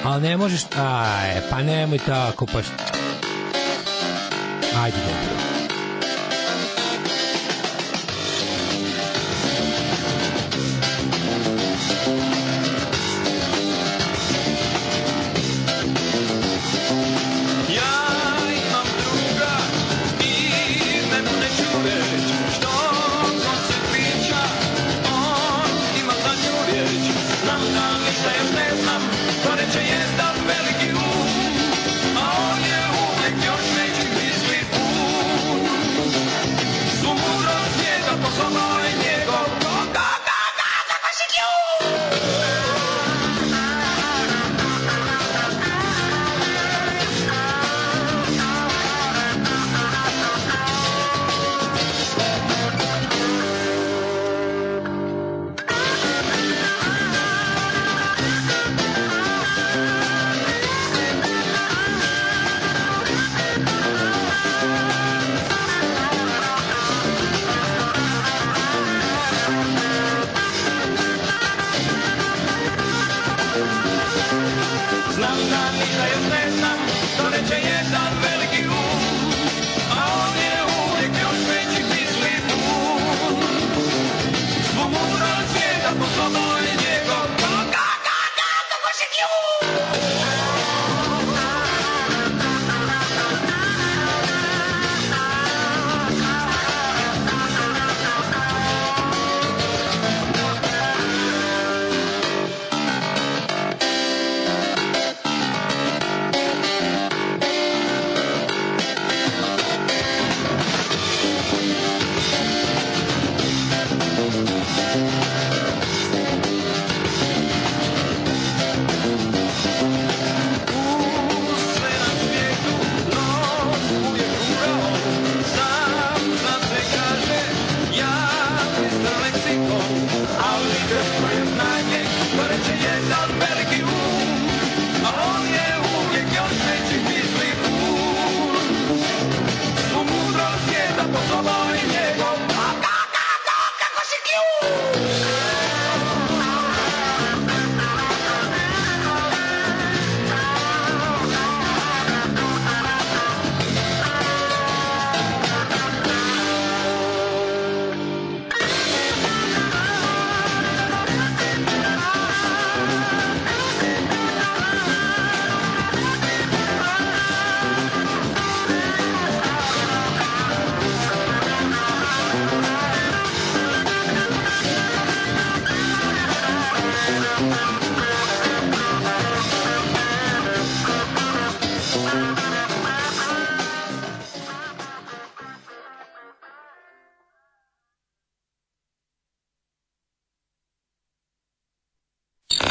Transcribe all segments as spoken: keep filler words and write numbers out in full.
Ali ne možeš, aj, pa nemoj tako, pa šta. Ajde, dobro.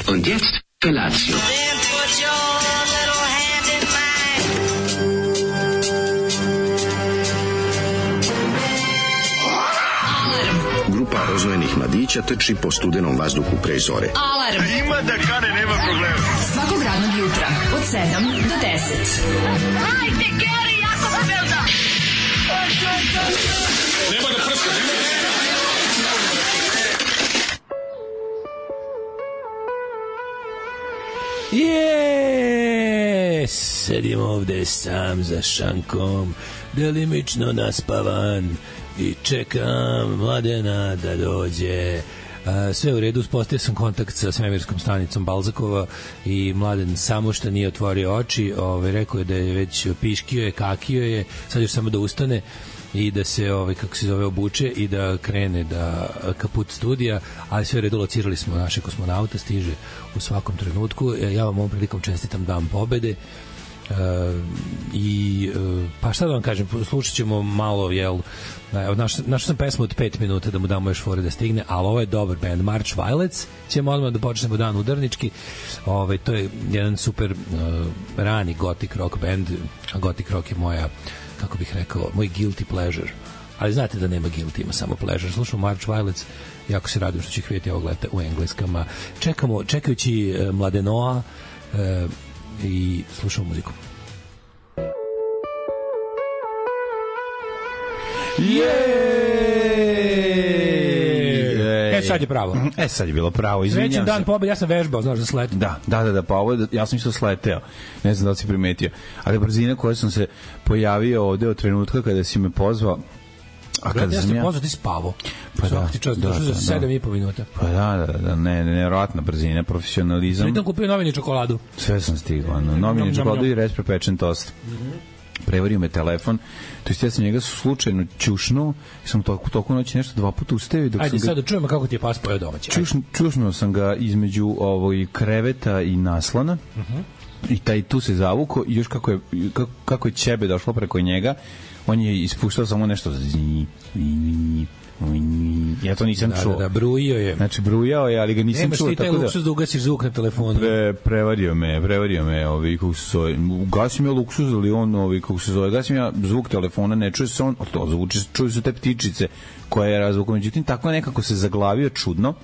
Und jetzt Felatio. Grupa rozvojenih mladića trči po studenom vazduhu pre zore. Alarm! Ima da kane, nema problema. Svakog radnog jutra, od sedam do deset. Hajde, Geri, jako se velda! Nema da prska, nema da prska! Jeee, sedim ovde sam za šankom, delimično naspavan i čekam Mladena da dođe. Sve u redu, uspostavio sam kontakt sa svemirskom stanicom Balzakova i Mladen samo što nije otvorio oči, ovaj, rekao je da je već piškio je, kakio je, sad još samo da ustane i da se, ovaj, kako se zove, obuče i da krene da kaput studija, ali sve u redu, locirali smo naše kosmonauta, stiže u svakom trenutku. Ja vam ovom prilikom čestitam Dan pobede. Uh, i uh, pa šta da vam kažem, slušat ćemo malo, jel, našao naš sam pesmu od pet minuta da mu damo još fore da stigne, ali ovo je dobar band, March Violets. Ćemo odmah da počnemo dan udarnički. Ovaj, to je jedan super uh, rani gothic rock band, a gothic rock je moja, kako bih rekao, moj guilty pleasure, ali znate da nema guilty, ima samo pleasure. Slušamo March Violets, jako se radim što će ih vidjeti ovog leta u engleskama. Čekamo, čekajući uh, Mladenoa uh, i slušamo muziku. Jeee! sad je pravo. E, sad je bilo pravo, izvinjam se. Srećan dan pobede, ja sam vežbao, znaš da sletim. Da, da, da, da, pa ovo je, ja sam isto sleteo. Ne znam da li si primetio. Ali brzina koja sam se pojavio ovde od trenutka kada si me pozvao, a kada ja sam ja... ja... pozvao, ti spavo. Pa Svaki da, ti čas, da, došao za da, sedam i po minuta. Pa da, da, da, ne, nevjerojatna brzina, profesionalizam. Svitam kupio novini čokoladu. Sve sam stigao, no, novini čokoladu i rest prepečen tost. Prevario me telefon, to jest ja sam njega slučajno ćušnuo i sam toku, toku noći nešto dva puta ustavio. Dok Ajde sam sad ga... da čujemo kako ti je pas pojao domaći. Čušn, čušnuo sam ga između ovog kreveta i naslona uh-huh. i taj tu se zavuko i još kako je, kako, kako je ćebe došlo preko njega, on je ispuštao samo nešto zni, zni, ja to nisam da, čuo. Da, da, brujio je. Znači, brujao je, ali ga nisam Nemaš čuo. Nemaš ti taj luksuz da ugasiš zvuk na telefonu. Pre, prevario me, prevario me, ovi, kako se zove. Ugasim ja luksuz, ali on, ovi, kako se zove, gasim ja zvuk telefona, ne čuje se on, to zvuči, čuju se te ptičice koje je razvukom. Međutim, tako nekako se zaglavio čudno,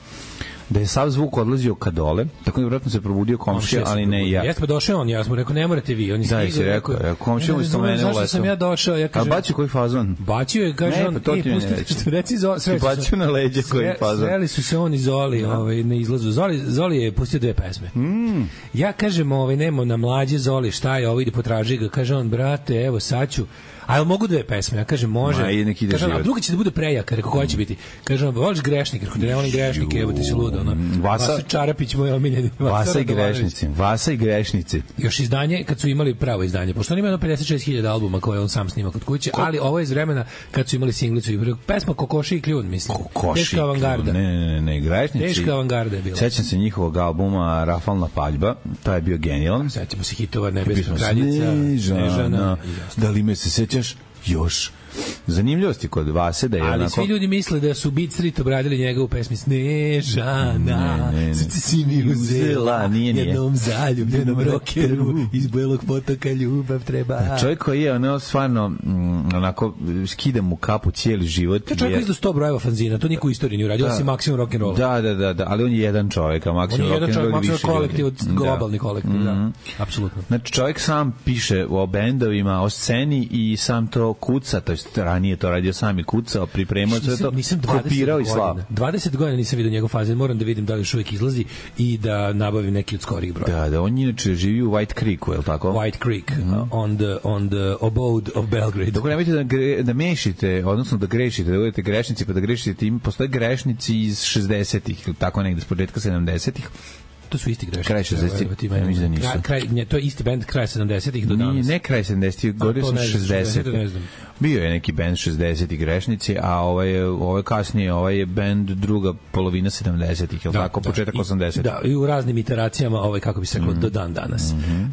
da je sav zvuk odlazio ka dole, tako da vjerojatno se probudio komšija, ali ne i ja. Jeste pa došao on, ja sam rekao, ne morate vi, on je stigao. Da, si rekao, ja, komšija mu isto mene uleto. Zašto sam ja došao, ja kažem... A bacio koji fazon? Bacio je, kaže ne, on, pa to ti e, mi ne pusti, reci Zoli, sreli su se. Na leđe koji fazon. Sreli su se on i Zoli, ovaj, na izlazu. Zoli, Zoli je pustio dve pesme. Mm. Ja kažem, ovaj, nemo na mlađe Zoli, šta je, ovo ide potraži ga, kaže on, brate, evo, sad ću. A jel mogu dve pesme? Ja kažem, može. Kažem, a druga će da bude prejaka, rekao, koja će biti? Kažem, voliš grešnik? Rekao, ne volim grešnik, evo ti si ludo. Ono. Vasa, Vasa Čarapić, moj omiljeni. Vasa i grešnici. Vasa i grešnici. Još izdanje, kad su imali pravo izdanje, pošto on ima pedeset šest hiljada albuma koje on sam snima kod kuće, ali ovo je iz vremena kad su imali singlicu i pesma Kokoši i kljun, mislim. Kokoši Teška avangarda. Ne, ne, ne, ne, grešnici. Teška avangarda je bila. Sećam se njihovog albuma Rafalna paljba, taj je bio genijalan. Sećamo se hitova Nebesna kraljica, Snežana. Da li me se sećaš još? Zanimljivosti kod Vase da je ali onako... svi ljudi misle da su Beat Street obradili njega u pesmi Snežana, srce si mi uzela, nije, nije. jednom zaljubljenom rokeru iz Belog potoka ljubav treba. Čovjek koji je ono stvarno mm, onako skida mu kapu cijeli život. To čovjek je izdao sto brojeva fanzina, to niko u istoriji nije uradio, osim Maksimum Rock'n'Rolla. Da, da, da, da, ali on je jedan čovjek, a Maksimum Rock'n'Roll je više ljudi. On je jedan čovjek, kolektiv, od globalni kolektiv, mm-hmm. da, apsolutno. Znači čovjek sam piše o bendovima, o sceni i sam to kuca, to je ranije to radio sam i kucao, pripremao sve to, kopirao i slav. dvadeset godina nisam vidio njegov fanzin, moram da vidim da li još uvijek izlazi i da nabavim neki od skorih broja. Da, da, on inače živi u White Creeku, je li tako? White Creek, mm-hmm. uh, on, the, on the abode of Belgrade. Dok nemojte da, gre, da mešite, odnosno da grešite, da budete grešnici, pa da grešite tim, postoje grešnici iz šezdesetih, tako negde, s početka sedamdesetih. To su isti grešnici. Kraj šezdesetih, ja mislim da nisu. Kraj, kraj, to je isti bend kraj sedamdesetih do danas. Nije, ne kraj sedamdesetih, govorio sam šezdesetih. Bio je neki bend šezdesetih grešnici, a ovaj, ovaj kasnije, ovaj je bend druga polovina sedamdesetih, je li da, tako, da, početak osamdesetih. Da, i u raznim iteracijama, ovaj, kako bi se rekao, mm. do dan danas. Mm-hmm. Um,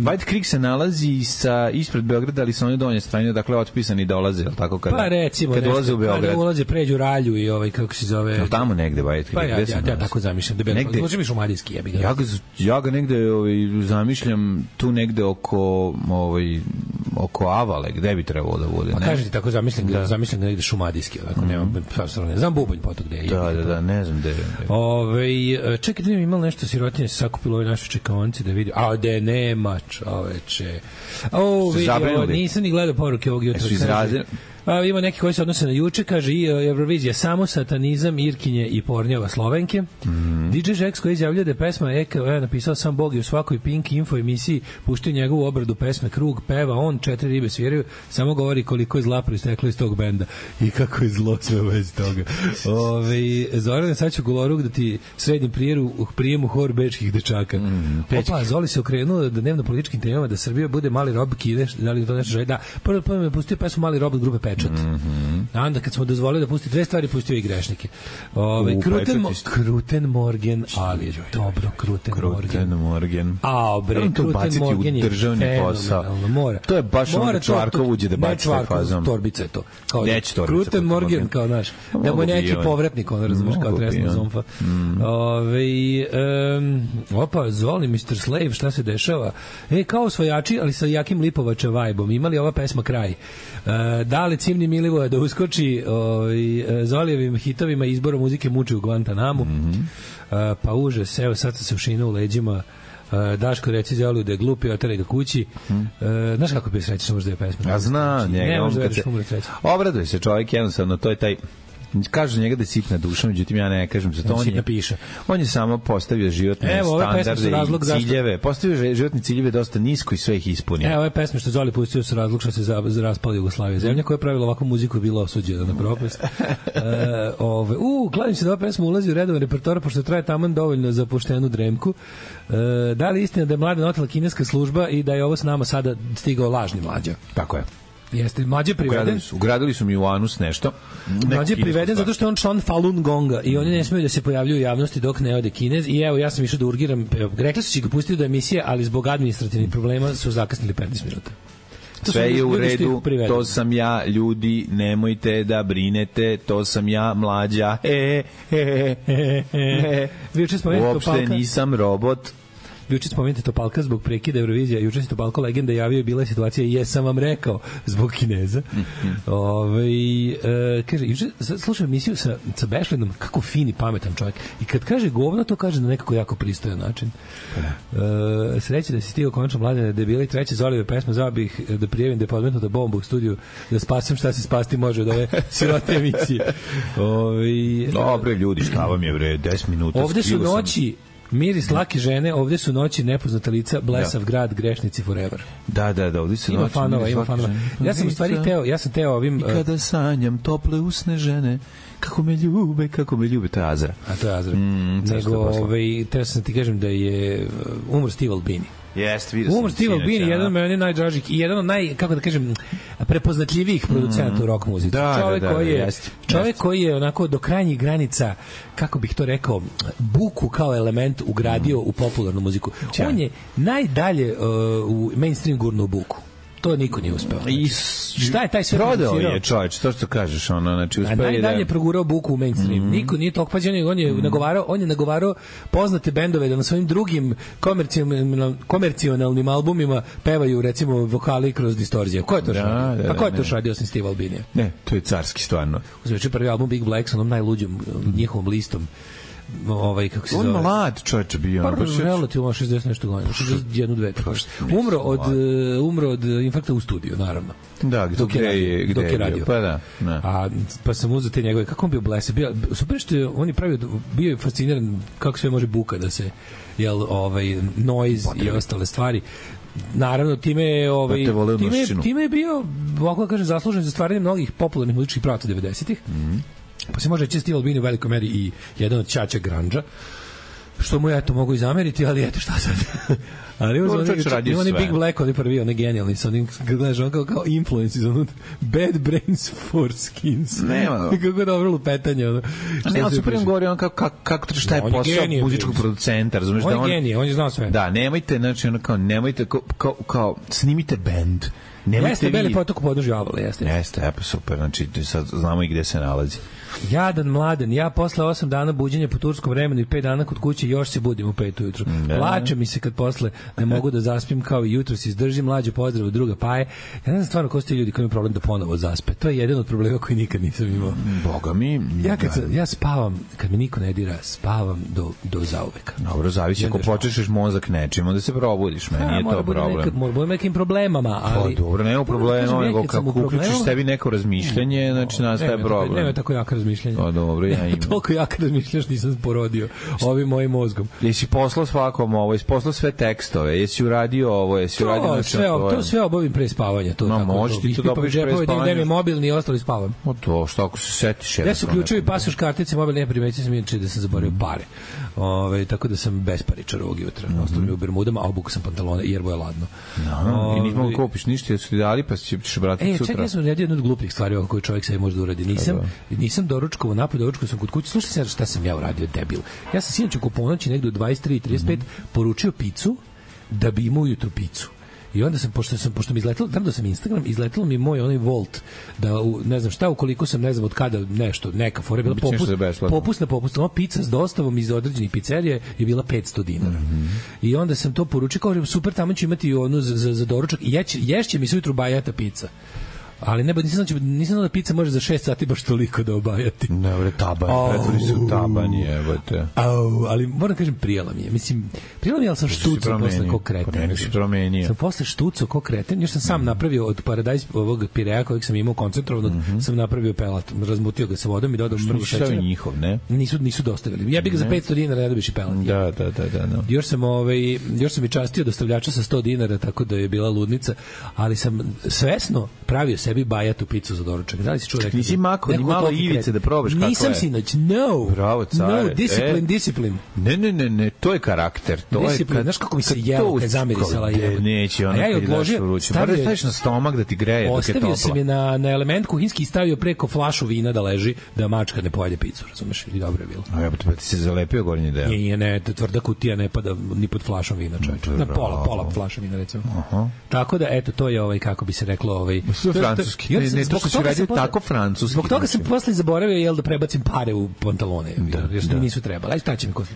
White Creek se nalazi sa, ispred Beograda, ali sa one donje strane, dakle, otpisani dolaze, je li tako? Kada, pa recimo, kad ulaze u Beograd. Kada ulaze, pređu Ralju i ovaj, kako se zove... No, tamo negde White Creek. Pa ja, ja, ja, ja tako zamišljam. Da negde, možda mi šumadijski jebi ga. Ja ga, ja ga negde ovaj, zamišljam tu negde oko, ovaj, oko Avale, gde bi trebalo da bude. Pa kažete tako zamislim ga, da. zamislim ga negde šumadijski, ako mm. nema, ne znam Bubanj potok gde je. Da, da, da, ne znam gde je. Ove, čekaj, da mi imalo nešto sirotinje se sakupilo ove naše čekaonice da vidi. A, de nema, čoveče. O, vidi, ovo, nisam ni gledao poruke ovog jutra. Su izrazili? A, ima neki koji se odnose na juče, kaže i Eurovizija samo satanizam, Irkinje i Pornjava Slovenke. Mm. D J Žeks koji izjavljuje da je pesma Eka je napisao sam Bog i u svakoj Pink Info emisiji puštaju njegovu obradu pesme Krug, peva on, četiri ribe sviraju, samo govori koliko je zla proisteklo iz tog benda i kako je zlo sve u vezi toga. Ove, Zoran, sad ću goloruk da ti sredim prijeru u prijemu hor bečkih dečaka. Mm, Opa, Zoli se okrenuo da dnevno političkim temama da Srbija bude mali rob Kine, da li to nešto želi? Da, prvo prvo me pustio pesmu Mali rob od grupe Pečat. Mm-hmm. A onda kad smo dozvolili da pusti dve stvari, pustio i grešnike. Ove, Kruten, mo, Kruten Morgen, ali dobro, Kruten, Kruten Morgen. Morgen. A, bre, Kruten Morgen je fenomenalno. Mora. To je baš ono Čvarkov uđe da baci taj fazom. Torbica je to. Kao Neće torbica. Kruten Morgen, kao naš. Da mu neki povratnik, ono razumeš, kao tresno zomfa. Mm. Ove, um, opa, Zoli, mister Slave, šta se dešava? E, kao osvajači, ali sa jakim Lipovača vajbom. Imali ova pesma kraj. Uh, da li Cimni Milivoje da uskoči ovaj, Zolijevim hitovima izborom muzike muči u Guantanamu. Mm-hmm. Uh, pa užas, evo sad se ušina u leđima. Uh, Daško reci Zoliju da je glupi, oteraj ga kući. Mm. Uh, znaš kako bi sreći što možda je pesma? Ja znam, njega. Ne možda veriš umre sreći. Obraduje se čovjek, jednostavno, to je taj Kaže njega da je sitna duša, međutim ja ne kažem za to. On je, piše. On je samo postavio životne Evo, standarde i ciljeve. Zašto... Postavio životne ciljeve dosta nisko i sve ih ispunio. Evo ove pesme što Zoli pustio su razlog što se za, za raspala Jugoslavija. Zemlja koja je pravila ovakvu muziku je bila osuđena na propast. e, ove, u, kladim se da ova pesma ulazi u redovan repertoar, pošto traje taman dovoljno za poštenu dremku. E, da li istina da je Mladen otela kineska služba i da je ovo s nama sada stigao lažni Mlađa? Tako je. Jeste, Mlađe priveden. Ugradili su, ugradili su mi u anus nešto. Mlađe priveden zato što je on član Falun Gonga i oni ne smiju da se pojavljuju u javnosti dok ne ode Kinez. I evo, ja sam išao da urgiram. Rekli su će ga pustiti do emisije, ali zbog administrativnih problema su zakasnili petnaest minuta. To sve je u redu, to sam ja, ljudi, nemojte da brinete, to sam ja, Mlađa. E, e, e, e. Uopšte nisam robot. Juče spomenute Topalka zbog prekida Eurovizija, juče se Topalko legenda javio i bila je situacija jesam vam rekao zbog Kineza. Mm-hmm. Ove, e, kaže, juče slušam emisiju sa, sa Bešlinom, kako fin i pametan čovjek. I kad kaže govno, to kaže na nekako jako pristojan način. E, sreće da si stigao konačno Mladene debili, treće Zolive pesme, zvao bih da prijavim da je podmetnuta bomba u studiju, da spasem šta se spasti može od ove sirote emisije. Ove, Dobre ljudi, šta vam je bre, deset minuta. Ovde su noći miris lake žene, ovdje su noći nepoznata lica, blesav da. Grad, grešnici forever. Da, da, da, ovdje su ima noći. Fanova, ima fanova. Ja sam u stvari teo, ja sam teo ovim... I kada sanjam tople usne žene, kako me ljube, kako me ljube, to je Azra. A to je Azra. Mm, Nego, ovaj, teo sam ti kažem da je umor Steve Albini. Jeste, vidio sam. Umor Steve Albini, jedan od meni najdražih i jedan od naj, kako da kažem, prepoznatljivijih producenta mm. u rock muzici. Da, čovjek da, da, koji je, jest, čovjek jest. koji je onako do krajnjih granica, kako bih to rekao, buku kao element ugradio mm. u popularnu muziku. Ča. On je najdalje uh, u mainstream gurnu buku. To niko nije uspeo. I šta je taj sve prodao je čovječ, to što kažeš, ono, znači uspeo je da najdalje progurao buku u mainstream. Mm -hmm. Niko nije tog pađenja, on je mm -hmm. nagovarao, on je nagovarao poznate bendove da na svojim drugim komercijalnim komercijalnim albumima pevaju recimo vokali kroz distorzije. Ko je to radio? Da, da, a ko je to radio sem Steve Albini? Ne, to je carski stvarno. Uzmeće prvi album Big Black sa onom najluđom njihovom listom. Ovaj kako se on zove. On mlad čovjek bio, pa baš relativno šezdeset nešto godina, šezdeset jedan dve. Umro od uh, umro od infarkta u studiju, naravno. Da, dok je radio, gde je radio. Pa da, ne. A pa sam uzeo te njegove, kako on bio blese, bio super što je, on je pravio, bio je fasciniran kako sve može buka da se jel ovaj noise Potrebi. I ostale stvari. Naravno, time je ovaj da time, time je bio, ovako da kažem, zaslužen za stvaranje mnogih popularnih muzičkih pravaca devedesetih. Mhm. Pa se može reći Steve Albini u velikoj meri i jedan od ćaća grandža, što mu ja to mogu i zameriti, ali eto šta sad. Ali uz oni, oni Big Black, oni prvi, oni genijalni, sa onim, kad gledaš, on kao, kao influence iz onog Bad Brains for Skins. Nema. Kako dobro lupetanje. Ono. Ne, ali super im govori on kako, kako, kako šta je no, posao muzičkog producenta, razumiješ? On da on je genije, on je znao sve. Da, nemojte, znači, ono kao, nemojte, kao, kao, kao snimite band. Nemojte jeste, vi... Beli potok u podnožju Avale, jeste. Jeste, epo, super, znači, sad znamo i gde se nalazi. Jadan mladen, ja posle osam dana buđenja po turskom vremenu i pet dana kod kuće još se budim u pet ujutru. Plače mi se kad posle ne mogu da zaspim kao i jutro se izdržim, mlađe pozdrav druga Paje. Ja ne znam stvarno ko su ti ljudi koji imaju problem da ponovo zaspe. To je jedan od problema koji nikad nisam imao. Boga mi. Ja, kad sam, ja spavam, kad me niko ne dira, spavam do, do zauveka. Dobro, zavisi ako počešeš mozak nečim, onda se probudiš, meni nije to problem. Nekad, mora biti nekim problemama, ali... Pa dobro, nema problema, nego kako uključiš sebi neko razmišljanje, znači nastaje problem. Nema tako jako razmišljanje. O, dobro, ja imam. Toliko jako razmišljaš, nisam porodio ovim mojim mozgom. Jesi poslao svakom ovo, jesi poslao sve tekstove, jesi uradio ovo, jesi to, uradio... Sve, to sve obavim pre spavanja. To, no, tako, možeš ti to da obaviš pre spavanja. Da mi mobilni i ostali spavam. O to, što ako se setiš... Ja se uključuju i pasoš kartice, mobilni, ne primetio sam inače da sam zaboravio pare. Ove, tako da sam besparičar ovog jutra. Mm -hmm. Ostalo mi u bermudama, a obukao sam pantalone, jer je ladno. No, i nismo mogu kupiš ništa, jer su ti dali, pa ćeš vratiti e, sutra. E, čekaj, ja sam radio jednu od glupih stvari ovako koju čovjek sve može da uradi. Nisam, nisam doručkovao, napoj doručkovao sam kod kuće. Slušaj se šta sam ja uradio, debil. Ja sam sinoć oko ponoći negde u dvadeset tri trideset pet mm -hmm. poručio picu da bi imao ujutru picu. I onda sam, pošto sam, pošto mi izletelo, tamo da sam Instagram, izletelo mi moj onaj Volt, da u, ne znam šta, ukoliko sam, ne znam od kada nešto, neka fora je bila popust, popust na popust, ova pizza s dostavom iz određenih pizzerije je bila petsto dinara. Mm -hmm. I onda sam to poručio, kao super, tamo ću imati onu za, za, za doručak i jeć, ješće mi se ujutru bajata pizza. Ali ne, nisam znao, nisam znao da pizza može za šest sati baš toliko da obajati. Ne, bre, taban, oh. pretvori se u taban, jebote. Au, ali moram kažem, prijela mi je. Mislim, prijela mi je, ali sam štucao posle ko kreten. Ne, si promenio. Sam posle štucao ko kreten, još sam sam mm. napravio od paradajz ovog pireja kojeg sam imao koncentrovanog, mm -hmm. sam napravio pelat, razmutio ga sa vodom i dodao mnogo šećera. Što njihov, ne? Nisu, nisu dostavili. Ja bih ga za petsto dinara ne dobiš i pelat. Da, da, da, da. No. Još sam, ovaj, još sam i častio dostavljača sa sto dinara, tako da je bila ludnica, ali sam svesno pravio sebi bajatu picu za doručak. Da li si čuo rekao? Nisi mako, ni malo ivice da probaš kako je. Nisam sinoć, no. Bravo, care. No, discipline, e. discipline. Ne, ne, ne, ne, to je karakter. To discipline, je, znaš kako mi se jelo kad zamirisala je. Neće, ona kad daš u ruču. Bar da staviš na stomak da ti greje dok je topla. Ostavio sam je na, na element kuhinski i stavio preko flašu vina da leži, da mačka ne pojede picu, razumeš? I dobro je bilo. A ja pa ti se zalepio gornji deo. Nije, ne, tvrda kutija ne pada ni pod flašom vina, čoveče. Na pola, pola flaša vina, recimo. Aha. Tako da, eto, to je ovaj, kako bi se reklo, ovaj... To je francuski. Ne, ne, to što si radio tako francuski. Zbog toga sam posle zaboravio, jel, da prebacim pare u pantalone, jer da. Nisu trebali. Aj, šta će mi kositi?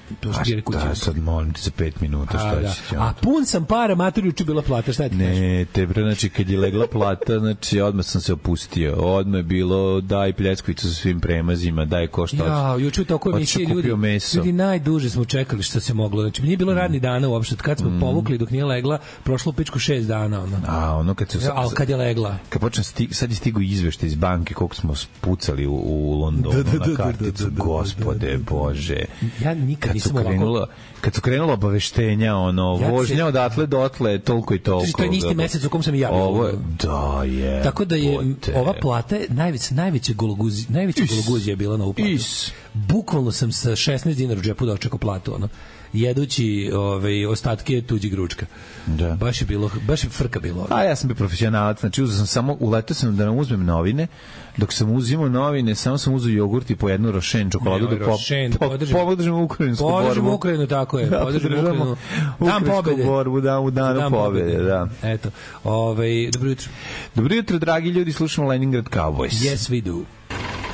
A sad molim ti za pet minuta, šta da. će? A pun sam para, mater, juče bila plata, šta ti kažeš? Ne, te bre, znači, kad je legla plata, znači, odmah sam se opustio. Odmah je bilo, daj pljeckvicu sa svim premazima, daj ko šta. Ja, juče u toku emisije ljudi, ljudi najduže smo čekali što se moglo. Znači, nije bilo radni dana uopšte. Kad smo mm. povukli dok nije legla, prošlo pičku šest dana. Ono. A, ono kad se... Ali kad je legla. Kad počne, sti, sad je stigo izveštaj iz banke koliko smo spucali u, u Londonu da, da, na karticu. Da, da, da, Gospode, da, da, da. Bože. Ja nikad nisam krenulo, ovako... Kad su krenula obaveštenja, ono, ja vožnja se... odatle dotle, toliko i toliko. To je isti mesec u kom sam i ja. Ovo, da je. Tako da je pote. Ova plata najveća najveća gologuzija, najveća gologuzija je bila na uplatu. Is. Bukvalno sam sa šesnaest dinara u džepu dočekao platu, ono. Jedući ovaj ostatke tuđih gručka. Da. Baš je bilo, baš je frka bilo. A ja sam bio profesionalac, znači uzeo sam samo, uletao sam da nam uzmem novine, dok sam uzimao novine, samo sam uzeo jogurt i po jednu rošen čokoladu da po, po, podržimo ukrajinsku borbu. Podržimo Ukrajinu, tako je. Podržimo Ukrajinu. Dan pobede. Borbu, dan, u danu dan pobede, pobede, da. Eto, ovaj, dobro jutro. Dobro jutro, dragi ljudi, slušamo Leningrad Cowboys. Yes, we do.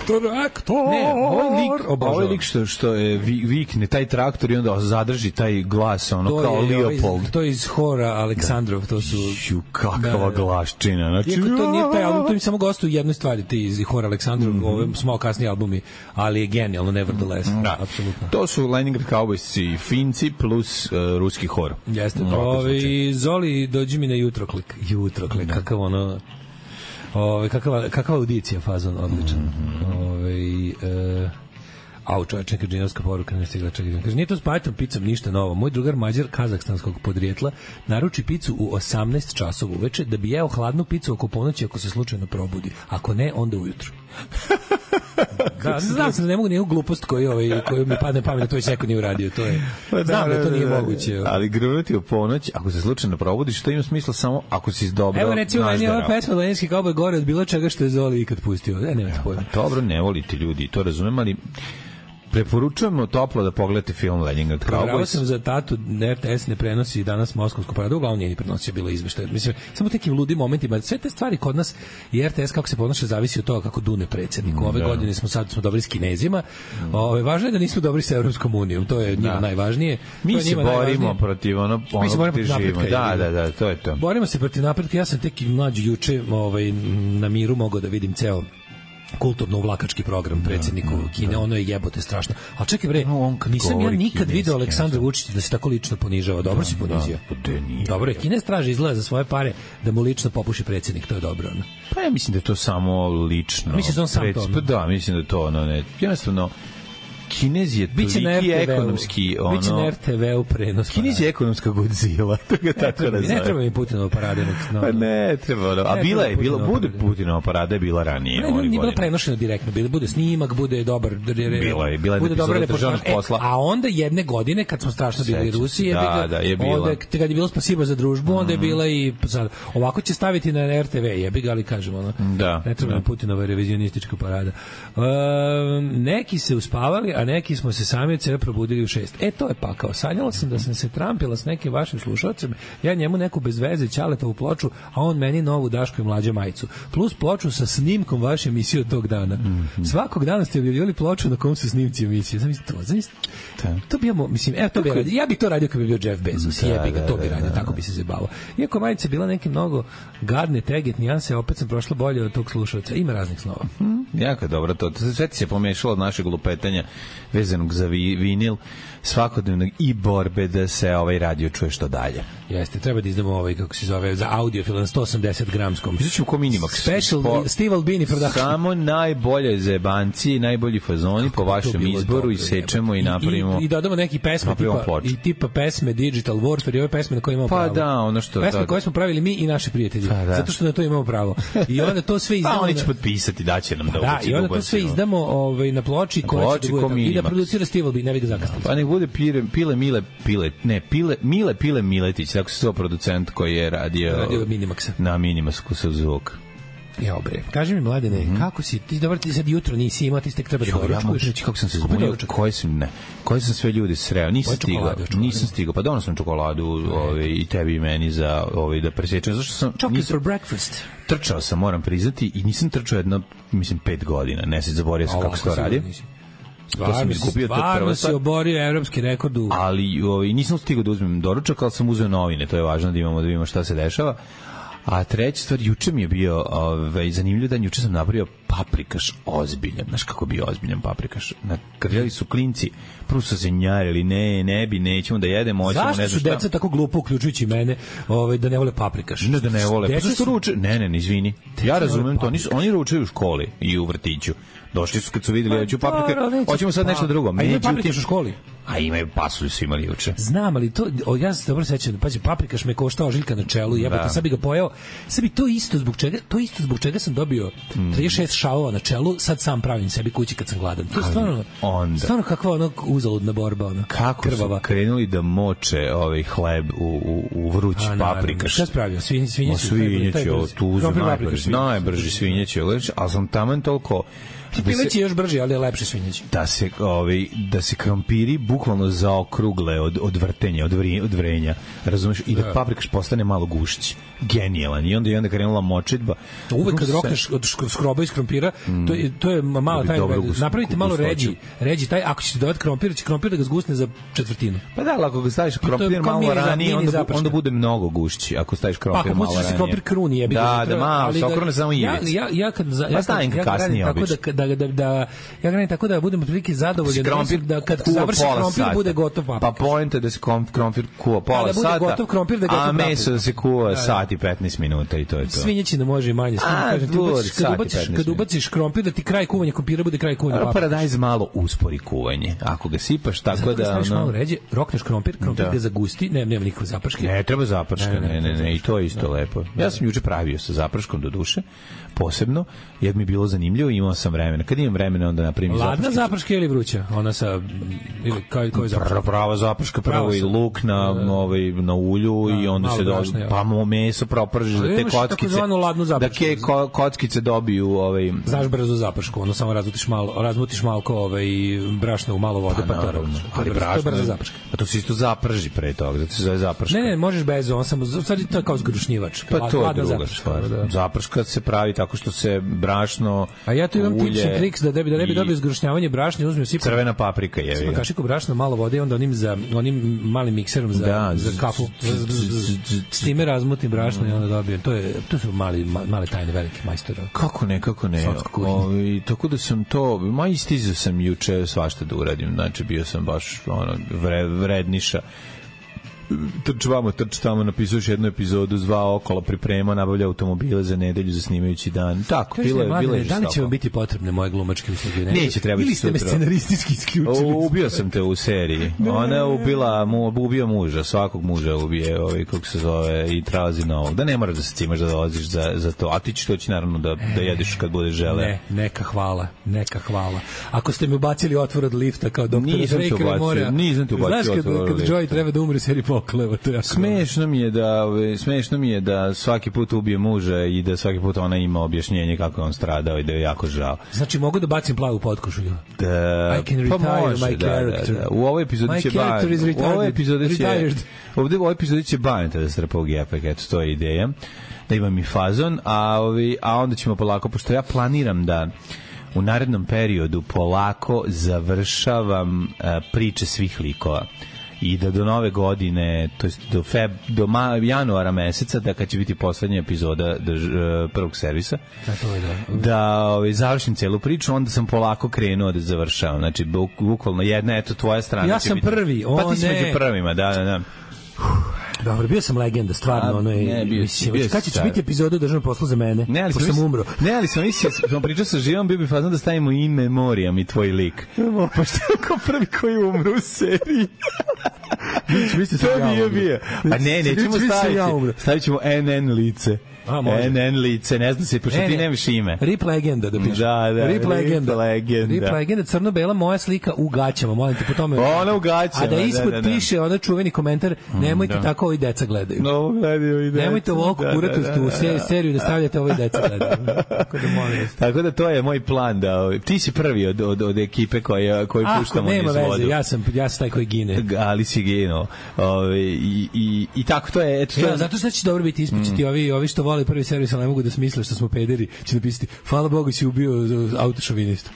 Traktor. Ne, ovaj lik, ovaj lik što, što je vikne taj traktor i onda zadrži taj glas, ono to kao je, Leopold. Ovaj, to je iz hora Aleksandrov, to su... Ju, kakava da, glaščina. Znači, iako to nije taj album, to mi samo gostuju jedne stvari, ti iz hora Aleksandrov, mm -hmm. ove smo kasniji albumi, ali je genijalno, nevertheless. Da, apsolutno. To su Leningrad Cowboys i Finci plus uh, ruski hor. Jeste. Ovi, Zoli, dođi mi na jutroklik. Jutroklik, da. Kakav ono... Ove, kakva, kakva audicija, fazon, odličan. Mm -hmm. Ove, e, au, čovječ, neka džinovska poruka, ne stigla čekaj. Kaže, nije to s pajetom picom ništa novo. Moj drugar Mađar kazahstanskog podrijetla naruči picu u osamnaest časova uveče da bi jeo hladnu picu oko ponoći ako se slučajno probudi. Ako ne, onda ujutru. Da, znam se da ne mogu nijeku glupost koju, ovaj, koju mi padne pamet da to već neko nije uradio. To je, znam da to nije moguće. Ali grunuti u ponoć, ako se slučajno probudiš, to ima smisla samo ako si dobro nažderao. Evo recimo, meni je ova pesma Leninski Cowboy gore od bilo čega što je Zoli ikad pustio. Ne, nemate pojma. Dobro, ne volite ljudi, to razumem, ali preporučujemo toplo da pogledate film Leningrad Cowboys. Provjerao sam za tatu, R T S ne prenosi danas Moskovsku paradu, uglavnom nije ni prenosio, bilo izveštaj. Mislim, samo tekim ludim momentima, sve te stvari kod nas i R T S kako se ponaša zavisi od toga kako dune predsjednik. Ove da. godine smo sad smo dobri s Kinezima. Mm. Ove, važno je da nismo dobri sa Evropskom unijom, to je njima da. najvažnije. Mi se borimo najvažnije. protiv ono, ono se borimo živimo. Da, da, da, to je to. Borimo se protiv napretka. Ja sam tek mlađi juče ovaj, na miru mogao da vidim ceo kulturno-uvlakački program predsjedniku da, Kine, da. Ono je jebote strašno. A čekaj bre, no, nisam ja nikad video Aleksandra Vučića da se tako lično ponižava. Dobro da, si ponizio. Da, dobro je, Kines traži izgleda za svoje pare da mu lično popuši predsjednik, to je dobro. Ono. Pa ja mislim da je to samo lično. Mislim da on sam Pred, to. Ono. Da, mislim da je to ono, ne. Jednostavno, Kinez je toliki ekonomski ono... Biće na R T V-u prenos. Kinez je ekonomska Godzilla, to ga tako nazove. Ne treba mi Putinova parada. No. Pa ne treba, no. A bila je, bila, bude Putinova parada je bila ranije. Ne, nije bila prenošena direktno, bila, bude snimak, bude dobar... Bila je, bila je bude epizoda državnog posla. E, a onda jedne godine, kad smo strašno bili Rusiji, da, da, je bila. Onda, kad je bilo Spasiba za družbu, mm. onda je bila i... Sad, ovako će staviti na R T V, jebi ga, ali kažemo, ono, da, ne treba da. Putinova revizionistička parada. Uh, neki se uspavali, a a neki smo se sami od sebe probudili u šest. E, to je pakao. Sanjala sam da sam se trampila s nekim vašim slušalcem, ja njemu neku bez veze Ćaletovu ploču, a on meni novu Daško i mlađe majicu. Plus ploču sa snimkom vaše emisije od tog dana. Mm-hmm. Svakog dana ste objavljivali ploču na kom su snimci emisije. Zamisli to, zamisli. To bi ja, mislim, evo to bi radio. Ja bih to radio kad bi bio Jeff Bezos. Da, jebi ga, to bi radio, tako bi se zabavao. Iako majica bila neke mnogo gadne, teget, nijanse, opet sam prošla bolje od tog slušalca. Ima raznih snova. Hmm, jako dobro to. Sve ti se pomešalo od našeg lupetanja vezanog za vi, vinil, svakodnevnog i borbe da se ovaj radio čuje što dalje. Jeste, treba da izdamo ovaj, kako se zove, za audiofil na sto osamdeset gramskom. Izaćemo ko Minimax. Special po, Steve Albini production. Samo najbolje zebanci, najbolji fazoni po vašem izboru i sečemo i, i napravimo. I, i dodamo neki pesme tipa, i tipa pesme Digital Warfare i ove pesme na koje imamo pa pravo. Pa da, ono što... Pesme da, koje smo pravili mi i naši prijatelji. Pa da. Zato što na to imamo pravo. I onda to sve izdamo... Pa oni će potpisati, daće nam da da, i onda to sve izdamo ovaj, na ploči koja će da bude i da producira Steve Albini, ne vidi ga zakasniti. Pa nek bude pire, pile, mile, pile, ne, pile, mile, pile, Miletić, tako se to producent koji je radio, radio Minimaxa. Na Minimaxu sa zvuk. Ja, bre. Kaži mi, Mladene, mm-hmm. kako si? Ti dobro ti sad jutro nisi imao, ti ste treba da doručkuješ. Ja mogu reći kako sam se zbunio, koji sam, ne, koji sam sve ljudi sreo. Nisam stigao, nisam stigao. Pa donos sam čokoladu ovaj, i tebi i meni za ovaj, da presječem. Zašto sam... Chocolate nisam, for breakfast. Trčao sam, moram priznati, i nisam trčao jedno, mislim, pet godina. Ne se zaborio sam kako se to radi. Stvarno, to sam izgubio, stvarno si oborio evropski rekord u... Ali ovaj, nisam stigao da uzmem doručak, ali sam uzeo novine, to je važno da imamo da vidimo šta se dešava. A treća stvar, juče mi je bio ovaj, zanimljiv dan, juče sam napravio paprikaš ozbiljan. Znaš kako bi ozbiljan paprikaš? Nakrljali su klinci, prvo su se njarili, ne, ne bi, nećemo da jedemo, hoćemo, ne znam šta. Zašto su deca tako glupo, uključujući mene, ovaj, da ne vole paprikaš? Ne da ne vole, pa zašto ruče? Ne, ne, ne, izvini. Ja razumem to, nisu, oni ručaju u školi i u vrtiću. Došli su kad su videli, ja ću paprike, hoćemo sad nešto drugo. A imaju paprikaš u školi? A imaju, pasulju su imali juče. Znam, ali to, o, ja se dobro sećam, pazi, paprikaš me koštao ožiljka na čelu, jebote, sad bi ga pojeo, sad bi to isto zbog čega, to isto zbog čega sam dobio trideset šest šavova na čelu, sad sam pravim sebi kući kad sam gladan. To je stvarno, onda, stvarno kakva ono uzaludna borba, ono, kako krvava. Su krenuli da moče ovaj hleb u, u, u vruć A, paprikaš. Šta spravio? Svinjeći? Svinjeći, svinjeći, tu uzem najbrži, najbrži svinjeći, ali sam taman toliko... Pileći je još brži, ali je lepši svinjeći. Da se, ovaj, da se krompiri bukvalno zaokrugle od, od vrtenja, od, vri, od vrenja, razumiješ? I da, da paprikaš postane malo gušći. Genijalan. I onda je onda krenula močitba. Uvek kad rokneš od skroba iz krompira, mm. to, je, to je malo taj... Napravite malo ređi, ređi taj, ako ćete dodati krompir, će krompir da ga zgusne za četvrtinu. Pa da, ali ako ga staviš krompir malo ranije, onda, onda bude mnogo gušći. Ako staviš krompir pa, malo ranije. Pa ako se krompir kruni, jebi da, da, malo, se okrune samo ivic. Ja, ja, kad, ja, pa ja, kasnije obično. Da, da, da, ja gradim tako da budem otprilike zadovoljan da kad završi krompir bude gotov paprikaš. Pa poenta da se krompir kuva pola sata, da bude gotov krompir da a meso da se kuva sat i petnaest minuta i to je to. Svinjećina može i manje. Kažem ti, kad ubaciš, kad ubaciš krompir da ti kraj kuvanja krompira bude kraj kuvanja paprikaša. Paradajz malo uspori kuvanje. Ako ga sipaš tako da ono malo ređe, rokneš krompir, krompir ga zagusti, ne, nema nikakve zaprške. Ne, treba zaprška, ne, ne, ne, i to je isto lepo. Ja sam juče pravio sa zaprškom do duše, posebno, jer mi je bilo zanimljivo, imao sam vremena. Kad imam vremena, onda napravim zapršku. Ladna zaprška ili vruća? Ona sa ili kao koji zaprška? Prava zaprška, prvo i luk na ovaj na ulju i onda se do pa meso propržiš da te kockice. Da ke kockice dobiju ovaj znaš brzo zapršku, ono samo razmutiš malo, razmutiš malo kao ovaj brašno u malo vode pa to. Ali brašno zaprška. Pa to se isto zaprži pre toga, zato se zove zaprška. Ne, ne, možeš bez, on samo stvari to je kao zgrušnjivač. Pa to je druga stvar. Zaprška se pravi tako što se brašno, a ja tu imam tips and tricks da da ne bi dobio zgrušnjavanje brašna, uzmem sipam crvena paprika je. Sipam kašiku brašna, malo vode i onda onim za onim malim mikserom za da, za kafu. S time razmutim brašno i onda dobijem. To je to su mali male tajne velike majstori. Kako ne, kako ne. I tako da sam to, ma istizao sam juče svašta da uradim. Znači bio sam baš ono vredniša. Trč vamo, trč tamo, napisuješ jednu epizodu, zvao okolo, priprema, nabavlja automobile za nedelju za snimajući dan. Tako, bilo je, bilo je. Da li će vam biti potrebne moje glumačke usluge? Neće trebati. Ili ste me scenaristički isključili? Ubio sam te u seriji. Ona je ubila, mu, ubio muža, svakog muža ubije, ovaj, kako se zove, i trazi novog. Da ne moraš da se cimaš da dolaziš za, za to. A ti ćeš toći naravno da, da jedeš kad budeš žele. Ne, neka hvala, neka hvala. Ako ste mi ubacili otvor od lifta kao doktor Drake Mora. Nisam te ubacio otvor od lifta. Znaš kad Joey treba da umre u seriji Pop? okleva, to je jako smešno mi je da smešno mi je da svaki put ubije muža i da svaki put ona ima objašnjenje kako je on stradao i da je jako žao. Znači mogu da bacim plavu potkošulju. Da, I can retire pa može, my da, character. Da, da. U ovoj epizodi će Ban. U ovoj epizodi će ovde u ovoj epizodi će Baneta da strpa u gepek, eto to je ideja. Da imam i fazon, a ovi a onda ćemo polako, pošto ja planiram da u narednom periodu polako završavam uh, priče svih likova i da do nove godine, to jest do feb, do ma, januara meseca, da kad će biti poslednja epizoda do, uh, prvog servisa, da, to je da, da ovaj, završim celu priču, onda sam polako krenuo da završavam. Znači, buk, bukvalno jedna, eto, tvoja strana. Ja sam biti, prvi, o pa ti si ne. među prvima, da, da, da. Dobro, bio sam legenda, stvarno, ono je, ne, bio, mislim, bio kad će biti epizoda državnog posla za mene, ne, ali pošto sam umro. Ne, ali sam mislio, sam pričao sa Živom, bio bi fazno da stavimo in memoriam i tvoj lik. Pošto je kao prvi koji umru u seriji. To nije bio. Pa ne, nećemo staviti. Stavit ćemo N N lice. A, N N lice, ne znam se, pošto ne, ti nemaš ime. Rip legenda da piše. Da, da, Rip legenda. Rip legenda. Rip legenda, crno-bela, moja slika u gaćama, molim te po tome. Ona u gaćama, a da ispod da, da, da. piše onaj čuveni komentar, nemojte da. tako ovi deca gledaju. No, gledaju i deca. Nemojte ovoliko da, kuratostu u da, da, seriju da stavljate ovi deca gledaju. Tako da molim. Tako da to je moj plan, da ti si prvi od, od, od ekipe koja, koju puštamo niz vodu. Nema veze, ja sam, ja sam taj koji gine. Ali si ginuo. Ove, i, i, I tako to je. Eto, to ja, je... zato što će dobro biti ispričati, mm. ovi, ovi što vole prvi servis, ali ne mogu da smisle što smo pederi, će napisati, hvala Bogu si ubio autošovinista.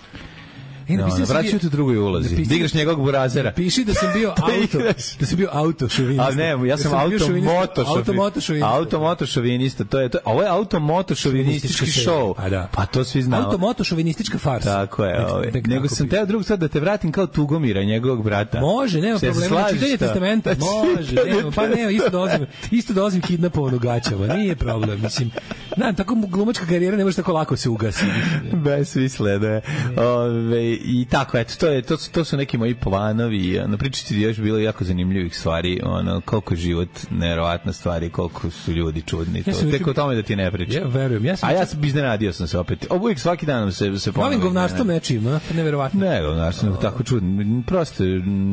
E, no, vraćaju tu drugoj ulozi. Da igraš njegovog burazera. Piši da sam bio auto, da sam bio auto šovinista. A ne, ja sam, sam auto moto šovinista. Auto moto šovinista. To je to. Ovo je auto moto šovinistički show. Pa da. Pa to svi znamo. Auto moto šovinistička farsa. Tako je, ovaj. Nego sam teo drug sad da te vratim kao Tugomira, njegovog brata. Može, nema problema. Čitanje testamenta. Može, nema, pa ne, isto dolazim, isto dolazim kidnapovan u gaćama. Nije problem, mislim. Na, tako glumačka karijera ne može tako lako se ugasi. Besmisleno. Ove i tako, eto, to, je, to, to su neki moji planovi. Na pričati je još bilo jako zanimljivih stvari, ono, koliko je život neverovatna stvari, koliko su ljudi čudni. Ja to. Tek o tome da ti ne pričam. Ja verujem. Ja sam A ja sam iznenadio sam se opet. Uvijek svaki dan se, se ponovim. Novim govnarstvom nečim, no? Neverovatno. Ne, govnarstvom, oh. tako čudno. Prosto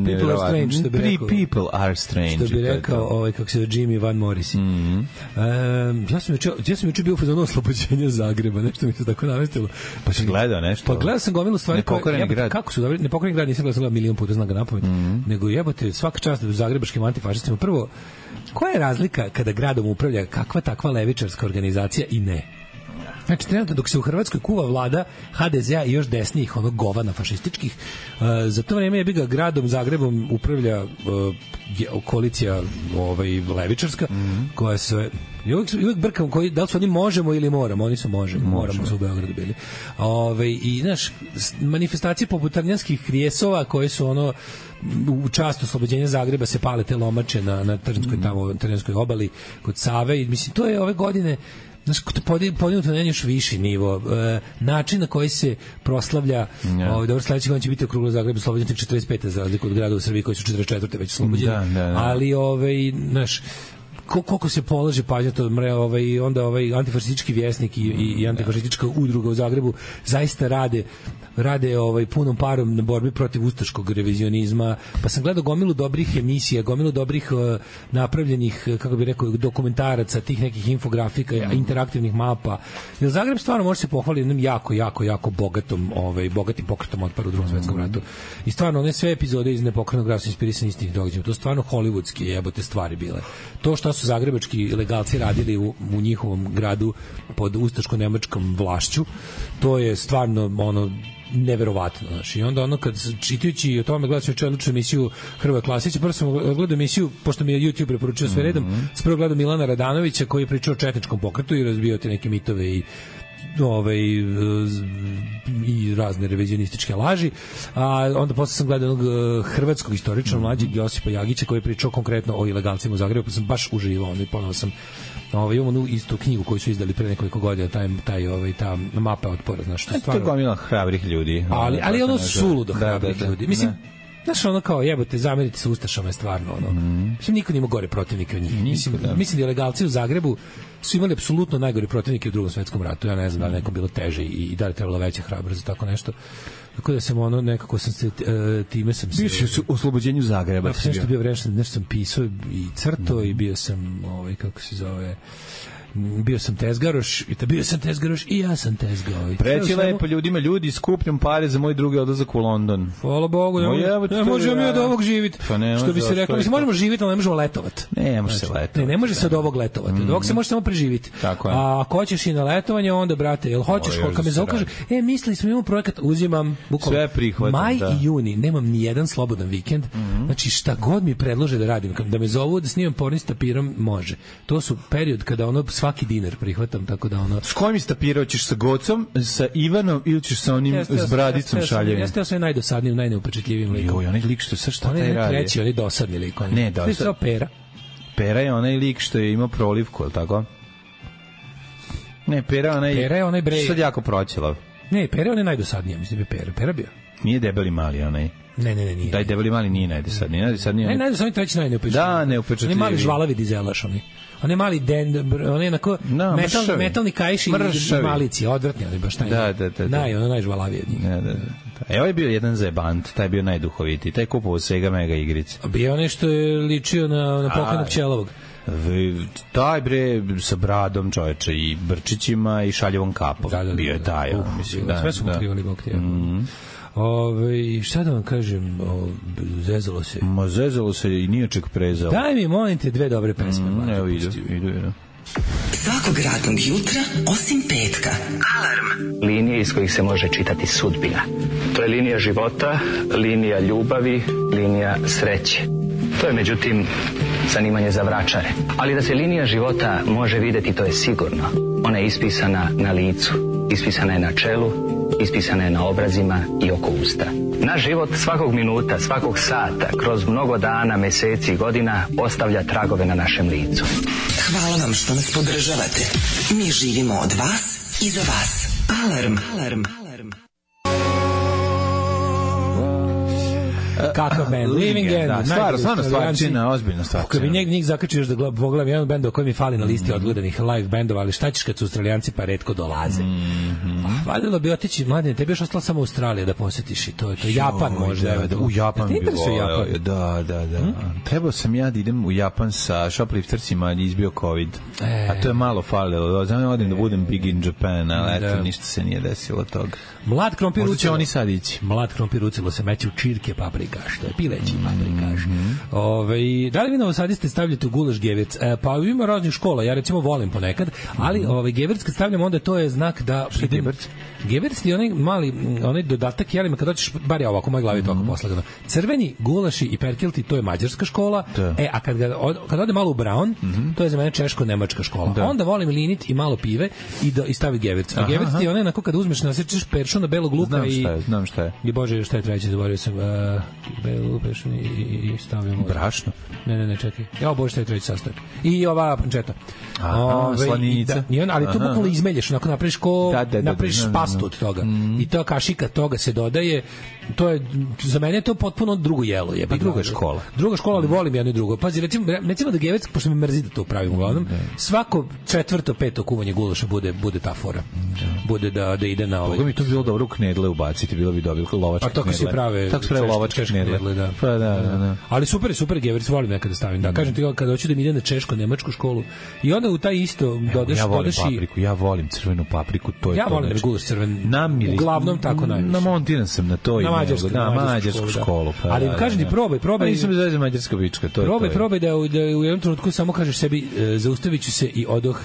People are strange, što bi rekao. People are strange. Što bi rekao, ovaj, kako se Jimmy Van Morrison. Mm -hmm. um, ja sam juče, ja sam juče bio u fazonu oslobođenja Zagreba, nešto mi se tako namestilo. Pa si gledao nešto? Pa gledao sam gomilu stvari koje, grad. Kako su dobri, nepokoreni grad, nisam gledao milion puta, znam ga napamet, mm -hmm. nego jebote, svaka čast zagrebačkim antifašistima. Prvo, koja je razlika kada gradom upravlja kakva takva levičarska organizacija i ne? Znači, trenutno dok se u Hrvatskoj kuva vlada ha de zea i još desnijih, onog govana fašističkih, uh, za to vreme je bi ga gradom Zagrebom upravlja uh, koalicija ovaj, levičarska, mm -hmm. koja se... I uvijek, uvijek brkam koji, da li su oni možemo ili moramo, oni su možemo, moramo su u Beogradu bili. Ove, i, znaš, manifestacije poput arnjanskih krijesova koje su ono u čast oslobođenja Zagreba se pale te lomače na, na Trnskoj, tamo, Trnskoj obali kod Save i mislim, to je ove godine znaš, podignuto na još viši nivo. E, način na koji se proslavlja, yeah. ovaj, dobro, sledeći godin će biti okruglo Zagreb oslobođen četrdeset pete za razliku od grada u Srbiji koji su četrdeset četvrte već oslobođeni. Da, da, da. Ali, ovaj, znaš, koliko se polaže pažnja to mre, ovaj onda ovaj antifašistički vjesnik i, i, i antifašistička udruga u Zagrebu zaista rade rade ovaj punom parom na borbi protiv ustaškog revizionizma. Pa sam gledao gomilu dobrih emisija, gomilu dobrih uh, napravljenih, kako bih rekao, dokumentaraca, tih nekih infografika, mm. interaktivnih mapa. Jer Zagreb stvarno može se pohvaliti jednom jako, jako, jako bogatom, ovaj, bogatim pokretom otpora u Drugom svetskom ratu. I stvarno, one sve epizode iz Nepokrenog grada su inspirisane istih događaja. To stvarno hollywoodski jebote stvari bile. To što su zagrebački legalci radili u, u njihovom gradu pod ustaško-nemačkom vlašću, to je stvarno ono neverovatno, znači. I onda ono kad čitajući o tome gledam juče odličnu emisiju Hrvoja Klasića, prvo sam gledao emisiju pošto mi je YouTube preporučio sve redom, mm -hmm. prvo gledao Milana Radanovića koji je pričao o četničkom pokretu i razbio te neke mitove i ovaj i razne revizionističke laži. A onda posle sam gledao onog hrvatskog istoričara mlađeg Josipa Jagića koji je pričao konkretno o ilegalcima u Zagrebu, pa sam baš uživao, onda i ponovo sam ovaj imamo onu istu knjigu koju su izdali pre nekoliko godina, taj taj ovaj ta mapa otpora, znaš, što stvarno. To je gomila hrabrih ljudi. Ali ali ono suludo hrabrih ljudi. Mislim, Znaš, ono kao, jebote, zamerite se Ustašama je stvarno, ono. Mm. Mislim, niko nima gore protivnike od njih. Mislim, da. mislim da je legalci u Zagrebu su imali apsolutno najgori protivnike u Drugom svetskom ratu. Ja ne znam da li nekom bilo teže i, i da li trebalo veća hrabrost za tako nešto. Tako da sam ono, nekako sam se, uh, time sam se... Bio si u oslobođenju Zagreba. Da, sam nešto bio vrešan, nešto sam pisao i crto mm. i bio sam, ovaj, kako se zove... bio sam tezgaroš i ta bio sam tezgaroš i ja sam tezgao. Preći lepo ljudima, ljudi skupljam pare za moj drugi odlazak u London. Hvala Bogu, ne, može, ne možemo mi od ovog živjeti. Pa ne što bi se reklo, mislim, možemo živjeti, ali ne možemo letovati. Ne, može se letovati. Ne, ne može se od ovog letovati. Od ovog se može samo preživiti. Tako je. A ako hoćeš i na letovanje, onda, brate, jel hoćeš, koliko me zaukaže, e, mislili smo imamo projekat, uzimam, bukvalno. Sve prihvatam, maj i juni, nemam ni jedan slobodan vikend. Znači, šta god mi predlože da radim, da me zovu da snimam porno s tapirom, može. To su period kada ono svaki dinar prihvatam. Tako da ono... S kojim istapirao ćeš, sa Gocom, sa Ivanom ili ćeš sa onim jeste, s bradicom šaljevim? Jeste ja sam najdosadnijim, najneupečetljivim likom. Joj, onaj lik što sa šta taj radi? On je treći, onaj dosadni lik. On ne, dosadni. To je Pera. Pera je onaj lik što je imao prolivku, je li tako? Ne, Pera je onaj... Pera je onaj brej... Sad jako proćelav. Ne, Pera je onaj najdosadniji, mislim da je Pera. Pera bio. Nije debeli mali onaj. Ne, ne, ne, nije. Daj, debeli mali nije najdosadniji. Najdosadniji ne, najdosadniji treći najneupečetljiviji. Da, neupečetljiviji. On je mali žvalavi dizelaš, onaj. On je mali den, on je onako no, metal, metalni kajši i malici, odvratni, ali baš taj. Da, da, da. Naj, ono najžvalaviji od njih. Da, da, da. Evo je bio jedan zajebant, taj je bio najduhovitiji, taj kupovao Sega Mega igrice. Bio onaj što je ličio na, na pokojnog Ćelovog. Taj bre sa bradom čoveče i brčićima i šaljevom kapom. Da, da, da, bio je taj, da, on, mislim. Da, sve su pokrivali Bog tijela. Mm. Ove, šta da vam kažem, o, zezalo se. Ma zezalo se i nije ček prezalo. Daj mi, molim te, dve dobre pesme. Mm, evo, idu, idu, idu. Svakog radnog jutra, osim petka. Alarm. Linije iz kojih se može čitati sudbina. To je linija života, linija ljubavi, linija sreće. To je, međutim, zanimanje za vračare. Ali da se linija života može videti, to je sigurno. Ona je ispisana na licu, ispisana je na čelu, ispisana je na obrazima i oko usta. Naš život svakog minuta, svakog sata, kroz mnogo dana, meseci i godina ostavlja tragove na našem licu. Hvala vam što nas podržavate. Mi živimo od vas i za vas. Alarm. Alarm. Kakav band, Living End. Da, stvarno, stvarno stvarčina, ozbiljna stvarčina. Kad bi njeg njih zakačio da pogledam jedan bend koji mi fali na listi odgledanih live bendova, ali šta ćeš kad su Australijanci pa retko dolaze. Valjalo bi otići, mladine, tebi još ostala samo Australija da posjetiš i to je to. Japan možda. U Japan bi voleo. Da, da, da. Trebao sam ja da idem u Japan sa shopliftercima, ali izbio COVID. A to je malo falilo. Znam odim da budem big in Japan, ali eto, ništa se nije desilo toga. Mlad krompir ucelo. Možda će oni sad ići. Mlad krompir ucelo se meće u čirke paprikaš, što je pileći paprikaš. Mm-hmm. Ove, da li vi novosadiste stavljate u gulaš gevirc? E, pa ima raznih škola, ja recimo volim ponekad, ali mm-hmm. ovaj gevirc kad stavljam, onda to je znak da... Što je gevirc? Gevirc je onaj mali, onaj dodatak jelima, kad hoćeš, bar je ovako, u mojoj glavi mm-hmm. toliko poslagano. Crveni, gulaši i perkelti, to je mađarska škola, da. E, a kad, ga, od, kad ode malo u brown, mm-hmm. to je za mene češko-nemačka škola. Da. Onda volim linit i malo pive i, do, i stavi gevirc. A gevirc je onaj, onako kad uzmeš, nasječeš peršun na belog luka znam i... Šta je, znam šta je. I bože, šta je treće, zaboravio sam. Uh, belu peršun i, i, i stavljamo... Brašno? Ne, ne, ne, čekaj. Ja, bože, šta je treći sastojak. I ova pančeta. Aha, slaninica. Da, on, ali to bukvalno izmelješ, onako napraviš ko... Da, da, da, napraviš da, da, pastu od toga. Mm. I to kašika toga se dodaje. To je, za mene je to potpuno drugo jelo. Je, pa druga škola. Druga škola, ali volim jedno i drugo. Pazi, recimo, recimo da gevirc, pošto me mrzi da to upravim uglavnom, svako četvrto, peto kuvanje gulaša bude, bude ta fora. Bude da, da ide na ovaj... Boga mi to bilo dobro u knedle ubaciti, bilo bi dobro lovačke knedle. A to kad se prave... Tako se prave lovačke knedle. Da. Pa da, da, da. Ali super, super gevirc, volim nekada da stavim. Da, kažem ti, kada hoću da mi ide na češko-nemačku školu i onda u taj isto dodaš... Ja volim dodaš papriku, ja volim crvenu papriku, to je ja to. Ja volim da gulaš crven, namiris, uglavnom tako najviše. Namontiran sam na to i na mađarsku, na mađarsku školu. Pa, ali da, kažem ti, probaj, probaj. Nisam da zove mađarska bička, to je probaj, to. Probaj, probaj da, da u jednom trenutku samo kažeš sebi, e, zaustavit ću se i odoh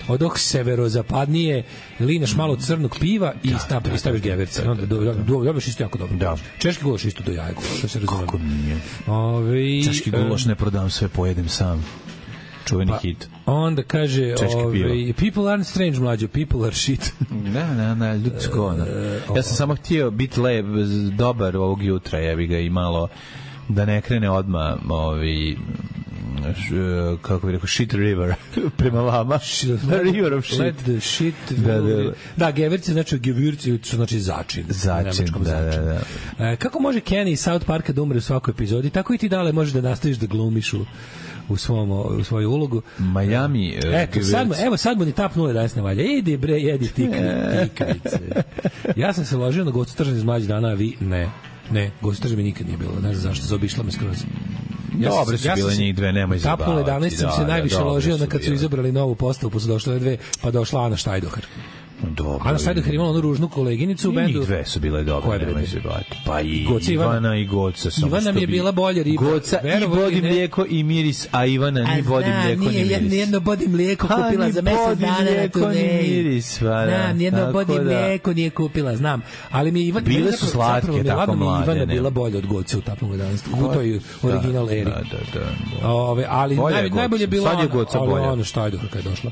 odoh severozapadnije, linaš malo crnog piva i da, stav, da, staviš geverce. Onda do, do, do, dobiš isto jako dobro. Da. Češki gulaš isto do jaja, što se razumije. Kako nije? Ove, Češki gulaš ne prodam, sve pojedem sam. Čuveni pa, hit. Onda kaže, ove, people aren't strange, mlađo, people are shit. Ne, ne, ne, ljudsko. Uh, ja sam samo htio biti lep, dobar ovog jutra, ja bi ga i malo da ne krene odmah ovi, kako bih rekao, shit river, prema vama. River of shit. Let the shit... Da, da, da gevirci, znači gevirci, što znači začin. Začin, da, da, da. E, kako može Kenny iz South Parka da umre u svakoj epizodi? Tako i ti dale možeš da nastaviš da glumiš u u svom u svoju ulogu. Miami. Eto, sad mu, evo sad mu ni tap nule danas ne valja. Idi bre, jedi tikvice. Ja sam se ložio na Gocu Tržan iz mlađih dana, a vi ne. Ne, Gocu Tržan mi nikad nije bilo. Ne znam zašto, zaobišla me skroz. Ja Dobre su ja bile njih dve, nemoj zabavati. Tapnule danas sam se najviše da, ložio na kad su izabrali novu postavu, pa su došle dve, pa došla Ana Štajdohar. Dobro. Ana Štajdohar imala onu ružnu koleginicu u bendu. I njih dve su bile dobre, nemoj zabavati. Pa i Goca Ivana i Goca. Ivana mi je bila bolja riba. Goca i bodi mlijeko i miris, a Ivana ni bodi mlijeko ni miris. Nijedno bodi mlijeko kupila za mesec dana na turneji. Znam, nijedno bodi mlijeko nije kupila, znam. Ali mi Ivana... Bile su slatke, tako mlade. Ivana bila bolja od Goce u Tapnule danas. U toj original eri. Da, da, da. Ali najbolje je bila Ana Štajdohar kad je došla.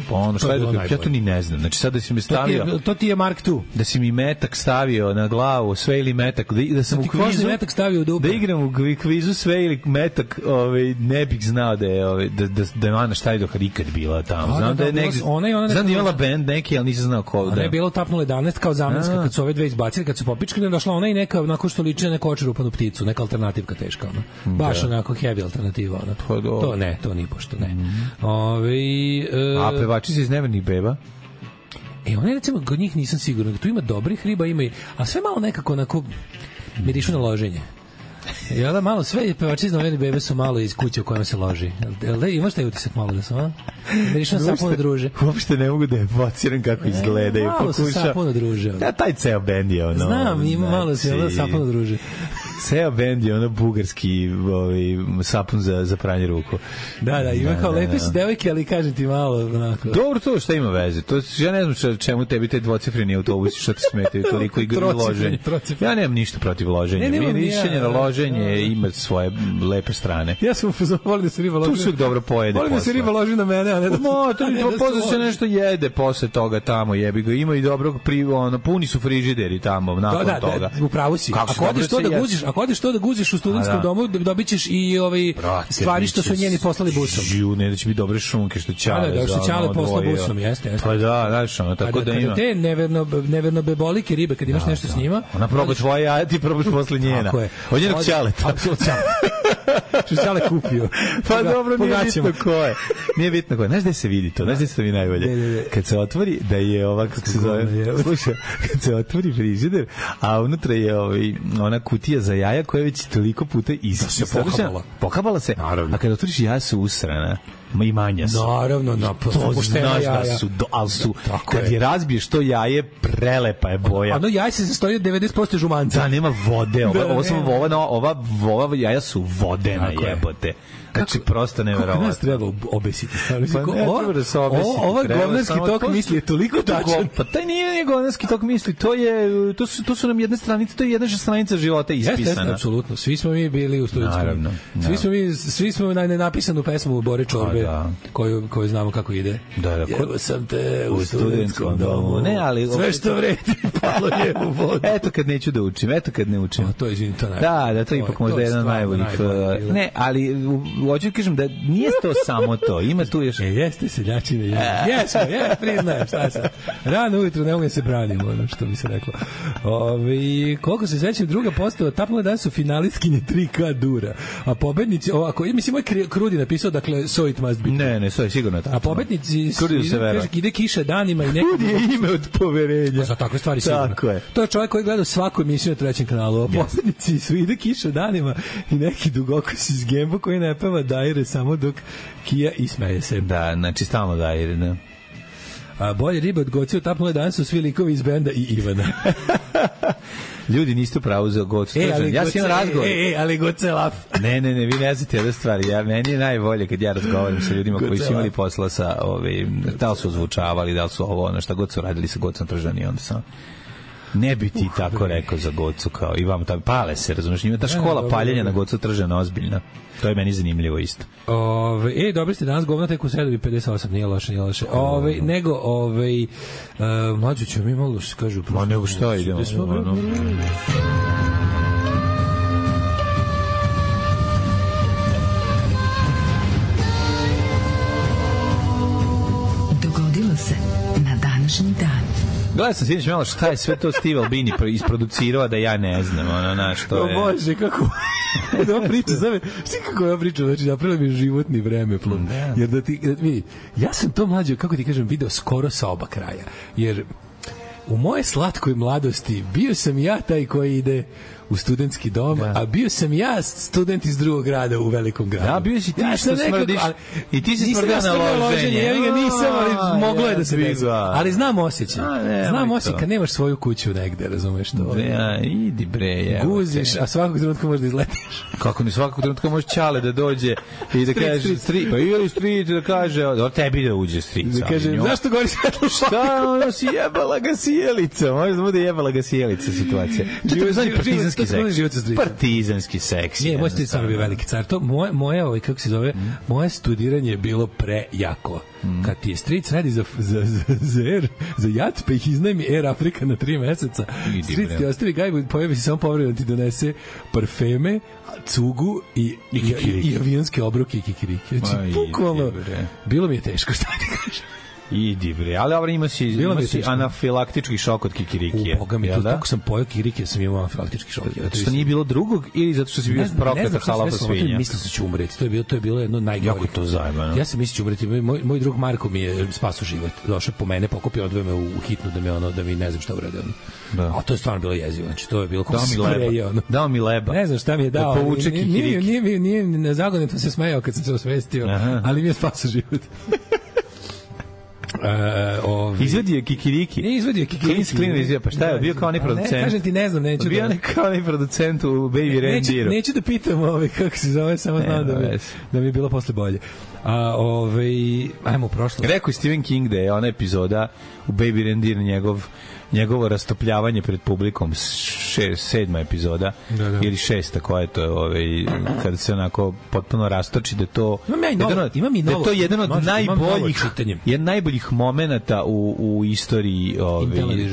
Pa ono šta je dok, ja to ni ne znam. Znači sad da si mi stavio... To ti je, to ti je Mark dva. Da si mi metak stavio na glavu, sve ili metak, da, da sam da u kvizu... metak stavio u dupe. Da igram u kvizu sve ili metak, ovaj, ne bih znao da je, ovaj, da, da, da je Ana Štajdohar ikad bila tamo. Znam da, da je negdje... Ona i ona znam da je imala band neki, ali nisam znao ko. Ona da je bila u Tapnule jedanaest kao zamenska, kad su ove dve izbacili, kad su popičkali, došla ona i neka, onako što liči na neku očerupanu pticu, neka alternativka teška, ona. Baš da. Onako heavy alternativa, ona. Pa to ne, to ni pošto ne. Mm-hmm. Ove, uh, A pevači se iz Nevernih beba? E, one recimo, kod njih nisam siguran. Tu ima dobrih riba, ima i... A sve malo nekako onako mirišu na loženje. Ja da malo sve pevači iz Nevernih bebe su malo iz kuće u kojima se loži. Jel da imaš taj utisak malo da su, a? Mirišu na sapuno druže. Uopšte ne mogu da evociram kako izgledaju. Malo Pokuša... su sapuno druže. Da, taj ceo bend je ono... Znam, ima malo se ono sapuno druže. Ceo bend je ono bugarski ovaj, sapun za, za pranje ruku. Da, da, ima da, kao da, lepe su da. Devojke, ali kažem ti malo onako. Dobro, to šta ima veze? To, ja ne znam čemu tebi te dvocifreni autobusi, šta ti smetaju toliko i loženje. Ja nemam ništa protiv loženja. Ne, mi mišljenje na loženje ima svoje lepe strane. Ja sam volim da se riba loži. Tu se uvijek dobro pojede. Volim da se riba loži na mene, a ne da se... No, to je posle se nešto jede posle toga tamo, jebi ga. Ima i dobrog, pri, ono, puni su frižideri tamo, nakon da, toga. Da, upravo si. Ako odeš to da guziš, ako odeš to da guziš u studentskom da. domu, dobićeš i ovaj stvari što su njeni poslali busom. Ju, ne da će biti dobre šunke što ćale. Da, da, što ćale posla busom, jeste, jeste. Pa da, znaš, ono, tako da, da ima. Te neverno, neverno bebolike ribe, kad imaš da, nešto da. s njima... Ona proba tvoje jaja, ti probaš posle njena. Tako je. Od njenog ćaleta. Apsolutno ćale. Što ćale kupio. Pa dobro, nije bitno ko je. Nije bitno ko je. Znaš gde se vidi to? Znaš gde se to mi najbolje? Kad se otvori, da je ovako, kako se zove, slušaj, kad se otvori frižider, a unutra je ovaj, ona kutija za jaja koja već toliko puta se pokabala. Pokabala se, naravno. A kada otvoriš jaja su usrana. Ma i manja su. Naravno, na to znaš da su, do, ali su, da, kad je razbiješ to jaje, prelepa je boja. Ono jaje se sastoji od devedeset posto žumanca. Da, nema vode. Ova, da, ova, ova, ova, ova jaja su vodena jebote. Znači, prosto neverovatno. Kako nas treba obesiti? Pa ne treba da se obesiti. Ovaj govnarski tok misli je toliko tačan. Pa taj nije govnarski tok misli. To, je, to, su, to su nam jedne stranice, to je jedna stranica života ispisana. Jeste, jeste, apsolutno. Svi smo mi bili u studentskom. Naravno. Svi smo mi, svi smo na nenapisanu pesmu Bore Čorbe, da. koju, koju znamo kako ide. Da, da. Evo sam te u studentskom domu. Ne, ali... Sve što vredi palo je u vodu. Eto kad neću da učim, eto kad ne učim. O, to je, izvini, to najbolje. Da, da, to je ipak možda jedan najboljih. Ne, ali hoću da kažem da nije to samo to, ima tu još... E, jeste seljačine, je. Jesmo, je, priznajem, šta sam. Rano ujutro ne mogu se branimo, ono što bi se reklo. Ove, koliko se svećam, druga postava, Tapnule danas su finalistkinje tri ka Dura, a pobednici, ovako, mislim, moj Krudi napisao, dakle, so it must be. Ne, ne, so je sigurno tako. A pobednici, kaže, ide kiša danima i neko... Krudi je ime od poverenja. Za takve stvari sigurno. Tako je. To je čovjek koji gleda svaku emisiju na trećem kanalu, a pobednici su ide kiša danima i neki dugokos iz Gembo koji ne peva Dajre samo dok kija i smeje se. Da, znači stalno Dajre, da. A bolje ribe od Goci u Tapnule danas su svi likovi iz benda i Ivana. Ljudi niste pravo za Gocu. E, ali ja sam imam razgovor. E, e, ali Goce laf. Ne, ne, ne, vi ne znate jednu stvar. Ja, meni je najbolje kad ja razgovaram sa ljudima koji su imali posla sa, ovi, da li su ozvučavali, da li su ovo, ono šta god su radili sa Gocom Tržan i onda sam... Ne bi ti uh, tako rekao za Gocu kao i vam, pale se, razumiješ, ima ta škola paljenja na Gocu Tržana ozbiljna. To je meni zanimljivo isto. Ove, e, dobri ste danas govna tek u sredovi pedeset osam, nije loše, nije loše. Ove, nego, ove, uh, mlađu ću mi malo se kažu... Ma nego šta idemo? današnji dan. Gledao sam sinoć malo šta je sve to Steve Albini isproducirao da ja ne znam, ono, na što je... O Bože, kako... da priča, znam, šta kako ja pričam, znači napravila mi životni vremeplov. Jer da ti, da, vidi, ja sam to mlađo, kako ti kažem, video skoro sa oba kraja. Jer u moje slatkoj mladosti bio sam ja taj koji ide u studentski dom, da. A bio sam ja student iz drugog grada u velikom gradu. Ja, bio si ti ja što smrdiš i ti si smrdio na loženje. Ja ga nisam, ali moglo je da se desi. Ali znam osjećaj. A, znam osjećaj kad nemaš svoju kuću negde, razumeš to? Ja, idi bre, je. Guziš, a svakog trenutka možeš da izletiš. Kako ni svakog trenutka može Ćale da dođe i da kaže stri, pa ili stri da kaže, da tebi da uđe strica. Da kaže, zašto gori svetlo šlag? Šta, ono si jebala ga sjelica. Može da bude jebala ga sjelica situacija. To znači partizanski seks. Partizanski seks. Nije, moj stric sam bio veliki car. To moje, moje ovaj, kako se zove, mm. moje studiranje je bilo prejako. Mm. Kad ti je stric radi za, za, za, za, Air, za jat, pa ih iznajmi Air Afrika na tri meseca. Stric ti ostavi gajbu, pojavi se samo povremeno ti donese parfeme, cugu i, i, i, i avionske obroke i kikirike. Znači, bukvalno, bilo mi je teško, šta ti kažem. Idi bre, ali dobro ima si, ima si anafilaktički šok od kikirikije. U, boga mi, to, tako sam pojao kikirikije, sam imao anafilaktički šok. Zato što nije bilo drugog ili zato što si bio prokleta halapa svinja? Mislio sam ću umreti, to je bilo, to je bilo jedno najgore. Jako to zajebano. Ja sam mislio ću umreti, moj, moj drug Marko mi je spasao život. Došao po mene, pokupio, odveo me u hitnu da me ono, da mi ne znam šta urade ono. Da. A to je stvarno bilo jezivo, znači to je bilo kako se spreje ono. Dao mi leba. Ne znam šta mi je dao. Da povuče kikiriki. Nije, nije, nije, na zagonetom se smejao kad sam se osvestio, ali mi je spasao život. Uh, ovi... Izvadio je kikiriki. Ne izvadio je kikiriki. Clean, clean, pa šta je, bio kao onaj producent. Ne, kažem ti, ne znam, neću bio da... Bio kao onaj producent u Baby Rangeru. Neću, neću da pitam ovaj, kako se zove, samo ne, znam da mi, da mi je bilo posle bolje. A, ovaj, ajmo u prošlost. Rekao je Stephen King da je ona epizoda u Baby Reindeer njegov njegovo rastopljavanje pred publikom, šest, sedma epizoda da, da. Ili šesta koja je to ovaj, kada se onako potpuno rastoči da to imam ja novo, imam i novo, da to je jedan od možda, najboljih jedan najboljih momenata u, u istoriji ovaj,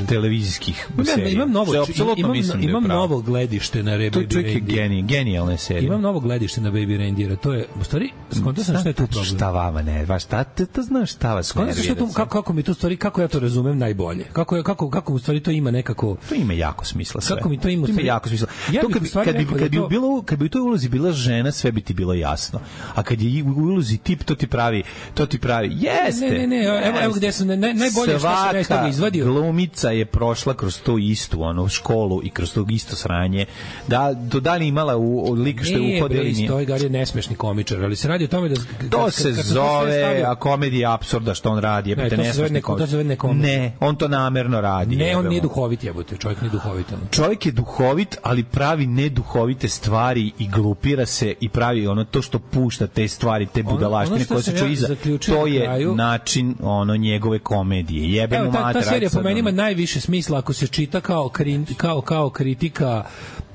televizijskih serija. Imam, novo, imam, mislim imam da novo gledište na Baby Reindeer. To je genij, genijalne serije. Imam novo gledište na Baby Reindeer. To je, u stvari, skontao sam šta je tu problem. Šta vama ne, baš šta, te to znaš šta vas ne nervira. Kako, kako mi to stvari, kako ja to razumem najbolje. Kako, kako, kako u stvari to ima nekako... To ima jako smisla sve. Kako mi to ima, to ima jako smisla. Ja to kad, bi, kad, bi, kad, bi to... bilo, kad bi u toj ulozi bila žena, sve bi ti bilo jasno. A kad je u ulozi tip, to ti pravi, to ti pravi, jeste. Ne, ne, ne, evo, evo gde sam, naj, najbolje što sam nešto izvadio. Glumica je prošla kroz to istu ono, školu i kroz to isto sranje. Da, do da li imala u, u lik što je uhodili... Nije, bre, stoji Gar je nesmešni komičar, ali se radi o tome da... To kad, se kad, kad zove, a komedija apsurda što on radi. Ne, to se zove neko, to se zove neko... Ne, on to namerno radi. Ne, on nije duhovit, jebote, čovjek nije duhovit. Čovjek je duhovit, ali pravi neduhovite stvari i glupira se i pravi ono to što pušta te stvari, te budalaštine koje se čuje iza. To je kraju, način ono njegove komedije. Jebemo mater. Ta, ta serija po meni ima najviše smisla ako se čita kao kri, kao kao kritika,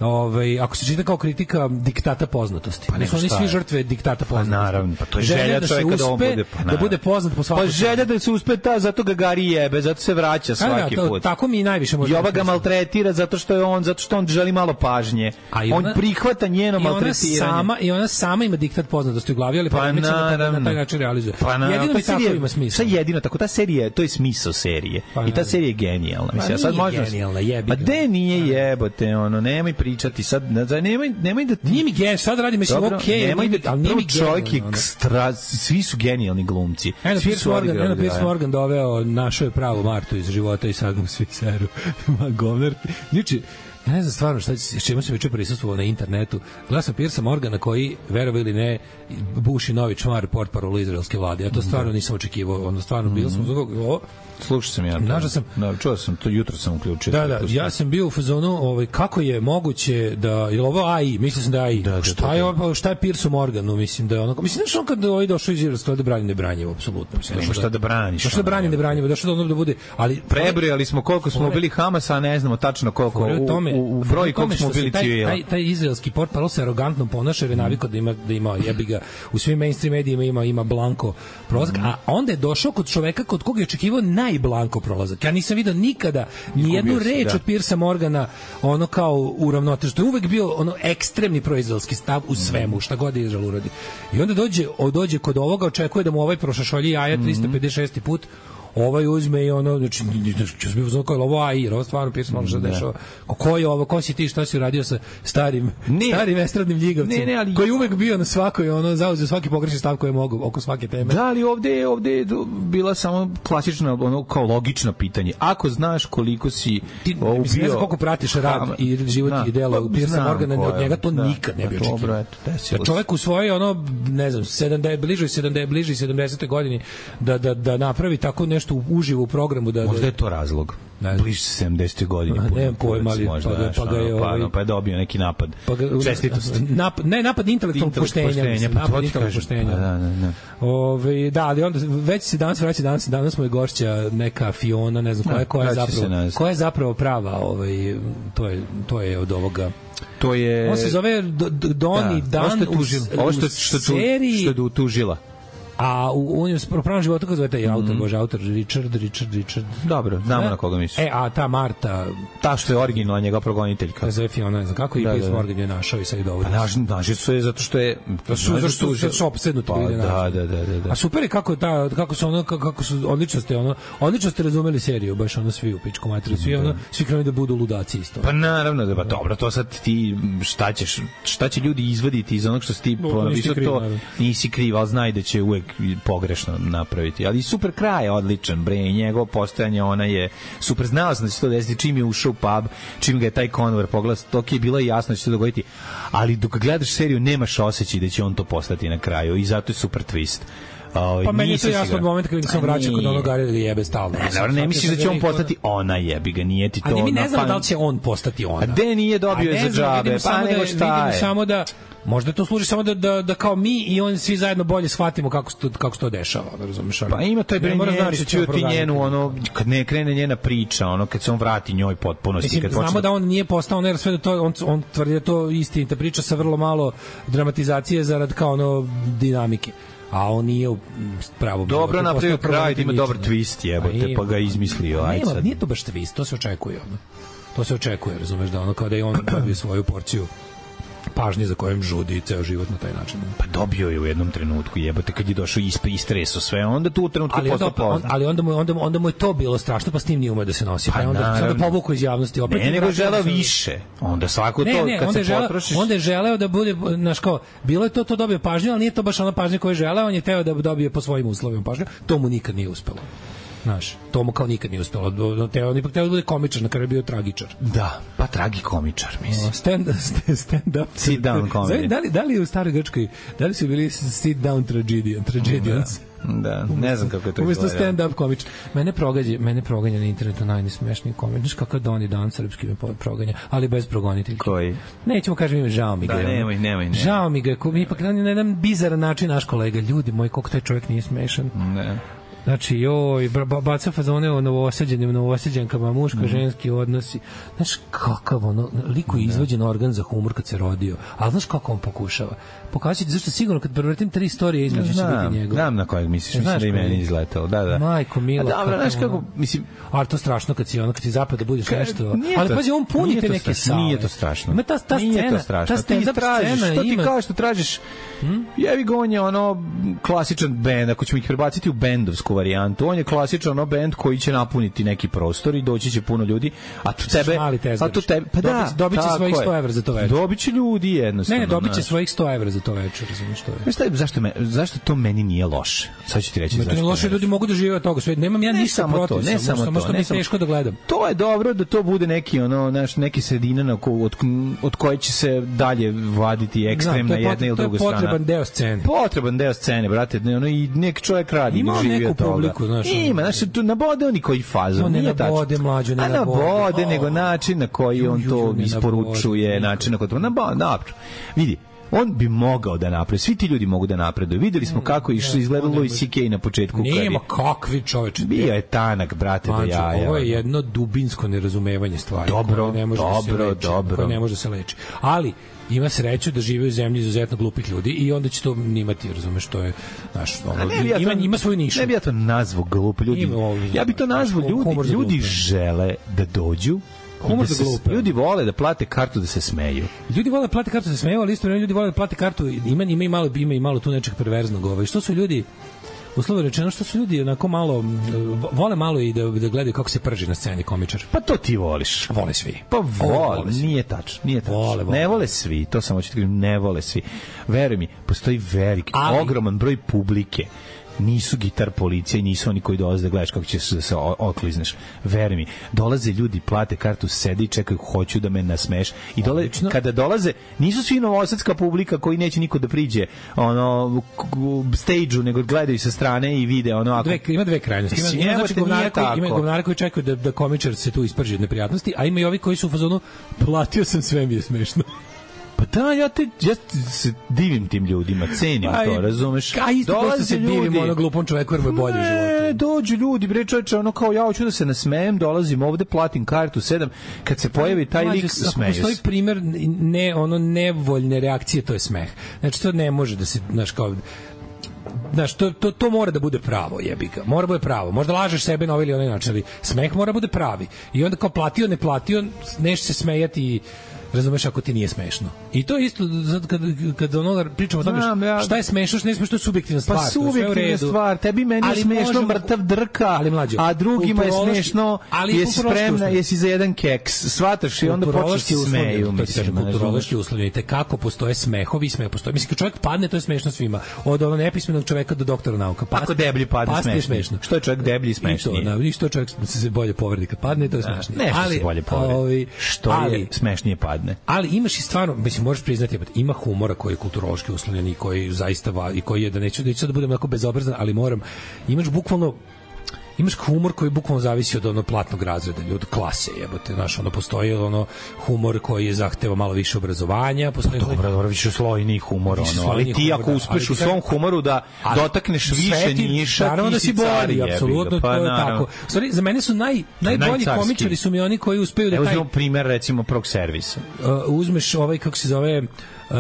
ovaj ako se čita kao kritika diktata poznatosti. Pa ne su oni svi žrtve diktata poznatosti. Pa naravno, pa to je želja, želja čovjeka da on bude pa, da bude poznat po svakom. Pa želja da se uspe ta, zato ga Gari jebe, zato se vraća svaki da, to, put. Tako mi najviše može. Jova ga maltretira zato što je on zato što on želi malo pažnje. Ona, on prihvata njeno maltretiranje. Sama i ona sama ima diktat poznatosti u glavi, ali pa ne na taj način realizuje. Pa na, jedino to tako serija, ima smisla. Šta jedino tako ta serija, to je smisao serije. Pa, i ta serija je genijalna. Pa mislim, sad možeš. Genijalna, jebi. Pa de nije jebote, ono, nemoj pričati sad, nemoj nemoj da nije mi gen, sad radi mislim okej, nemoj da al nije mi čovjek ekstra, svi su genijalni glumci. Svi su Morgan, Eno Pierce Morgan doveo našu je pravu Martu iz života i sad mu svi seru. Ma govner. Niči ja ne znam stvarno šta s čemu se juče prisustvovao na internetu. Gledao sam Pierce Morgana koji, verovali ili ne, buši novi čmar portparol izraelske vlade. Ja to stvarno nisam očekivao. Ono stvarno bilo sam zbog slušao sam ja. Našao sam, da, čuo sam to jutro sam uključio. Da, da, ja sam bio u fazonu, ovaj kako je moguće da je ovo A I, mislim da je A I. Da, da, šta je ovo, šta je Pierce Morganu, mislim da je ono, mislim da on kad ovaj došao iz Izraela da brani nebranjivo apsolutno. Mislim nema šta da braniš. Šta da brani nebranjivo, da što da bude, ali prebrojali smo koliko smo bili Hamasa, a ne znamo tačno koliko u, u, u broj koliko smo bili civila. Taj, taj izraelski portparol se arogantno ponaša, jer je navikao da ima da ima jebi ga u svim mainstream medijima ima ima blanko prolazak, a onda je došao kod čoveka kod koga je očekivao najblanko prolazak. Ja nisam vidio nikada ni jednu reč da. od Piercea Morgana ono kao uravnotežen. To je uvek bio ono ekstremni proizraelski stav u svemu, šta god je Izrael uradi. I onda dođe, dođe kod ovoga, očekuje da mu ovaj prošašolji jaja tristo pedeset šesti put. ovaj uzme i ono, znači, ću se bio kao ovo A I, ovo stvarno pisano može da dešava. Ko je ovo, ko si ti, šta si uradio sa starim, ne, starim estradnim ljigavcem, ne, ne, ali... koji uvek bio na svakoj, ono, zauzeo svaki pogrešni stav koji je mogu oko svake teme. Da, ali ovde, ovde je bila samo klasična, ono, kao logično pitanje. Ako znaš koliko si ti, ubio... Mislim, ne znam koliko pratiš rad i život na, i delo Piersa Morgana, od njega to da, nikad ne bi očekivao. Da čovek u svoje, ono, ne znam, sedamdeset bliže sedamdeset bliže sedamdesetoj godini da, da, da napravi tako nešto uživo u programu. Da, možda je to razlog. Bliže se sedamdesetoj godini. Ne pojma, ali pa, ga, pa ga je... Ovaj, pa je dobio neki napad. Pa ga, čestitost. Napad, ne, napad intelektualnog poštenja. poštenja pa napad intelektualnog poštenja. Pa, da, da, da. Ove, da, ali onda već se danas vraća, danas, danas mu je gošća neka Fiona, ne znam koja je, koja je, zapravo, koja je zapravo prava. Ovaj, to, je, to je od ovoga... To je... On se zove Doni da, Dan u, u, ovo što, što, seriji... Što je tužila. A u unijem pravom životu kako zove taj autor, mm. bože, autor Richard, Richard, Richard. Dobro, znamo e? na koga misliš. E, a ta Marta, ta što je originalna njega progoniteljka. Zove Fiona, ne znam kako i Piers Morgan je našao i sad je dovodi. Pa naš, naši su je zato što je da su zato što su se opsednuti pa, ljudi da, da, da, da, da. A super je kako ta kako su ono kako su odlično ste ono odlično ste razumeli seriju, baš ono svi u pičku materiju, svi ono svi krenuli da budu ludaci isto. Pa naravno da, pa dobro, to sad ti šta ćeš, šta će ljudi izvaditi iz onog što si ti ponapisao, to nisi kriv, al znaj da će uvek pogrešno napraviti, ali super kraj je odličan, bre, njegovo postojanje, ona je super, znao sam da će to desiti čim je ušao u pub, čim ga je taj konvor poglas, to je bilo jasno da će se dogoditi, ali dok gledaš seriju nemaš osjećaj da će on to postati na kraju i zato je super twist. Pa meni je to jasno od momenta kada se vraća kod onog Gary da ga jebe stalno. Ne, ne misliš da će on postati ona, jebi ga, nije ti to. Ali mi ne znamo da li će on postati ona. A de nije dobio je za džabe, pa nego šta je. Samo da možda to služi samo da, da, da kao mi i on svi zajedno bolje shvatimo kako se to, kako se to dešava, da razumeš? Pa ima taj bre znači ti njenu, ono, kad ne krene njena priča, ono, kad se on vrati njoj potpunosti. Mislim, kad znamo počne... da on nije postao, on, sve da to, on, on tvrdi da to istinita priča sa vrlo malo dramatizacije zarad kao ono dinamike. A on nije pravo... Dobro napravio kraj, ima dobar twist, jebote, pa ga izmislio. Ajde sad. Nije to baš twist, to se očekuje. Ono. To se očekuje, razumeš, da ono kao da je on dobio svoju porciju pažnje za kojom žudi ceo život na taj način. Pa dobio je u jednom trenutku, jebote, kad je došao isp, istreso sve, onda tu u trenutku ali postao on, ali onda mu, onda, onda mu je to bilo strašno, pa s tim nije umeo da se nosi. Pa, pa onda, sada povuku iz javnosti. Opet ne, nego želeo više. Onda svako ne, to, ne, kad onda se želeo, potrošiš... Onda je želeo da bude, znaš kao, bilo je to, to dobio pažnju, ali nije to baš ona pažnja koju je želeo, on je teo da dobije po svojim uslovima pažnju. To mu nikad nije uspelo. Znaš, to mu kao nikad nije uspelo. Teo, on ipak teo da bude komičar, na kraju je bio tragičar. Da, pa tragikomičar, mislim. Stand, stand up. Sit down comedy. Da li, da li u staroj Grčkoj, da li su bili sit down tragedian, tragedians? Da, ne znam kako je to izgledalo. Umesto stand-up komičar. Mene progađa, mene proganja na internetu najnesmešniji komik. Znaš kakav Doni Dan srpski me proganja, ali bez progoniteljke. Koji? Nećemo kažem ime, žao mi ga. Da, nemoj, nemoj, nemoj. Žao mi ga, mi ipak na jedan bizaran način naš kolega. Ljudi moji, koliko taj čovjek nije smešan. Ne. Znači, joj, baca fazone o novosađenim, novosađenkama, muško-ženski odnosi. Znaš, kakav ono, liko je izvađen organ za humor kad se rodio, ali znaš kako on pokušava? Pokazati, zašto sigurno kad prevrtim tri istorije između će biti njegov. Znam na kojeg misliš, mislim da i meni izletao. Da, da. Majko mila. A dobro, znaš kako, mislim... Ali to strašno kad si ono, kad si zapad da budeš nešto. Ali pazi, on puni te neke sale. Nije to strašno. Ima ta, ta nije scena, to strašno. ta stand-up scena, što ti ima... kao što tražiš, hmm? jevi ga on je ono klasičan bend, ako ćemo ih prebaciti u bendovsku varijantu, on je klasičan ono bend koji će napuniti neki prostor i doći će puno ljudi, a tu tebe, a tu tebe, pa da, dobiće svojih sto evra za to večer. Dobiće ljudi jednostavno. Ne, dobiće svojih sto evra za to večer, razumiješ što je. Znaš šta, zašto me, zašto to meni nije loše? Sad ću ti reći zašto. Ne, loše ljudi mogu da žive od toga, sve. Nemam ja ništa protiv, ne samo to, samo što mi je teško da gledam. To je dobro da to bude neki ono, naš neki sredina na ko, od, od koje će se dalje vaditi ekstremna jedna ili druga strana. To je potreban deo scene. Potreban deo scene, brate, ne, ono i neki čovjek radi, ima neku publiku, znaš. Ima, znači tu nabode oni koji fazu, nije tačno. Nabode mlađu, ne nabode. A nabode, nego način na koji on to isporučuje, način na koji to nabode, dobro. Vidi, on bi mogao da napravi. Svi ti ljudi mogu da napreduju. Videli smo kako je izgledalo i C K na početku. Nema kakvi čoveče. Bio je tanak, brate, do jaja. Ovo je jedno dubinsko nerazumevanje stvari. Dobro, ne može dobro, da se dobro. Koje ne može da se leči. Ali ima sreću da žive u zemlji izuzetno glupih ljudi i onda će to nimati, razumeš, to je naš, ono, ja ima, to, ima svoju nišu. Ne bi ja to nazvao glup ljudi. Ja bi to nazvao ljudi, ljudi žele da dođu. Humor da glupe. Ljudi vole da plate kartu da se smeju. Ljudi vole da plate kartu da se smeju, ali isto ljudi vole da plate kartu, ima ima i malo ima i malo tu nečeg perverznog, ovaj. Što su ljudi uslovno rečeno što su ljudi onako malo vole malo i da, da gledaju kako se prži na sceni komičar. Pa to ti voliš. Vole svi. Pa vole, vole nije tačno, nije tačno. Vole, vole. Ne vole svi, to samo hoću ti kažem, ne vole svi. Veruj mi, postoji veliki, ali, ogroman broj publike. Nisu gitar policija i nisu oni koji dolaze da gledaš kako ćeš da se oklizneš. Veruj mi, dolaze ljudi, plate kartu, sede i čekaju, hoću da me nasmeš. I dole, kada dolaze, nisu svi novosadska publika koji neće niko da priđe ono, stage-u, nego gledaju sa strane i vide ono... Ako... Dve, ima dve krajnosti. Ima, ima, znači, govnari koji, ima govnari koji čekaju da, da komičar se tu isprži od neprijatnosti, a ima i ovi koji su u fazonu platio sam, sve mi je smešno. Pa da, ja, te, ja se divim tim ljudima, cenim pa, to, razumeš? A isto dosta se ljudi, divim ono glupom čoveku jer mu je bolje u životu. Ne, dođu ljudi, bre čoveče, ono kao ja hoću da se nasmejem, dolazim ovde, platim kartu, sedam, kad se pojavi taj lik, smeju se. Postoji primer ne, ono, nevoljne reakcije, to je smeh. Znači, to ne može da se, znaš, kao... Znaš, to, to, to mora da bude pravo, jebi ga. Mora da bude pravo. Možda lažeš sebe na ovaj ili onaj način, ali smeh mora da bude pravi. I onda kao platio, ne platio, neš se smejati i razumeš ako ti nije smešno. I to je isto zato kad kad ono pričamo o tome šta je smešno, šta nije smešno, to je subjektivna stvar. Pa subjektivna stvar, tebi meni je smešno možemo, mrtav drka, ali mlađe, a drugima je smešno, jesi spremna, jesi za jedan keks, shvataš i onda počneš se smeju. To se kaže kulturološki uslovi, te kako postoje smehovi, smeh postoji. Mislim kad čovjek padne, to je smešno svima. Od onog nepismenog čoveka do doktora nauka. Pa ako deblji padne, smešno. smešno. Što je čovjek deblji i smešniji? Da, što čovjek se bolje povredi kad padne, to je smešnije. Ali bolje povredi. Što je smešnije padne. Ali imaš i stvarno, mislim, možeš priznati, ima humora koji je kulturološki uslovljen i koji zaista va, i koji je, da neću, neću da budem onako bezobrazan, ali moram, imaš bukvalno imaš humor koji bukvalno zavisi od onog platnog razreda, od klase, jebote, znaš, ono postoji ono humor koji je zahteva malo više obrazovanja, postoji pa, dobro, dobro, više slojni humor, više ono, ali ti ako uspeš u svom humoru da ali, dotakneš više niša, naravno da si bolji, apsolutno, pa, to je tako. Sorry, za mene su naj najbolji komičari su mi oni koji uspeju da taj... Evo primer recimo prvog servisa. Uh, uzmeš ovaj kako se zove Uh,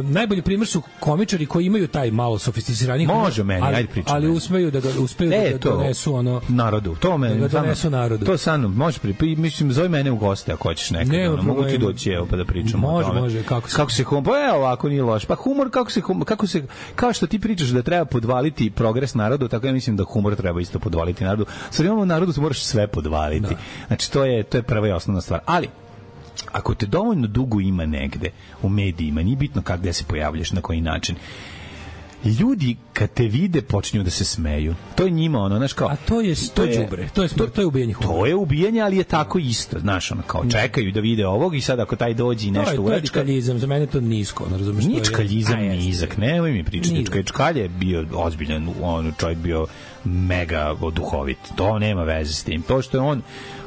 najbolji primjer su komičari koji imaju taj malo sofisticirani može humor, meni, ali, ajde pričam. Ali uspeju da ga uspeju e, da ga donesu ono narodu. To me da ga donesu narodu. To sa mnom može pri mislim zove mene u goste ako hoćeš nekad. Ne, ono, mogu ti doći evo pa da pričamo može, o tome. Može, kako se kako se humor, pa evo ovako nije loš. Pa humor kako se kako se kao što ti pričaš da treba podvaliti progres narodu, tako ja mislim da humor treba isto podvaliti narodu. Sa imamo narodu moraš sve podvaliti. Da. Znači to je to je prva i osnovna stvar. Ali ako te dovoljno dugo ima negde u medijima, nije bitno kako gde se pojavljaš, na koji način, ljudi kad te vide počinju da se smeju. To je njima ono, znaš kao... A to je to je đubre, to je to, to je ubijanje humora. To je ubijanje, ali je tako isto, znaš, ono kao čekaju da vide ovog i sad ako taj dođe i nešto uradi. To je čkaljizam, za mene to nisko, ne razumeš. Nije čkaljizam nizak, nemoj mi pričati. Čkalj je bio ozbiljan, on čovjek bio mega duhovit. To nema veze s tim. To što je on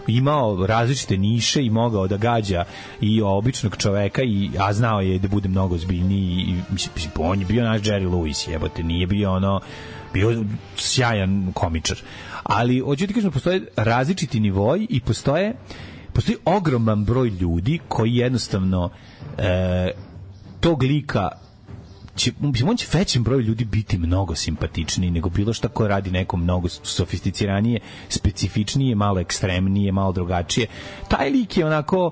imao različite niše i mogao da gađa i običnog čoveka i a znao je da bude mnogo ozbiljniji i mislim on je bio naš Jerry Lewis, jebote, nije bio ono bio sjajan komičar. Ali hoću ti kažem postoje različiti nivoi i postoje postoji ogroman broj ljudi koji jednostavno e, tog lika će, on će većem broju ljudi biti mnogo simpatičniji nego bilo šta ko radi neko mnogo sofisticiranije, specifičnije, malo ekstremnije, malo drugačije. Taj lik je onako,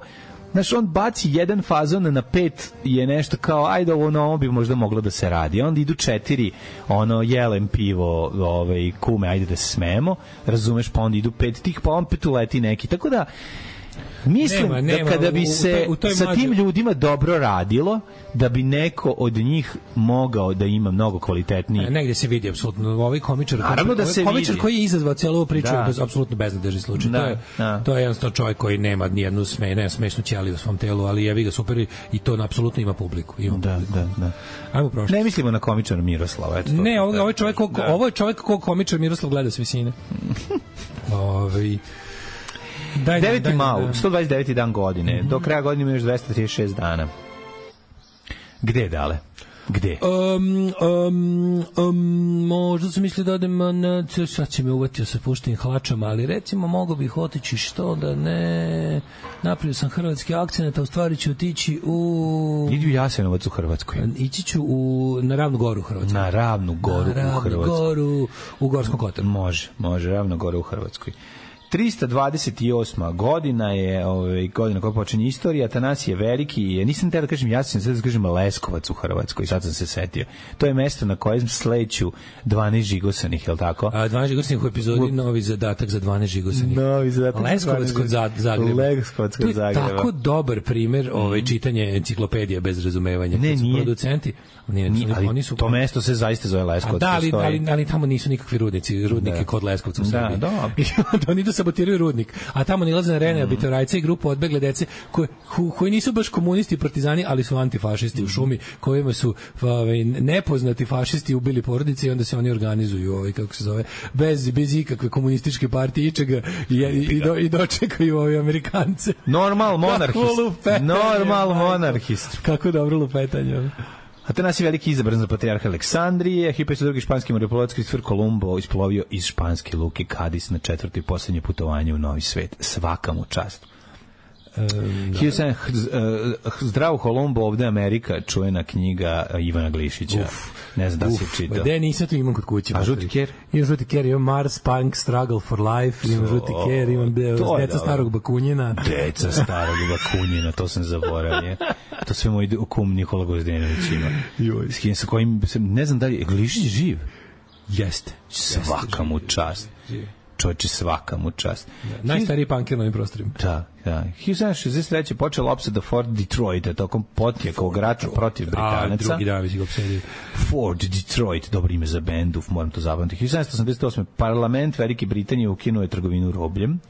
znaš, on baci jedan fazon na pet je nešto kao, ajde ovo na ovo bi možda moglo da se radi. Onda idu četiri, ono, jelem pivo, ovaj, kume, ajde da se smemo, razumeš, pa onda idu pet tih, pa on pet uleti neki. Tako da, mislim nema, nema, da kada bi se u toj, u toj sa tim ljudima dobro radilo, da bi neko od njih mogao da ima mnogo kvalitetniji. Negde se vidi apsolutno ovaj komičar, naravno da se komičar vidi. Koji je izazvao celu ovu priču, da. Je apsolutno beznadežni slučaj. Da, to je da. To je jednostavno čovjek koji nema ni jednu sme, ne smešnu ćeliju u svom telu, ali jevi ga super i to apsolutno ima publiku. Ima da, publiku. Da, da. Ajmo prošlo. Ne mislimo na komičara Miroslava, eto. Ne, ovo, ovo je čovjek ko, da. Ovo je čovjek kog komičar Miroslav gleda s visine. Ovaj Daj, deveti mau, sto dvadeset deveti dan godine. Mm-hmm. Do kraja godine ima još dvesta trideset šest dana. Gde je dale? Gde? Um, um, um, možda sam mislio da odem na... Sad će me uvatio sa puštenim hlačama, ali recimo mogo bih otići što da ne... Napravio sam hrvatski akcent, a u stvari ću otići u... Idi u Jasenovac u Hrvatskoj. Ići ću u, na Ravnu goru u Hrvatskoj. Na Ravnu goru na u Hrvatskoj. Na Ravnu goru u Gorskom Kotaru. Može, može, Ravnu goru u Hrvatskoj. trista dvadeset osma godina je ovaj, godina koja počinje istorija. Atanasije Veliki je, nisam te da kažem, ja sam se da kažem Leskovac u Hrvatskoj, sad sam se setio. To je mesto na kojem sleću dvanaest žigosanih, je li tako? A dvanaest žigosanih u epizodi u... novi zadatak za dvanaest žigosanih. Novi zadatak Leskovac kod Zagreba. Leskovac kod Zagreba. To je tako dobar primer ovaj, čitanje enciklopedije bez razumevanja. Ne, nije. Producenti, nije, nije, ali oni su, to mesto se zaista zove Leskovac. Da, ali, ali, ali tamo nisu nikakvi rudnici, rudnike da. Kod Leskovca u Srbiji. Da, da. I onda oni da sabotiraju rudnik. A tamo nilaze na Rene, mm. Bitorajce i grupu odbegle dece koji, koji nisu baš komunisti i partizani, ali su antifašisti mm. u šumi, kojima su ovaj, nepoznati fašisti ubili porodice i onda se oni organizuju, ovaj, kako se zove, bez, bez ikakve komunističke partije ičega i, i, do, i dočekaju ovi Amerikance. Normal monarhist. Normal monarhist. Kako dobro lupetanje. Atanasije Veliki izabran za patrijarha Aleksandrije, hiljadu petsto drugi španski moreplovac Kristofer Kolumbo isplovio iz španske luke Kadis na četvrto i poslednje putovanje u Novi svet. Svaka mu čast. Um, Zdravo Kolumbo, ovde Amerika, čuvena knjiga Ivana Glišića. Uf, ne znam da se čita. Gde nisam tu imam kod kuće. A žuti ker? Imam žuti ker, imam Mars, Punk, Struggle for Life, imam žuti ker, imam Deca starog Bakunjina. Deca starog Bakunjina, to sam zaboravio. To sve moj kum Nikola Gozdenović ima. S kim sa kojim, ne znam da li je Glišić živ? Jeste. Svaka mu čast. Čovječe, svaka mu čast. Da, najstariji punker na ovim prostorima. Da, da. hiljadu sedamsto šezdeset treće počela opsada Fort Detroita tokom potjekog rata protiv Britanaca. A, drugi dan već ga opsedio. Fort Detroit, dobro ime za bendu, moram to zapamtiti. hiljadu sedamsto osamdeset osme parlament Velike Britanije ukinuo je trgovinu robljem.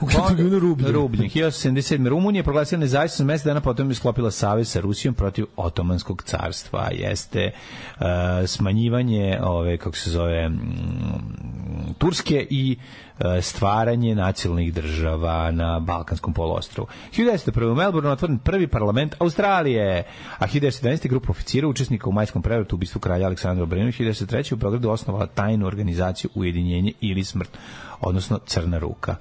Ukinuo rubljem. Rubljem. hiljadu sedamsto sedmte sedme Rumunija proglasila nezavisnost, mesec dana potom je sklopila savez sa Rusijom protiv Otomanskog carstva. Jeste uh, smanjivanje ove, kako se zove, m, Turske i uh, stvaranje nacionalnih država na Balkanskom poluostrvu. hiljadu devetsto prve u Melbourneu otvoren prvi parlament Australije, a hiljadu devetsto sedamnaeste grupa oficira učesnika u majskom prevratu u ubistvu kralja Aleksandra Obrenovića. hiljadu devetsto treće u Beogradu osnovala tajnu organizaciju Ujedinjenje ili smrt, odnosno Crna ruka.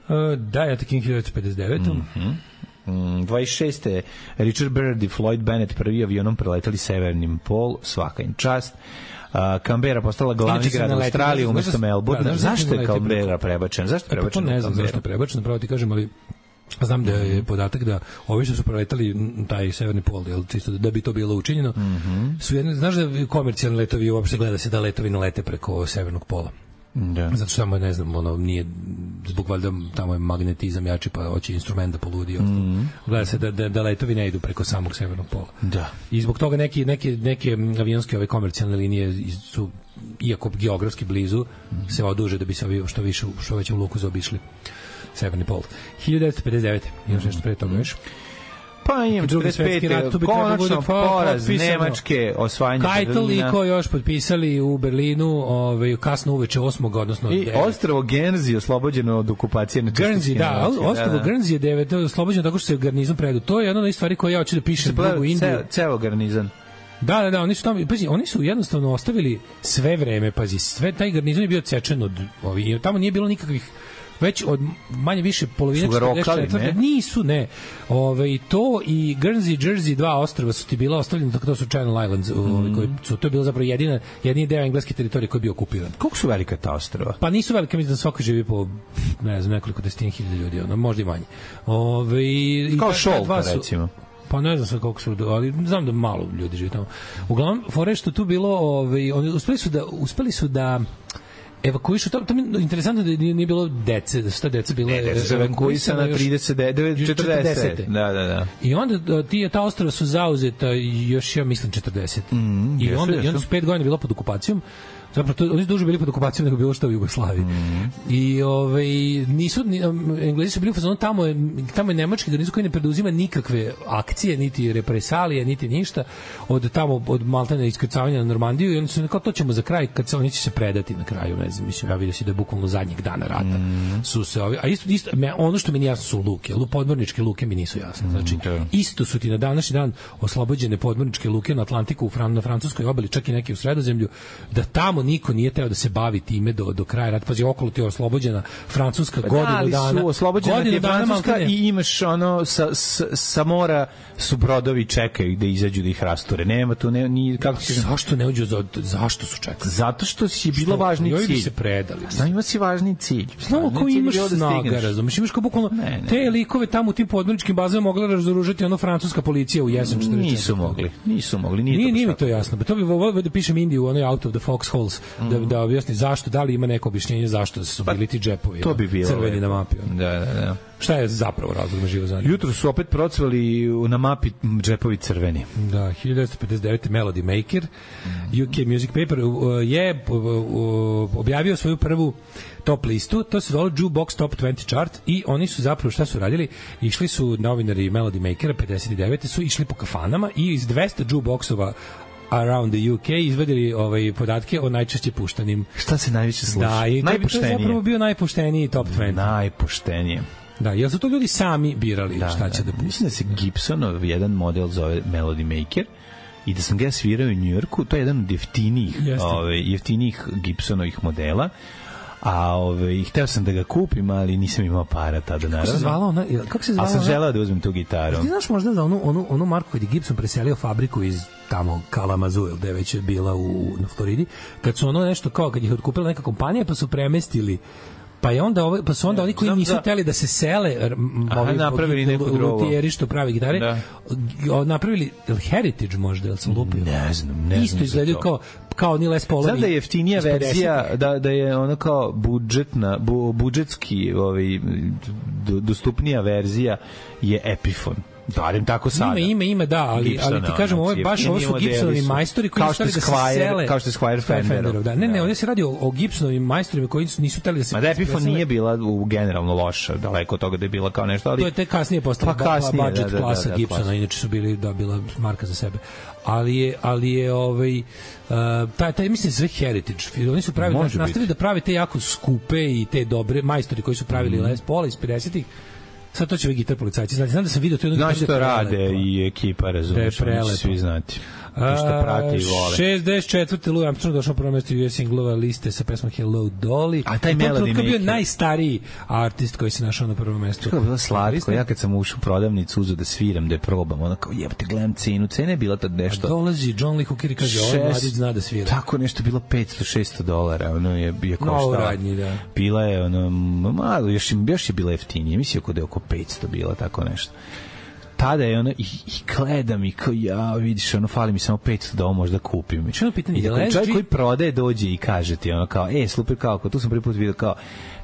Uh, da, ja takim hiljadu devetsto pedeset devete Mm-hmm. Mm, dvadeset šeste Richard Byrd i Floyd Bennett prvi avionom preletali severnim pol, svaka im čast. Uh, Canberra postala glavni grad Australije umesto Melbourne. Zašto je Canberra prebačen? Zašto je prebačen? E, pa to ne znam zašto je prebačen, pravo ti kažem, ali znam da je podatak da ovi što su preletali taj severni pol, jel, čisto da bi to bilo učinjeno, mm-hmm. su jedne, znaš da komercijalni letovi uopšte gleda se da letovi ne lete preko severnog pola. Da. Zato što tamo, ne znam, ono, nije, zbog valjda tamo je magnetizam jači, pa hoće instrument da poludi i ostalo. Mm. Gleda se da, da, da letovi ne idu preko samog severnog pola. Da. I zbog toga neki, neke, neke avionske ove komercijalne linije su, iako geografski blizu, mm. se oduže da bi se ovi što više, što veće u luku zaobišli severni pol. hiljadu devetsto pedeset devete Imaš nešto pre toga, još? Pa imam četrdeset pete konačno poraz Nemačke, osvajanje Keitel i ko još potpisali u Berlinu ovaj, kasno uveče osmog odnosno i ostrvo Guernsey oslobođeno od okupacije na Guernsey, da, ostrvo Guernsey je devet oslobođeno tako što se garnizam predu. To je jedna od stvari koje ja hoću da pišem drugu Indiju. Ceo garnizam. Da, da, da, oni su tamo, pazi, oni su jednostavno ostavili sve vreme, pazi, sve taj garnizam je bio odsečen od ovi, tamo nije bilo nikakvih već od manje više polovine četrdeset četvrte nisu, ne. Ove, to i Guernsey, Jersey, dva ostrva su ti bila ostavljena, tako to su Channel Islands, mm. ove, koji su, to je bilo zapravo jedina, jedini deo engleske teritorije koji je bio okupiran. Koliko su velika ta ostrva? Pa nisu velika, mislim da svako živi po, ne znam, nekoliko desetina hiljada ljudi, ono, možda i manje. Ove, kao Šolta, recimo. Pa ne znam sad koliko su, ali znam da malo ljudi živi tamo. Uglavnom, fore što tu bilo, ove, oni uspeli su da, uspeli su da evakuišu, to, to mi je interesantno da nije bilo dece, da su ta deca bile ne, su evakuisana na trideset devet četrdeset Da, da, da. I onda ti, ta ostrava su zauzeta još, ja mislim, četrdeset Mm, I, onda, jesu, I onda su pet godina bilo pod okupacijom. Zapravo, to, oni su duže bili pod okupacijom nego bilo što u Jugoslaviji. Mm. I ovaj, nisu, ni, Englezi su bili u fazonu, tamo je, tamo je nemački garnizon koji ne preduzima nikakve akcije, niti represalije, niti ništa, od tamo, od Maltene iskrcavanja na Normandiju, i oni su kao, to ćemo za kraj, kad se oni će se predati na kraju, ne znam, mislim, ja vidio si da je bukvalno zadnjeg dana rata mm. su se ovi, a isto, isto me, ono što mi nije jasno su luke, podmorničke luke mi nisu jasne, znači, mm, isto su ti na današnji dan oslobođene podmorničke luke na Atlantiku, na francuskoj obali, čak i neke u Sredozemlju, da tamo niko nije teo da se bavi time do, do kraja rata. Pazi, okolo ti je oslobođena Francuska pa godinu da, ali dana. su oslobođena ti je Francuska dana, i imaš ono sa, sa, sa mora su brodovi čekaju da izađu da ih rasture. Nema tu, ne, ni, kako ti zašto ne uđu, za, zašto su čekali? Zato što je bilo važni cilj. Bi se predali. Znam, ima si važni cilj. Znamo ko imaš snaga, razumiješ? Imaš kao bukvalno ne, ne. te likove tamo u tim podmorničkim bazama mogla razoružati ono francuska policija u jesen četrdeset četvrte. Nisu mogli, nisu mogli. Nije, nije, nije mi to jasno. To bi volio da pišem Indiju, onaj Out of the Foxholes, mm. da, da objasni zašto, da li ima neko objašnjenje zašto su bili ti džepovi to bi bilo crveni na mapi. Da, da, da. Šta je zapravo razlog na živo zanima? Jutro su opet procvali na mapi džepovi crveni. Da, hiljadu devetsto pedeset devete. Melody Maker, U K Music Paper je objavio svoju prvu top listu, to se zove Jukebox Top dvadeset Chart i oni su zapravo šta su radili? Išli su novinari Melody Makera pedeset devete su išli po kafanama i iz dvesta jukeboxova around the U K izvadili ovaj podatke o najčešće puštanim. Šta se najviše sluša? Da, i najpoštenije. To je zapravo bio najpošteniji top dvadeset. Najpoštenije. Da, jel su to ljudi sami birali da, šta će da, da mislim da se Gibsonov jedan model zove Melody Maker i da sam ga svirao u Njujorku, to je jedan od jeftinijih, ove, jeftinijih Gibsonovih modela. A ove, hteo sam da ga kupim, ali nisam imao para tada, naravno. Kako se zvala ona? Kako se zvala? A sam želeo da uzmem tu gitaru. Ti znaš možda za onu, onu, onu marku kad je Gibson preselio fabriku iz tamo Kalamazoo, gde već je bila u, na Floridi, kad su ono nešto kao, kad ih otkupila neka kompanija, pa su premestili pa je onda ovaj pa su onda oni koji nisu hteli da se sele ovi napravili neku drugu luthieri što pravi gitare da. napravili Heritage možda, jel sam lupio? Ne znam, ne znam. Isto izgledaju kao kao ni Les Paulovi. Znam da je jeftinija verzija, da, da je ono kao budžetna, bu, budžetski ovaj, dostupnija verzija je Epiphone. Darim tako sada. Ima, ima, ima, da, ali, Gibsona, ali ti kažem, ovo je baš, ovo su Gibsonovi majstori koji su da se sele. Kao što je Squire Fenderov. Da. Ne, ne, ovdje se radi o, o Gibsonovim majstorima koji nisu teli da se... Ma da Epiphone nije bila u generalno loša, daleko od toga da je bila kao nešto, ali... To je te kasnije postala pa kasnije, budget da, da, klasa da, da, Gibsona, klasa. Inače su bili, da, bila marka za sebe. Ali je, ali je ovaj... Uh, taj, taj, mislim, sve Heritage. Oni su pravili, nastavili da prave te jako skupe i te dobre majstori koji su pravili mm. Les Paul iz pedesetih. Sad to će ovi gitar policajci. Znači, znam da sam vidio to jedno... Znaš što rade i ekipa, razumiješ, oni će svi znati. Što prati i vole. šezdeset četvrte Louis Armstrong došao prvo mesto U S singlova liste sa pesmom Hello Dolly. A taj Melody Maker bio najstariji artist koji se našao na prvom mestu. Što je bilo slatko? Ja kad sam ušao u prodavnicu uzeo da sviram, da je probam, ona kao jebate, gledam cenu. Cena je bila tad nešto... A dolazi John Lee Hooker i kaže, ovaj mladić zna da svira. Tako nešto bilo petsto šesto dolara. Ono je, je koštala. No, radnji, da. Bila je, ono, malo, još, još je bila jeftinije. Mislim da je oko petsto bila, tako nešto. Tada je ono i, i gledam i kao ja vidiš ono fali mi samo petsto da ovo možda kupim. Što je pitanje? I da čovjek koji prodaje dođe i kaže ti ono kao e super kao tu sam prvi put vidio kao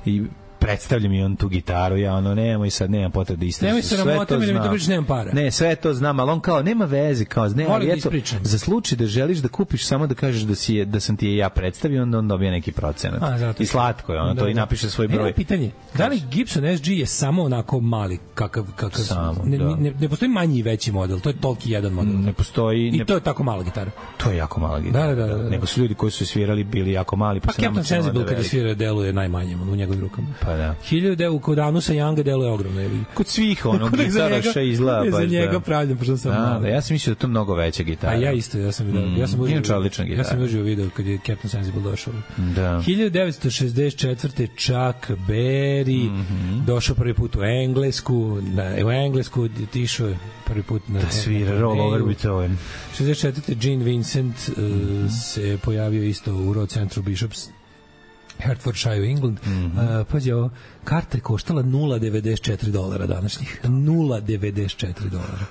i predstavlja mi on tu gitaru, ja ono nemoj sad, nemam potrebe da istražim. Nemoj se ramota, mi to priča, nemam para. Ne, sve to znam, ali on kao nema veze, kao ne, ali eto, za slučaj da želiš da kupiš samo da kažeš da si je, da sam ti je ja predstavio, onda on dobija neki procenat. A, i slatko je, ono da, to da. I napiše svoj broj. E, pitanje, da li Gibson S G je samo onako mali, kakav, kakav samo, ne, da. ne, ne postoji manji i veći model, to je toliki jedan model. Ne postoji. I ne, to je tako mala gitara. To je jako mala gitara. Da, da, da, da. Nego su ljudi koji su svirali bili jako mali, pa, pa Captain Sensible kada svira deluje najmanje u njegovim rukama. Pa da. hiljadu kod Anusa Younga deluje ogromno. Kod svih onog gitaraša izgleda baš. Za njega pravljam, pošto sam malo. Da, ja sam mislio da to mnogo veća gitara. A ja isto, ja sam video. Mm, ja sam užio, odlična gitara. Ja sam užio video kad je Captain Sensible došao. Da. hiljadu devetsto šezdeset četvrte Chuck Berry mm -hmm. došao prvi put u Englesku, na, u Englesku tišao prvi put na da svira Roll Over Beethoven. šezdeset četvrte Gene Vincent mm -hmm. uh, se pojavio isto u Road Central Bishops Hertfordshire, England. Mm -hmm. uh, pađe, ovo, karta je koštala nula zarez devedeset četiri dolara današnjih. nula zarez devedeset četiri dolara.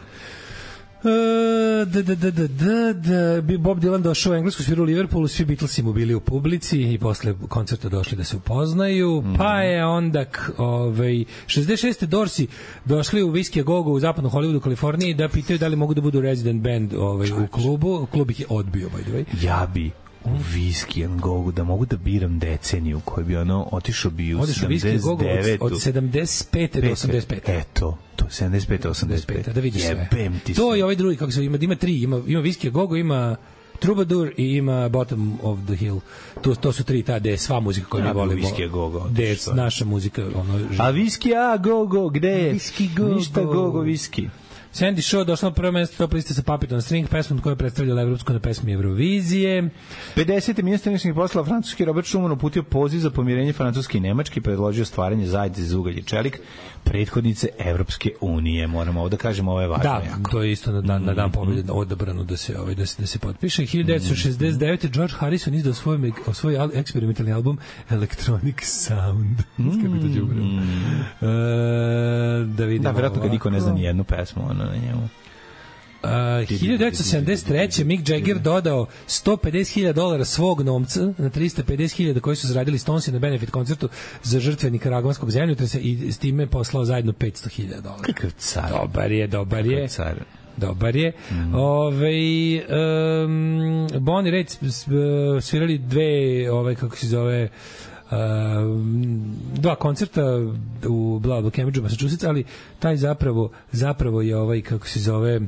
Uh, da, da, da, da, da, da. Bob Dylan došao u Englesku, svirao u Liverpoolu, svi Beatlesi mu bili u publici i posle koncerta došli da se upoznaju, mm. pa je onda ovaj, šezdeset šeste Dorsi došli u Whiskey a Go Go u zapadnom Hollywoodu, Kaliforniji, da pitaju da li mogu da budu resident band ovaj, u klubu. Klub ih je odbio, by the way. Ja bi u Whiskey and Go Go da mogu da biram deceniju koji bi ono otišao bi u sedamdeset devetu od, od sedamdeset pete do osamdeset pete. Eto, to sedamdeset pete osamdeset pete. Da vidiš sve. Ti to je ovaj drugi, kako se ima, ima tri, ima, ima Whiskey a Go Go, ima Troubadour i ima Bottom of the Hill. To, to su tri ta gde je sva muzika koju mi volimo. Whiskey a Go Go. Gde je naša muzika. Ono, a Whiskey a Go Go, gde je? Whiskey Go Go. Ništa Go Go Whiskey. Sandy Shaw došla na prvo mesto top liste sa Puppet on String, pesmom koja je predstavljala evropsku na pesmi Eurovizije. pedesete ministar inostranih poslova francuski Robert Schuman uputio poziv za pomirenje Francuske i Nemačke i predložio stvaranje zajednice za ugalj i čelik, prethodnice Evropske unije. Moramo ovo da kažemo, ovo je važno. Da, jako. To je isto na dan, na dan pobjede odabrano da se, ovaj, da se, da se potpiše. hiljadu devetsto šezdeset devete. George Harrison izdao svoj, svoj eksperimentalni album Electronic Sound. Mm. Kako to đubre. Mm. Uh, da vidimo. Da, vjerojatno kad niko ne zna ni jednu pesmu ono, na njemu. Uh, hiljadu devetsto sedamdeset treće. Mick Jagger dodao sto pedeset hiljada dolara svog novca na tristo pedeset hiljada koji su zaradili Stonesi na benefit koncertu za žrtve nikaragvanskog zemljotresa i s time poslao zajedno petsto hiljada dolara. Kakav car. Dobar je, dobar je. Car. Dobar je. Mm. Ove, um, Bonnie Raitt svirali dve, ove, kako se zove, Uh, dva koncerta u bla bla Cambridgeu, Massachusetts, ali taj zapravo zapravo je ovaj, kako se zove, uh,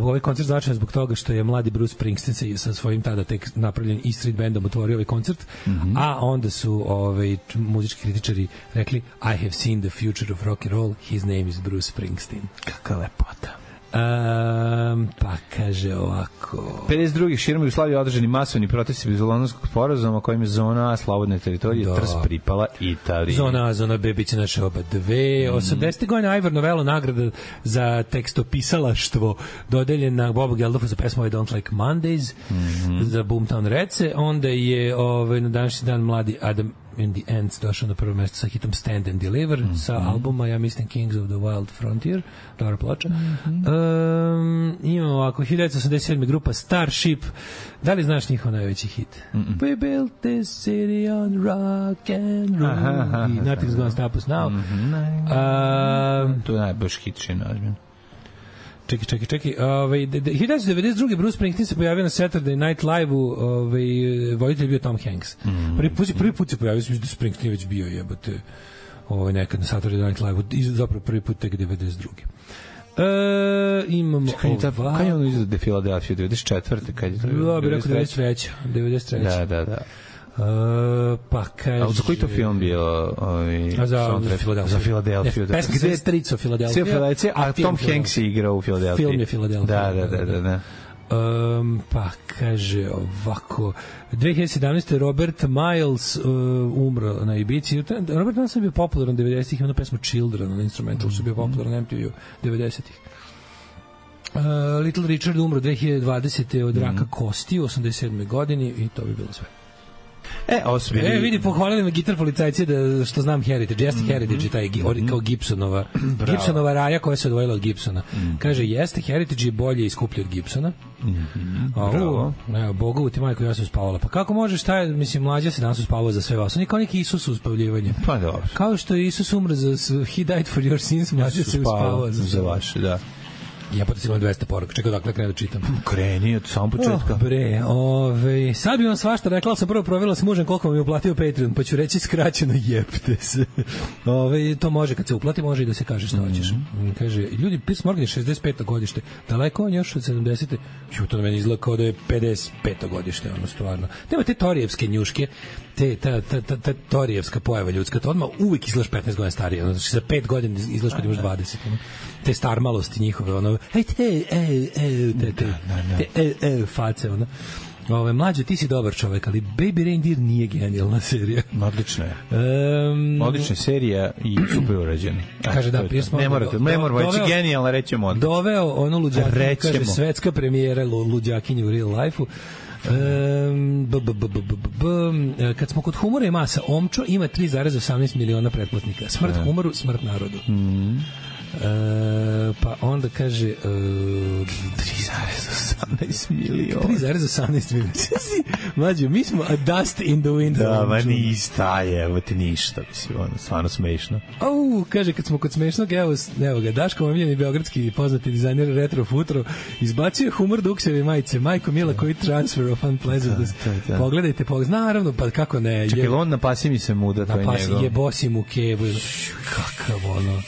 ovaj koncert značajan zbog toga što je mladi Bruce Springsteen sa svojim tada tek napravljen E Street bandom otvorio ovaj koncert, mm-hmm. a onda su ovaj, muzički kritičari rekli I have seen the future of rock and roll, his name is Bruce Springsteen. Kakva lepota. Um, pa kaže ovako. pedeset druge širom Jugoslavije održani masovni protesti bez Londonskog sporazuma kojim je zona A slobodne teritorije da. Trst pripala Italiji. Zona A, zona B biće naše oba dve. Mm. osamdesete godine Ivor Novello nagrada za tekstopisalaštvo dodeljena Bobu Geldoffu za pesmu I Don't Like Mondays, mm-hmm. za Boomtown Rece. Onda je ovaj, na današnji dan mladi Adam in the Ends došao na prvo mesto sa hitom Stand and Deliver, mm-hmm. sa albuma, ja mislim, Kings of the Wild Frontier, dobra ploča. Mm-hmm. Um, imamo ovako, hiljadu devetsto osamdeset sedme grupa Starship. Da li znaš njihov najveći hit? Mm-mm. We built this city on rock and roll. Aha, aha, i Nothing's gonna stop us now. Mm-hmm. Um, to je najboljši hit še nažem. Čekaj, čekaj, čekaj. Ovaj hiljadu devetsto devedeset druge. Bruce Springsteen se pojavio na Saturday Night Live-u, ovaj voditelj bio Tom Hanks. Mm. Prvi put, prvi put se pojavio, mislim da Springsteen već bio, jebote. Ovaj nekad na Saturday Night Live-u, i zapravo prvi put tek devedeset druge. E, imamo ovako. Kad je ono izdao Philadelphia, devedeset četvrte kad je to? Da, bi rekao devedeset treće. devedeset treće. Da, da, da. Uh, pa kaže... A za koji to film bio? Ovaj, za, za Philadelphia. Za Philadelphia. Pesma se strico Philadelphia. Philadelphia, a Tom Hanks je igrao u Philadelphia. Film je Philadelphia. Da, da, da, da. da. Um, pa kaže ovako dve hiljade sedamnaeste. Robert Miles uh, umro na Ibici. Robert Miles je bio popularan devedesetih, ima pesmu Children na instrumental, su bio popularan na M T V-u devedesetih. Uh, Little Richard umro dve hiljade dvadesete od raka mm. kosti u osamdeset sedmoj godini i to bi bilo sve. E, osmili... E, vidi, pohvalili me gitar policajci da što znam Heritage, jeste mm-hmm. Heritage, taj mm-hmm. kao Gibsonova, Gibsonova raja koja se odvojila od Gibsona. Mm-hmm. Kaže, jeste, Heritage je bolje i skuplje od Gibsona. Mm-hmm. A, bravo. Evo, Bogovu ti majko, ja sam spavala. Pa kako možeš, taj, mislim, mlađa se danas uspavao za sve vas. On je kao neki Isus uspavljivanje. Pa dobro. Kao što je Isus umro za He died for your sins, mlađa se uspavao za, za vaše, da. Ja potem imam dvesta poruka. Čekaj, dakle krenu da čitam. Kreni od samog početka. Oh, bre, ove, sad bi vam svašta rekla, ali sam prvo provjerila s mužem koliko vam je uplatio Patreon, pa ću reći skraćeno jebte se. Ove, to može, kad se uplati, može i da se kaže što hoćeš. Mm-hmm. Kaže, ljudi, Piers Morgan je šezdeset peto godište. Daleko on još od sedamdesete. Ju, to na meni izgleda kao da je pedeset peto godište, ono stvarno. Nema te torijevske njuške, te, ta, ta, ta, ta torijevska pojava ljudska, to odmah uvijek izgledaš petnaest godina starije. Ono, znači, za pet godina izgledaš kad imaš dvadeset. Ono. Te starmalosti njihove, ono, ej, te, ej, ej, te, te, te, ej, ej, face, ono. Ove, mlađe, ti si dobar čovek, ali Baby Reindeer nije genijalna serija. Odlična je. Um, Odlična serija i super urađena. Kaže da, Piers Morgan. Ne morate, ne moramo reći genijalna, rećemo onda. Doveo ono luđakinju, kaže, svetska premijera luđakinju u real life-u. Um, b, b, b, b, b, b, kad smo kod humora i masa, Omčo ima tri zarez osamnaest miliona pretplatnika. Smrt humoru, smrt narodu. Mhm. Uh, pa onda kaže uh, tri zarez osamnaest miliona tri zarez osamnaest miliona Mlađo, mi smo a dust in the wind. Da, ma nista je, evo ti ništa, mislim, ono, stvarno smešno. Au, kaže, kad smo kod smešnog, evo, evo ga, Daško omiljeni beogradski poznati dizajner Retro Futuro izbacio humor Dukseve majice, Majko Mila koji transfer of unpleasantness. Pogledajte, pogledajte, naravno, pa kako ne. Čekaj, on napasi mi se muda, to je njegov. Napasi, jebosi mu kevu. Kakav ono...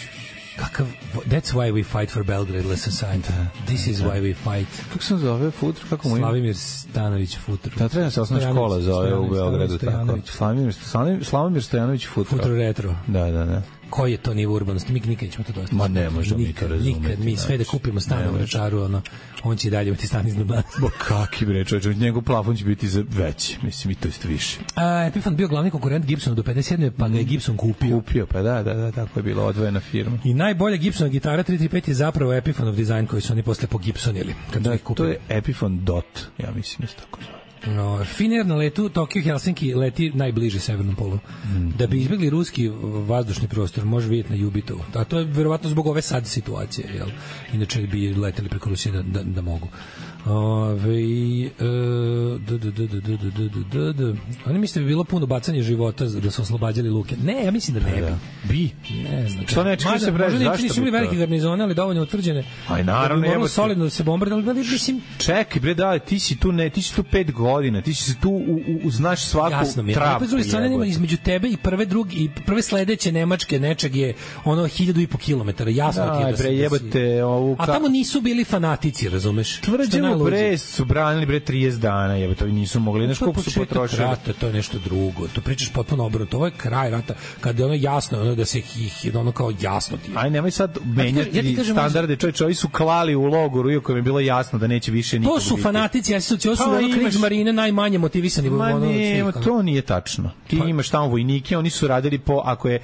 Kakav, that's why we fight for Belgrade Society. This is why we fight. Kako se zove Futro? Kako mu Slavimir Stanović Futro. Da, treba se osnovna škola zove u Beogradu. Tako. Slavimir, Slavimir Stojanović Futro. Futro Retro. Da, da, da. koji je to nivo urbanosti, mi nikad nećemo to dostići. Ma ne možemo mi to razumeti. Nikad, mi sve da kupimo stan u Vračaru, ono, on će i dalje imati stan iznad nas. Bo kaki bre, čovječe, njegov plafon će biti za veći, mislim, i to isto više. A, Epiphone bio glavni konkurent Gibsonu do pedeset sedme pa ga je Gibson kupio. Kupio, pa da, da, da, tako je bila odvojena firma. I najbolja Gibsonova gitara tri tri pet je zapravo Epiphoneov dizajn koji su oni posle pogibsonili. Kad Da, to je Epiphone Dot, ja mislim da se tako zove. No, Finnair na letu Tokio Helsinki leti najbliže severnom polu. Mm. Da bi izbjegli ruski vazdušni prostor, može vidjeti na Jubitovu. A to je verovatno zbog ove sad situacije, jel? Inače bi leteli preko Rusije da, da, da mogu. Ove, e, d, d, d, d, d, d, d, d. Oni misle da bi bilo puno bacanje života da su oslobađali luke. Ne, ja mislim da ne bi. Bi? Ne znam. Što neće se preći? Možda Zašto nisu bili velike garnizone, ali dovoljno utvrđene. Aj, naravno. Da bi moralo solidno da se bombardali, ali mislim... Čekaj, bre, da, ti si tu, ne, ti si tu pet godina, ti si tu, u, u, znaš svaku jasno mi je. travku. Jasno mi je, između tebe i prve, drugi, i prve sledeće Nemačke nečeg je ono hiljadu i po kilometara. Jasno ti je da se... Bre, jebate ovu... A tamo nisu bili fanatici, razumeš? Tvrđemo, bre, su branili, bre, trideset dana, jebate, ovi nisu mogli. Znaš koliko su potrošili? Rata, to je nešto drugo. To pričaš potpuno obrnuto. Ovo je kraj rata, kada je ono jasno, ono da se ih, ono kao jasno ti je. Aj, nemoj sad menjati ja standarde, čovječe, ovi su klali u logoru, iako im je bilo jasno da neće više niko. To su fanatici, ja se to su ono Kriegsmarine najmanje motivisani. Ma ono, ne, to nije tačno. Ti pa, imaš tamo vojnike, oni su radili po, ako je,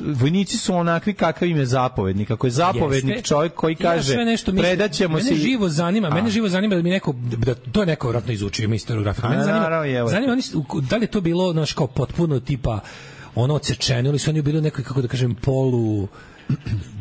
vojnici su onakvi kakav im je zapovednik. Ako je zapovednik jeste, čovjek koji kaže, ja predaćemo se... Mene živo zanima, a. mene živo zanima da mi neko, da to je neko vratno izučio, ima historiografiju. Mene zanima, naravno, zanima oni, da li je to bilo, znaš, kao potpuno tipa, ono odsečeno, ili su oni bili u nekoj, kako da kažem, polu...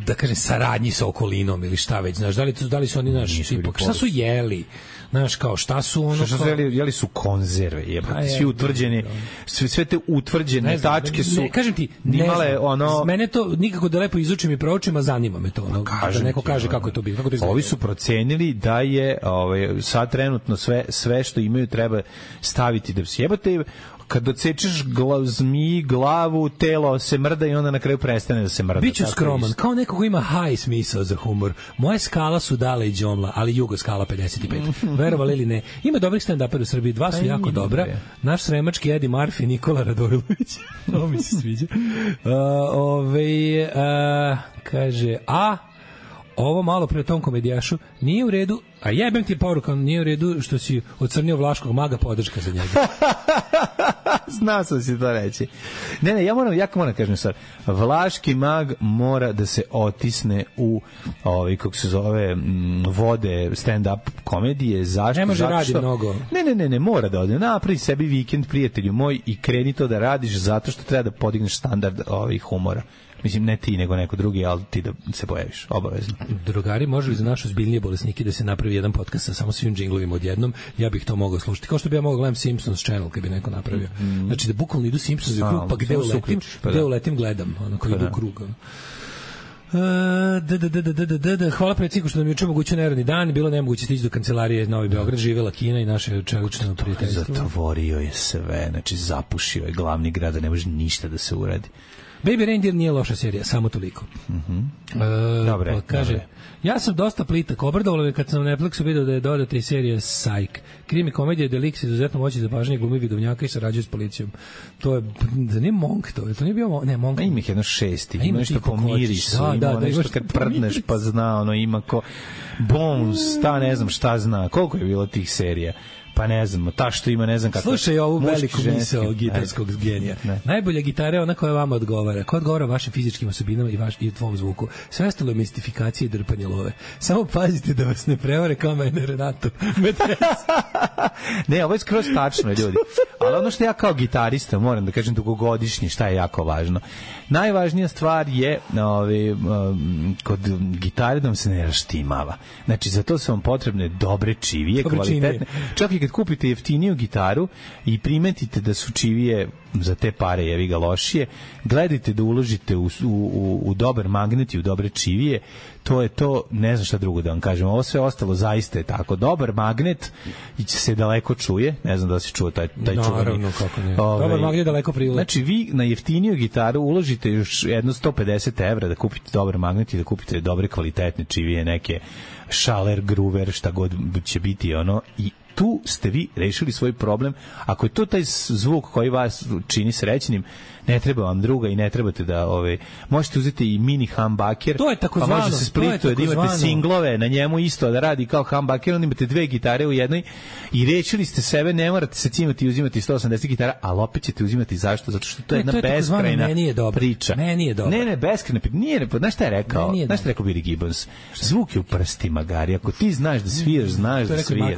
da kažem saradnji sa okolinom ili šta već, znaš, da li, da li su oni naš tipak, šta su jeli, znaš, kao šta su ono šta su jeli, jeli su konzerve, jebate, svi utvrđeni, sve, sve te utvrđene znam, tačke su ne, kažem ti, imale ne ono... mene to nikako da lepo izučim i proučim, a zanima me to, ono, da neko ti, kaže kako je to bilo, kako to izgleda. Ovi su procenili da je ovaj, sad trenutno sve, sve što imaju treba staviti da se jebate, kad odsečeš glav, zmiji, glavu, telo se mrda i onda na kraju prestane da se mrda. Biću skroman, kao neko ko ima high smisao za humor. Moje skala su Dale i Đomla, ali Jugo skala pedeset pet. Verovali ili ne. Ima dobrih stand-upera u Srbiji, dva su jako dobra. Naš sremački Eddie Murphy i Nikola Radojlović. Ovo mi se sviđa. Uh, ove, uh, kaže, a ovo malo pre tom komedijašu nije u redu, a jebem ti poruka, nije u redu što si ocrnio Vlaškog maga, podrška za njega. Znao sam si to reći. Ne, ne, ja moram, ja moram kažem sad, Vlaški mag mora da se otisne u ovaj, kako se zove, m, vode stand-up komedije. Zašto? Ne može zato radi što, mnogo. Ne, ne, ne, ne, mora da ode. Napravi sebi vikend, prijatelju moj, i kreni to da radiš zato što treba da podigneš standard ovih humora. Mislim, ne ti, nego neko drugi, ali ti da se pojaviš, obavezno. Drugari, može li za našu zbiljnije bolesnike da se napravi jedan podcast sa samo svim džinglovima odjednom? Ja bih to mogao slušati. Kao što bi ja mogao gledam Simpsons Channel kad bi neko napravio. Mm. Znači da bukvalno idu Simpsons u krug, pa gde uletim, pa gde uletim gledam, ono, kao pa idu u krug. Ono. Da, da, da, da, da, da, da. Hvala predsjedniku što nam juče moguće neradni dan, bilo nemoguće stići do kancelarije Novi Beograd, živela Kina i naše čelično prijateljstvo. Zatvorio je sve, znači zapušio je glavni grad, da ne može ništa da se uradi. Baby Reindeer nije loša serija, samo toliko. Mhm. E, dobre, pa kaže, dobre. Ja sam dosta plitak, obradovalo me kad sam na Netflixu video da je dodata i serija Psych. Krimi komedija gde lik se izuzetno moći za pažnje glumi vidovnjaka i sarađuje s policijom. To je, da nije Monk to, to nije bio, ne, Monk. A ima ih jedno šesti, ima nešto pomiriš, da, ima da, nešto kad prdneš pa zna, ono ima ko Bones, ta ne znam šta zna, koliko je bilo tih serija. Pa ne znam, ta što ima, ne znam kako. Slušaj ovu veliku misao gitarskog genija. Najbolja gitara je ona koja vama odgovara. Koja odgovara vašim fizičkim osobinama i, vaš, i tvom zvuku. Sve ostalo je mistifikacija i drpanje love. Samo pazite da vas ne prevare kao mene Renato. Ne, ovo je skroz tačno, ljudi. Ali ono što ja kao gitarista moram da kažem dugogodišnji, šta je jako važno. Najvažnija stvar je ovaj, um, kod gitare da vam se ne raštimava. Znači, za to su vam potrebne dobre čivije, dobre kvalitetne. Čak i kad kupite jeftiniju gitaru i primetite da su čivije za te pare jevi ga lošije, gledajte da uložite u, u, u, u dobar magnet i u dobre čivije, to je to, ne znam šta drugo da vam kažem, ovo sve ostalo zaista je tako, dobar magnet i će se daleko čuje, ne znam da se čuo taj, taj čuvani. Naravno, kako ne. Ove, dobar magnet daleko prilaz. Znači, vi na jeftiniju gitaru uložite još jedno sto pedeset evra da kupite dobar magnet i da kupite dobre kvalitetne čivije, neke Schaller, Gruver, šta god će biti ono, i tu ste vi rešili svoj problem. Ako je to taj zvuk koji vas čini srećnim, ne treba vam druga i ne trebate da ove možete uzeti i mini humbucker. To je takozvano, pa može se splituje da imate singlove na njemu isto da radi kao humbucker, onda imate dve gitare u jednoj i rešili ste sebe, ne morate se cimati i uzimati sto osamdeset gitara, ali opet ćete uzimati zašto? Zato što to je jedna to je beskrajna meni je priča. Meni je dobro. Ne, ne, beskrajna priča. Nije, znaš šta je rekao? Znaš šta je rekao Billy Gibbons? Zvuk je u prstima, Gari. Ako ti znaš da sviraš, znaš da sviraš.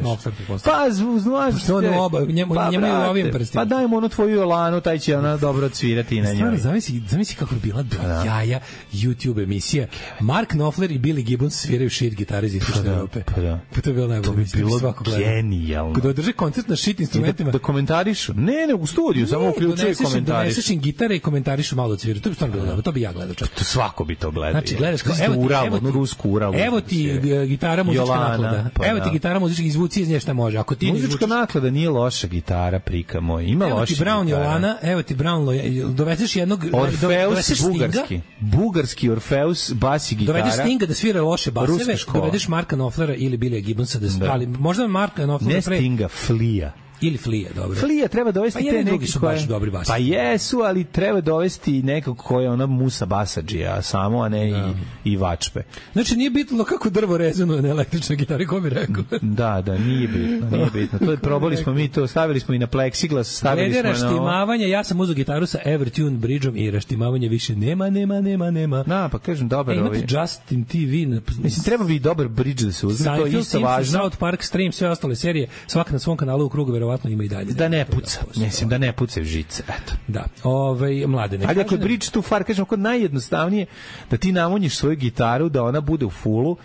Pa, znaš, što oba, njemu njemu je u ovim prstima. Pa dajmo onu tvoju Jolanu, taj će ona dobro odsvirati na njoj. Stvarno, zamisli, zamisli kako bi bila do jaja YouTube emisija. Mark Knopfler i Billy Gibbons sviraju shit gitare iz istočne Evrope. Pa da. Pa to je bilo najbolje. To bi bilo genijalno. Kada održe koncert na shit instrumentima. Da komentarišu. Ne, ne, u studiju, samo uključuje komentariš. Doneseš im gitare i komentarišu malo od svira. To bi stvarno bilo dobro. To bi ja gledao čak. To svako bi to gledao. Znači, gledaš kao, evo ti, Uralu, evo ti, rusku Uralu. Evo ti gitara muzička Jolana, naklada. Pa evo da. ti gitara muzička, izvuci iz nje šta može. Ako ti muzička naklada nije loša gitara, prika moj. Ima evo loša gitara. Evo ti Brown Jolana, evo ti Brown, dovezeš jednog... Orfeus bugarski. Bugarski Orfeus, bas i gitara. Dovedeš Stinga da svira loše baseve, dovedeš Marka Knopflera ili Billya Gibbonsa da spali. Možda Marka Knopflera... Ne Stinga, Flea. Ili Flea, dobro. Flea treba dovesti pa te neki su baš dobri basi. Pa jesu, ali treba dovesti nekog ko je ona Musa Basadžija, samo, a ne ja. i, i Vačpe. Znači, nije bitno kako drvo rezonuje na električnoj gitari, ko bi rekao. Da, da, nije bitno, nije bitno. To je, probali smo mi to, stavili smo i na plexiglas, stavili Glede smo na... raštimavanje, ja sam uzeo gitaru sa Evertune bridgeom i raštimavanje više nema, nema, nema, nema. Da, pa kažem, dobar e, ovi... Justin T V... Na... Mislim, treba bi dobar bridge da se uzme, to je isto važno. South Park, Stream, sve ostale serije, svaka na svom kanalu u krugu, verovatno ima i dalje. Da ne puca, mislim da ne pucaju žice, eto. Da, ovaj mlade ne. Ali ako je bridge tu far, kažem, kod najjednostavnije da ti namonjiš svoju gitaru, da ona bude u fullu,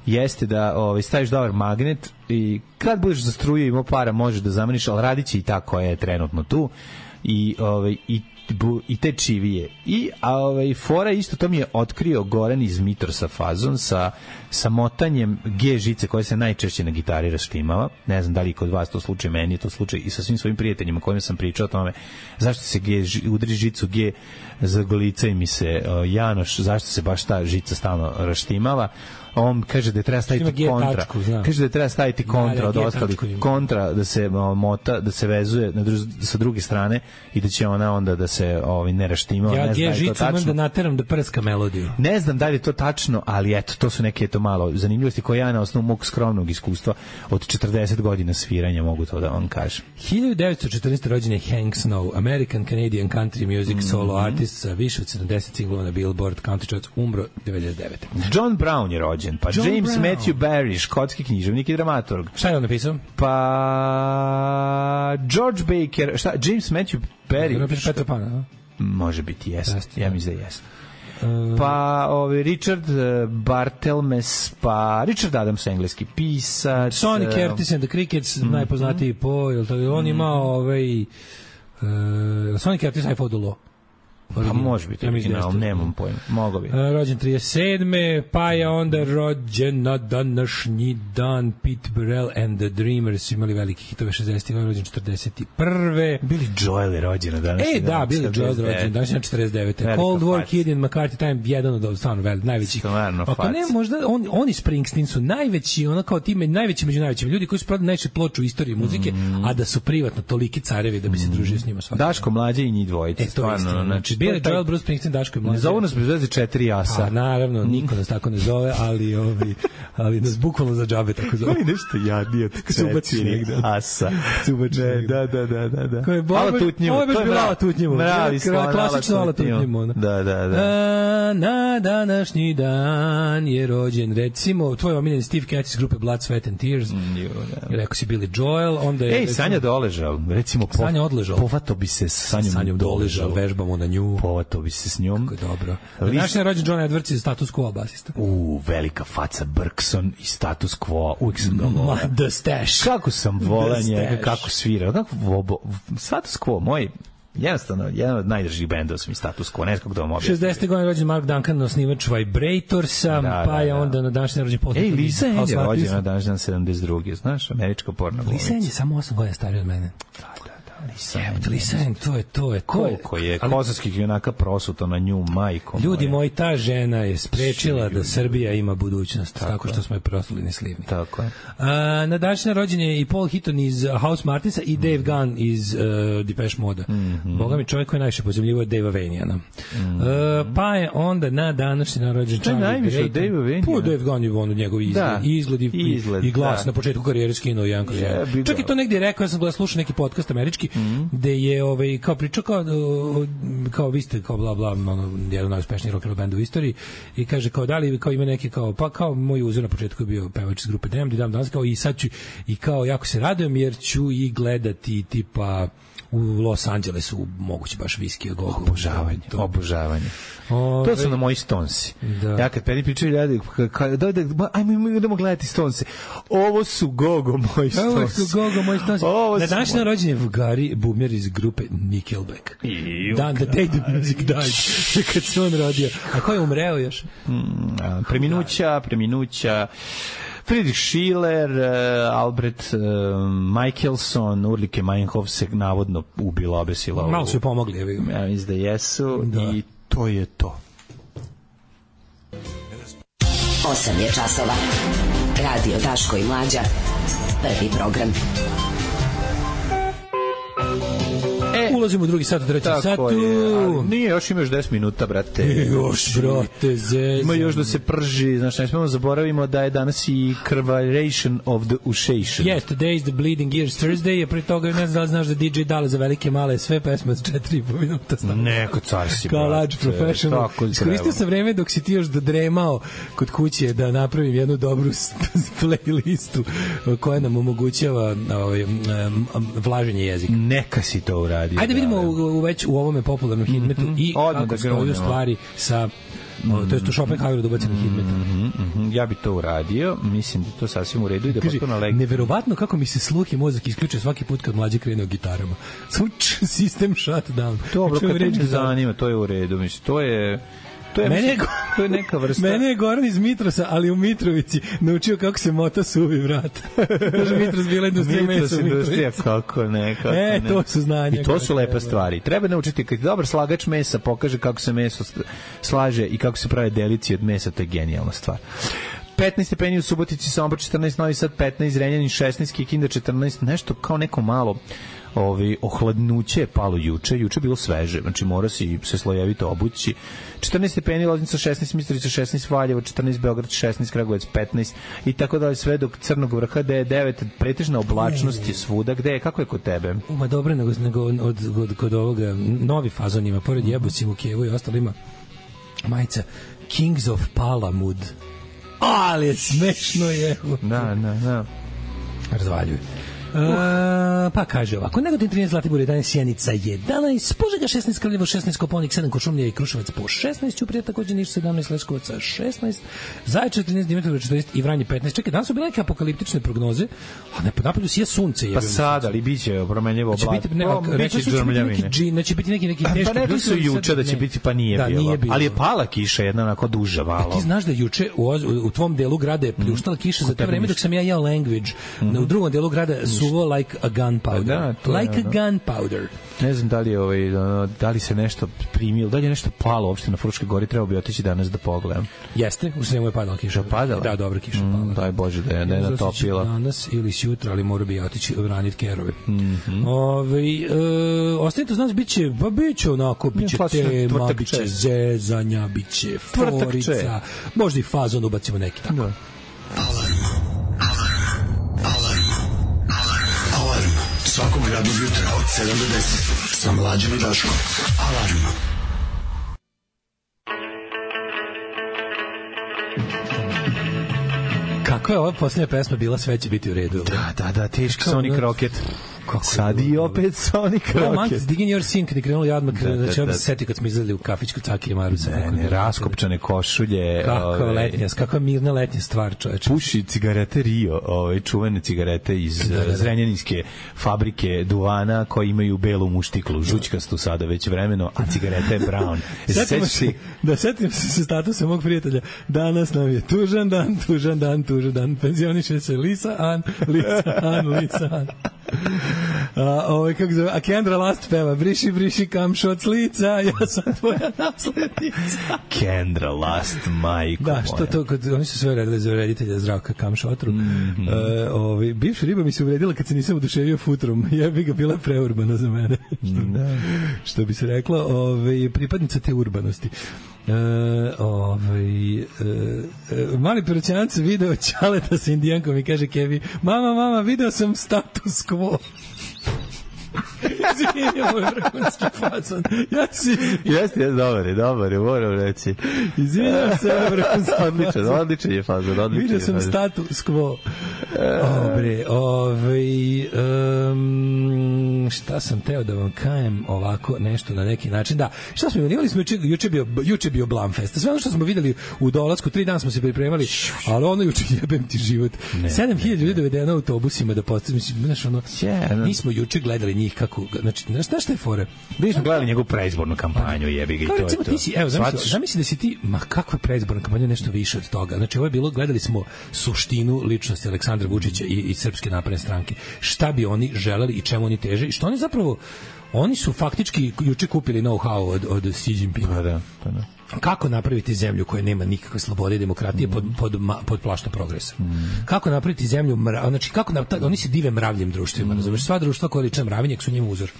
jeste da ovaj, staviš dobar magnet i kad budeš za struju imao para, možeš da zameniš, ali radit će i ta koja je trenutno tu i, ovaj, i i te čivije. I a ovaj fora isto to mi je otkrio Goran iz Mitrosa fazon sa sa motanjem G žice koja se najčešće na gitari raštimava. Ne znam da li kod vas to slučaj, meni je to slučaj i sa svim svojim prijateljima kojima sam pričao o tome. Zašto se G udri žicu G za golica i mi se uh, Janoš, zašto se baš ta žica stalno raštimava? On kaže da treba staviti kontra. Tačku, kaže da treba staviti kontra od ostalih kontra da se o, mota, da se vezuje na dru, sa druge strane i da će ona onda da se ovaj ne raštima, ja, ne znam da je to tačno. Ja da nateram da prska melodiju. Ne znam da li je to tačno, ali eto to su neke to malo zanimljivosti koje ja na osnovu mog skromnog iskustva od četrdeset godina sviranja mogu to da vam kažem. hiljadu devetsto četrnaeste rođen je Hank Snow, American Canadian country music mm-hmm. solo artist sa više od sedamdeset singlova na Billboard, country charts, umro devedeset devete. John Brown je rođen. Pa John James Brown. Matthew Barrie, škotski književnik i dramaturg. Šta je on napisao? Pa George Baker, šta? James Matthew Barrie. Napisao Petra Pana, a? Može biti, jest. Ja mislim da jest. Pa ovaj Richard Barthelmess, pa Richard Adams, engleski pisac. Sonny Curtis and the Crickets, mm-hmm. najpoznatiji po, jel to, on ima ovaj uh, Sonny Curtis, I Fought the Law. Pa može biti, ja original, nemam pojma, mogo bi. Rođen trideset sedme pa je onda rođen na današnji dan Pete Burrell and the Dreamers, imali veliki hitove šezdesetih, rođen četrdeset prve Billy Joel je rođen na današnji dan. E, da, Billy Joel je rođen današnji dan četrdeset devete Cold War Kid in McCarthy Time, jedan od stvarno velikih, najvećih. Ako ne, možda on, oni Springsteen su najveći, ono kao time, najveći među najvećim ljudi koji su prodali najveće ploče u istoriji muzike, mm. a da su privatno toliki carevi da bi se družio s njima svaki. Daško mlađe i njih dvojice, e, stvarno, znači Billy Joel, Bruce Springsteen, Daško i mlađe. Ne zovu nas bez veze četiri asa. Pa naravno, niko nas tako ne zove, ali ovi, ali nas bukvalno za džabe tako zove. Koji nešto jadnije od četiri asa. Cubačni. Da, da, da, da, da. Ko je Ala Tutnjivo. Ovo je baš bila Ala Tutnjivo. Mravi slon, klasično Ala Tutnjivo. Da, da, da. A, na današnji dan je rođen, recimo, tvoj omiljeni Steve Katz iz grupe Blood, Sweat and Tears. Mm, jo, da. Rekao si Billy Joel, onda je... Ej, Sanja doležal, recimo... Po, Sanja odležal. Povato bi se s Sanjom, Sanjom doležal, vežbamo na nju. Povato bi se s njom. Kako je dobro. Naš je rođen John Edwards iz Status Quo basista. U, velika faca Bergson i Status Quo. Uvijek sam ga volao. The Stash. Kako sam volao njega, kako svira. Kako vobo, Status Quo, moj... Jednostavno, jedan od najdržih bendova su mi Status Quo, ne znam kako da vam objasnim. šezdeset godine rođen Mark Duncan, osnivač Vibratorsa, da, pa je da, da. onda na današnji rođen poznat. Ej, Lisa Ann je rođena na današnji dan sedamdeset druge, znaš, američka porno. Lisa Ann je samo osam godina starija od mene. Da, da, da. Jebate, Lisan, to je, to je, koliko je kosovskih junaka prosuto na nju, majko. Ljudi moji, ta žena je sprečila da Srbija ima budućnost, tako, tako što smo je proslali neslivni. Tako je. A, na današnji rođen je i Paul Hitton iz House Martinsa i Dave Gunn iz uh, Depeche Moda. Mm -hmm. Boga mi, čovjek koji je najviše pozemljivo je Dave Vaniana. Mm -hmm. uh, pa je onda na današnji narođen Charlie Grayton. Dave Vaniana? Pa Dave Gunn je ono njegov izgled, da. izgled, i, izgled i glas da. Na početku karijere skinuo jedan kroz jedan. Čak i to negdje rekao, ja sam gledao, slušao neki podcast američki, mm -hmm. gde je ovaj, kao pričao kao, kao vi ste kao bla bla, ono, jedan najuspešniji rock and roll band u istoriji i kaže kao da li kao ima neki kao, pa kao moj uzor na početku je bio pevač iz grupe Damned i dan danas kao i sad ću i kao jako se radujem jer ću i gledati tipa u Los Angelesu moguće baš viski Gogo. Obožavanje, obožavanje. Ove, to su na moji Stonesi. Da. Ja kad peni pričaju ljudi, da, da, ajmo idemo gledati Stonese. Ovo su Gogo moji Stonesi. Ovo su Gogo moji Stonesi. Na današnji rođendan je Gary Boomer iz grupe Nickelback. Dan, the day the music died. Kad se on rodio. A ko je umreo još? Mm, a, preminuća, preminuća. Friedrich Schiller, uh, Albert uh, Michelson, Ulrike Meinhof se navodno ubila, obesila. Malo su je pomogli. Je ja mislim da jesu da. I to je to. osam je časova. Radio Daško i Mlađa. Prvi program. E, ulazimo u drugi sat, u trećem satu. Je, nije, još imaš deset minuta, brate. E, još, brate, zezam. Ima još da se prži, znaš, ne smemo zaboravimo da je danas i Curvaration of the Ushation. Yes, today is the Bleeding Ears Thursday, a pre toga ne znam da li znaš da D J Dale za velike male sve pesme od četiri i po minuta. Neko car si, kao large professional. Iskoristio sam vreme dok si ti još dodremao kod kuće da napravim jednu dobru playlistu koja nam omogućava ovaj, vlaženje jezika. Neka si to uradio. Ajde vidimo u, u već u ovome popularnom hitmetu mm-hmm. i odmah kako da stoju stvari sa mm-hmm. to jest u Schopenhaueru dobacenog mm-hmm. hitmeta. Mm-hmm. Ja bi to uradio, mislim da to sasvim u redu i da Kaži, potpuno leg... neverovatno kako mi se sluh i mozak isključuje svaki put kad mlađe krene o gitarama. Suč, sistem shutdown. Dobro, kad te zanima, to je u redu. Mislim, to je... To je, mene, mislim, to je neka vrsta... Mene je Goran iz Mitrosa, ali u Mitrovici, naučio kako se mota suvi vrat. Kaže, Mitros bila industrija mesa u Mitrovici. Industrija, kako ne, kako e, ne. to su znanja. I to su lepe stvari. Treba naučiti, kad je dobar slagač mesa, pokaže kako se meso slaže i kako se prave delici od mesa, to je genijalna stvar. petnaest stepeni u Subotici, Sombor četrnaest, Novi Sad petnaest, Zrenjanin šesnaest, Kikinda četrnaest, nešto kao neko malo ovi ohladnuće je palo juče, juče je bilo sveže, znači mora si se slojevito obući. četrnaest stepeni, Loznica šesnaest, Mitrovica šesnaest, Valjevo četrnaest, Beograd šesnaest, Kragujevac petnaest i tako dalje, sve do Crnog vrha gde je devet, pretežna oblačnost je svuda. Gde je, kako je kod tebe? Uma dobro, nego, nego od, od, kod ovoga novi fazon ima, pored Jebocim u Kijevu i ostalo ima majica Kings of Palamud. Ali je smešno je. Da, da, da. Razvaljuju. Uh, pa kaže ovako, Negotin trinaest, Zlatibor jedanaest, Sjenica jedanaest, Požega šesnaest, Kraljevo šesnaest, Koponik sedam, Kočumlija i Kruševac po šesnaest, Ćuprija takođe Niš sedamnaest, Leskovac šesnaest, Zaječar trinaest, Dimitrovgrad četrnaest i Vranje petnaest. Čekaj, danas su bile neke apokaliptične prognoze, a ne, napolju sije sunce. Pa sad, ali biće promenljivo oblak. Biće džrmljavine. Neće biti neki, neki teški. Pa rekli su juče da će biti, pa nije da, bilo. bilo. Ali je pala kiša jedna onako duža malo. Ti znaš da juče u, u tvom delu grada je pljuštala kiša za to vreme dok sam ja jeo Language. U drugom delu grada suvo like a gunpowder. Da, like je, a gunpowder. Ne znam da li je ovaj da li se nešto primilo, da li je nešto palo uopšte na Fruškoj gori, trebao bi otići danas da pogledam. Jeste, u Sremu je padala kiša. Padala? Da, dobra kiša mm, padala. Daj Bože da je, da je natopila. Danas ili sutra, ali mora bi otići vranit kerove. Mm -hmm. Ove, e, ostanite uz nas, biće, ba biće onako, biće tema, biće zezanja, biće forica, možda i fazon ubacimo neki tako. Da. Alarm. Alarm. Alarm. Alarm. Svakog radnog jutra od sedam do deset sa Mlađom i Daškom. Alarm. Kako je ova posljednja pesma bila, sve će biti u redu. Da, da, da, teški Sonic Rocket. Kako sad i opet Sonic Rocket. Mantis Digging Your Sin, kad je krenuli jadmak, znači ovdje se setio kad smo izgledali u kafićku Caki i Marusa. Ne, ne, raskopčane košulje. Kako je letnja, kako je mirna letnja stvar, čoveče. Puši cigarete Rio, ove čuvene cigarete iz da, da, da. Zrenjaninske fabrike duvana koji imaju belu muštiklu, žućkastu sada već vremeno, a cigareta je brown. Setimo se, da setim se sa statusa mog prijatelja, danas nam je tužan dan, tužan dan, tužan dan, penzioniše se Lisa An, Lisa An, Lisa An. A, ovaj, kako zove, a Kendra Last peva, briši, briši kamšo od slica, ja sam tvoja naslednica. Kendra Last, majko moja. Da, što to, kod, oni su sve redili za reditelja Zdravka Kamšotru. Mm -hmm. uh, ovaj, bivša riba mi se uvredila kad se nisam oduševio futrom, jebi ga, bila preurbana za mene. Da. Što bi se reklo, ovaj, pripadnica te urbanosti. Uh, ovaj, uh, uh, mali perućanac video Ćaleta sa indijankom i kaže Kevi, mama, mama, video sam status quo. Izvinjam, ovo je vrhunski fazon. Ja si... Jeste, jeste, dobar je, dobar je, moram reći. Izvinjam se, ovo je vrhunski odličan, odličan je fazon, odličan Vidio sam status quo. Dobre, ovaj... Um, šta sam teo da vam kajem ovako nešto na neki način? Da, šta smo imali? Imali smo juče, juče bio, juče bio Blamfest. Sve ono što smo videli u dolasku, tri dana smo se pripremali, ali ono juče jebem ti život. sedam hiljada ljudi dovedeno autobusima da postavim. Znaš, ono, mi smo juče gledali njih kako, znači, znaš šta je fore? Mi smo gledali njegovu predizbornu kampanju, jebi ga i to je to. Ti si, evo, zamisli, zamisli da si ti, ma kakva predizborna kampanja, nešto više od toga. Znači, ovo je bilo, gledali smo suštinu ličnosti Aleksandra Vučića i, i Srpske napredne stranke. Šta bi oni želeli i čemu oni teže i što oni zapravo, oni su faktički juče kupili know-how od, od Xi Jinpinga. Pa da, pa da. Kako napraviti zemlju koja nema nikakve slobode i demokratije mm. pod, pod, pod plaštom progresa? Mm. Kako napraviti zemlju, mra, znači kako na, oni se dive mravljim društvima, mm. razumiješ, sva društva koja liče mravinjak su njima uzor.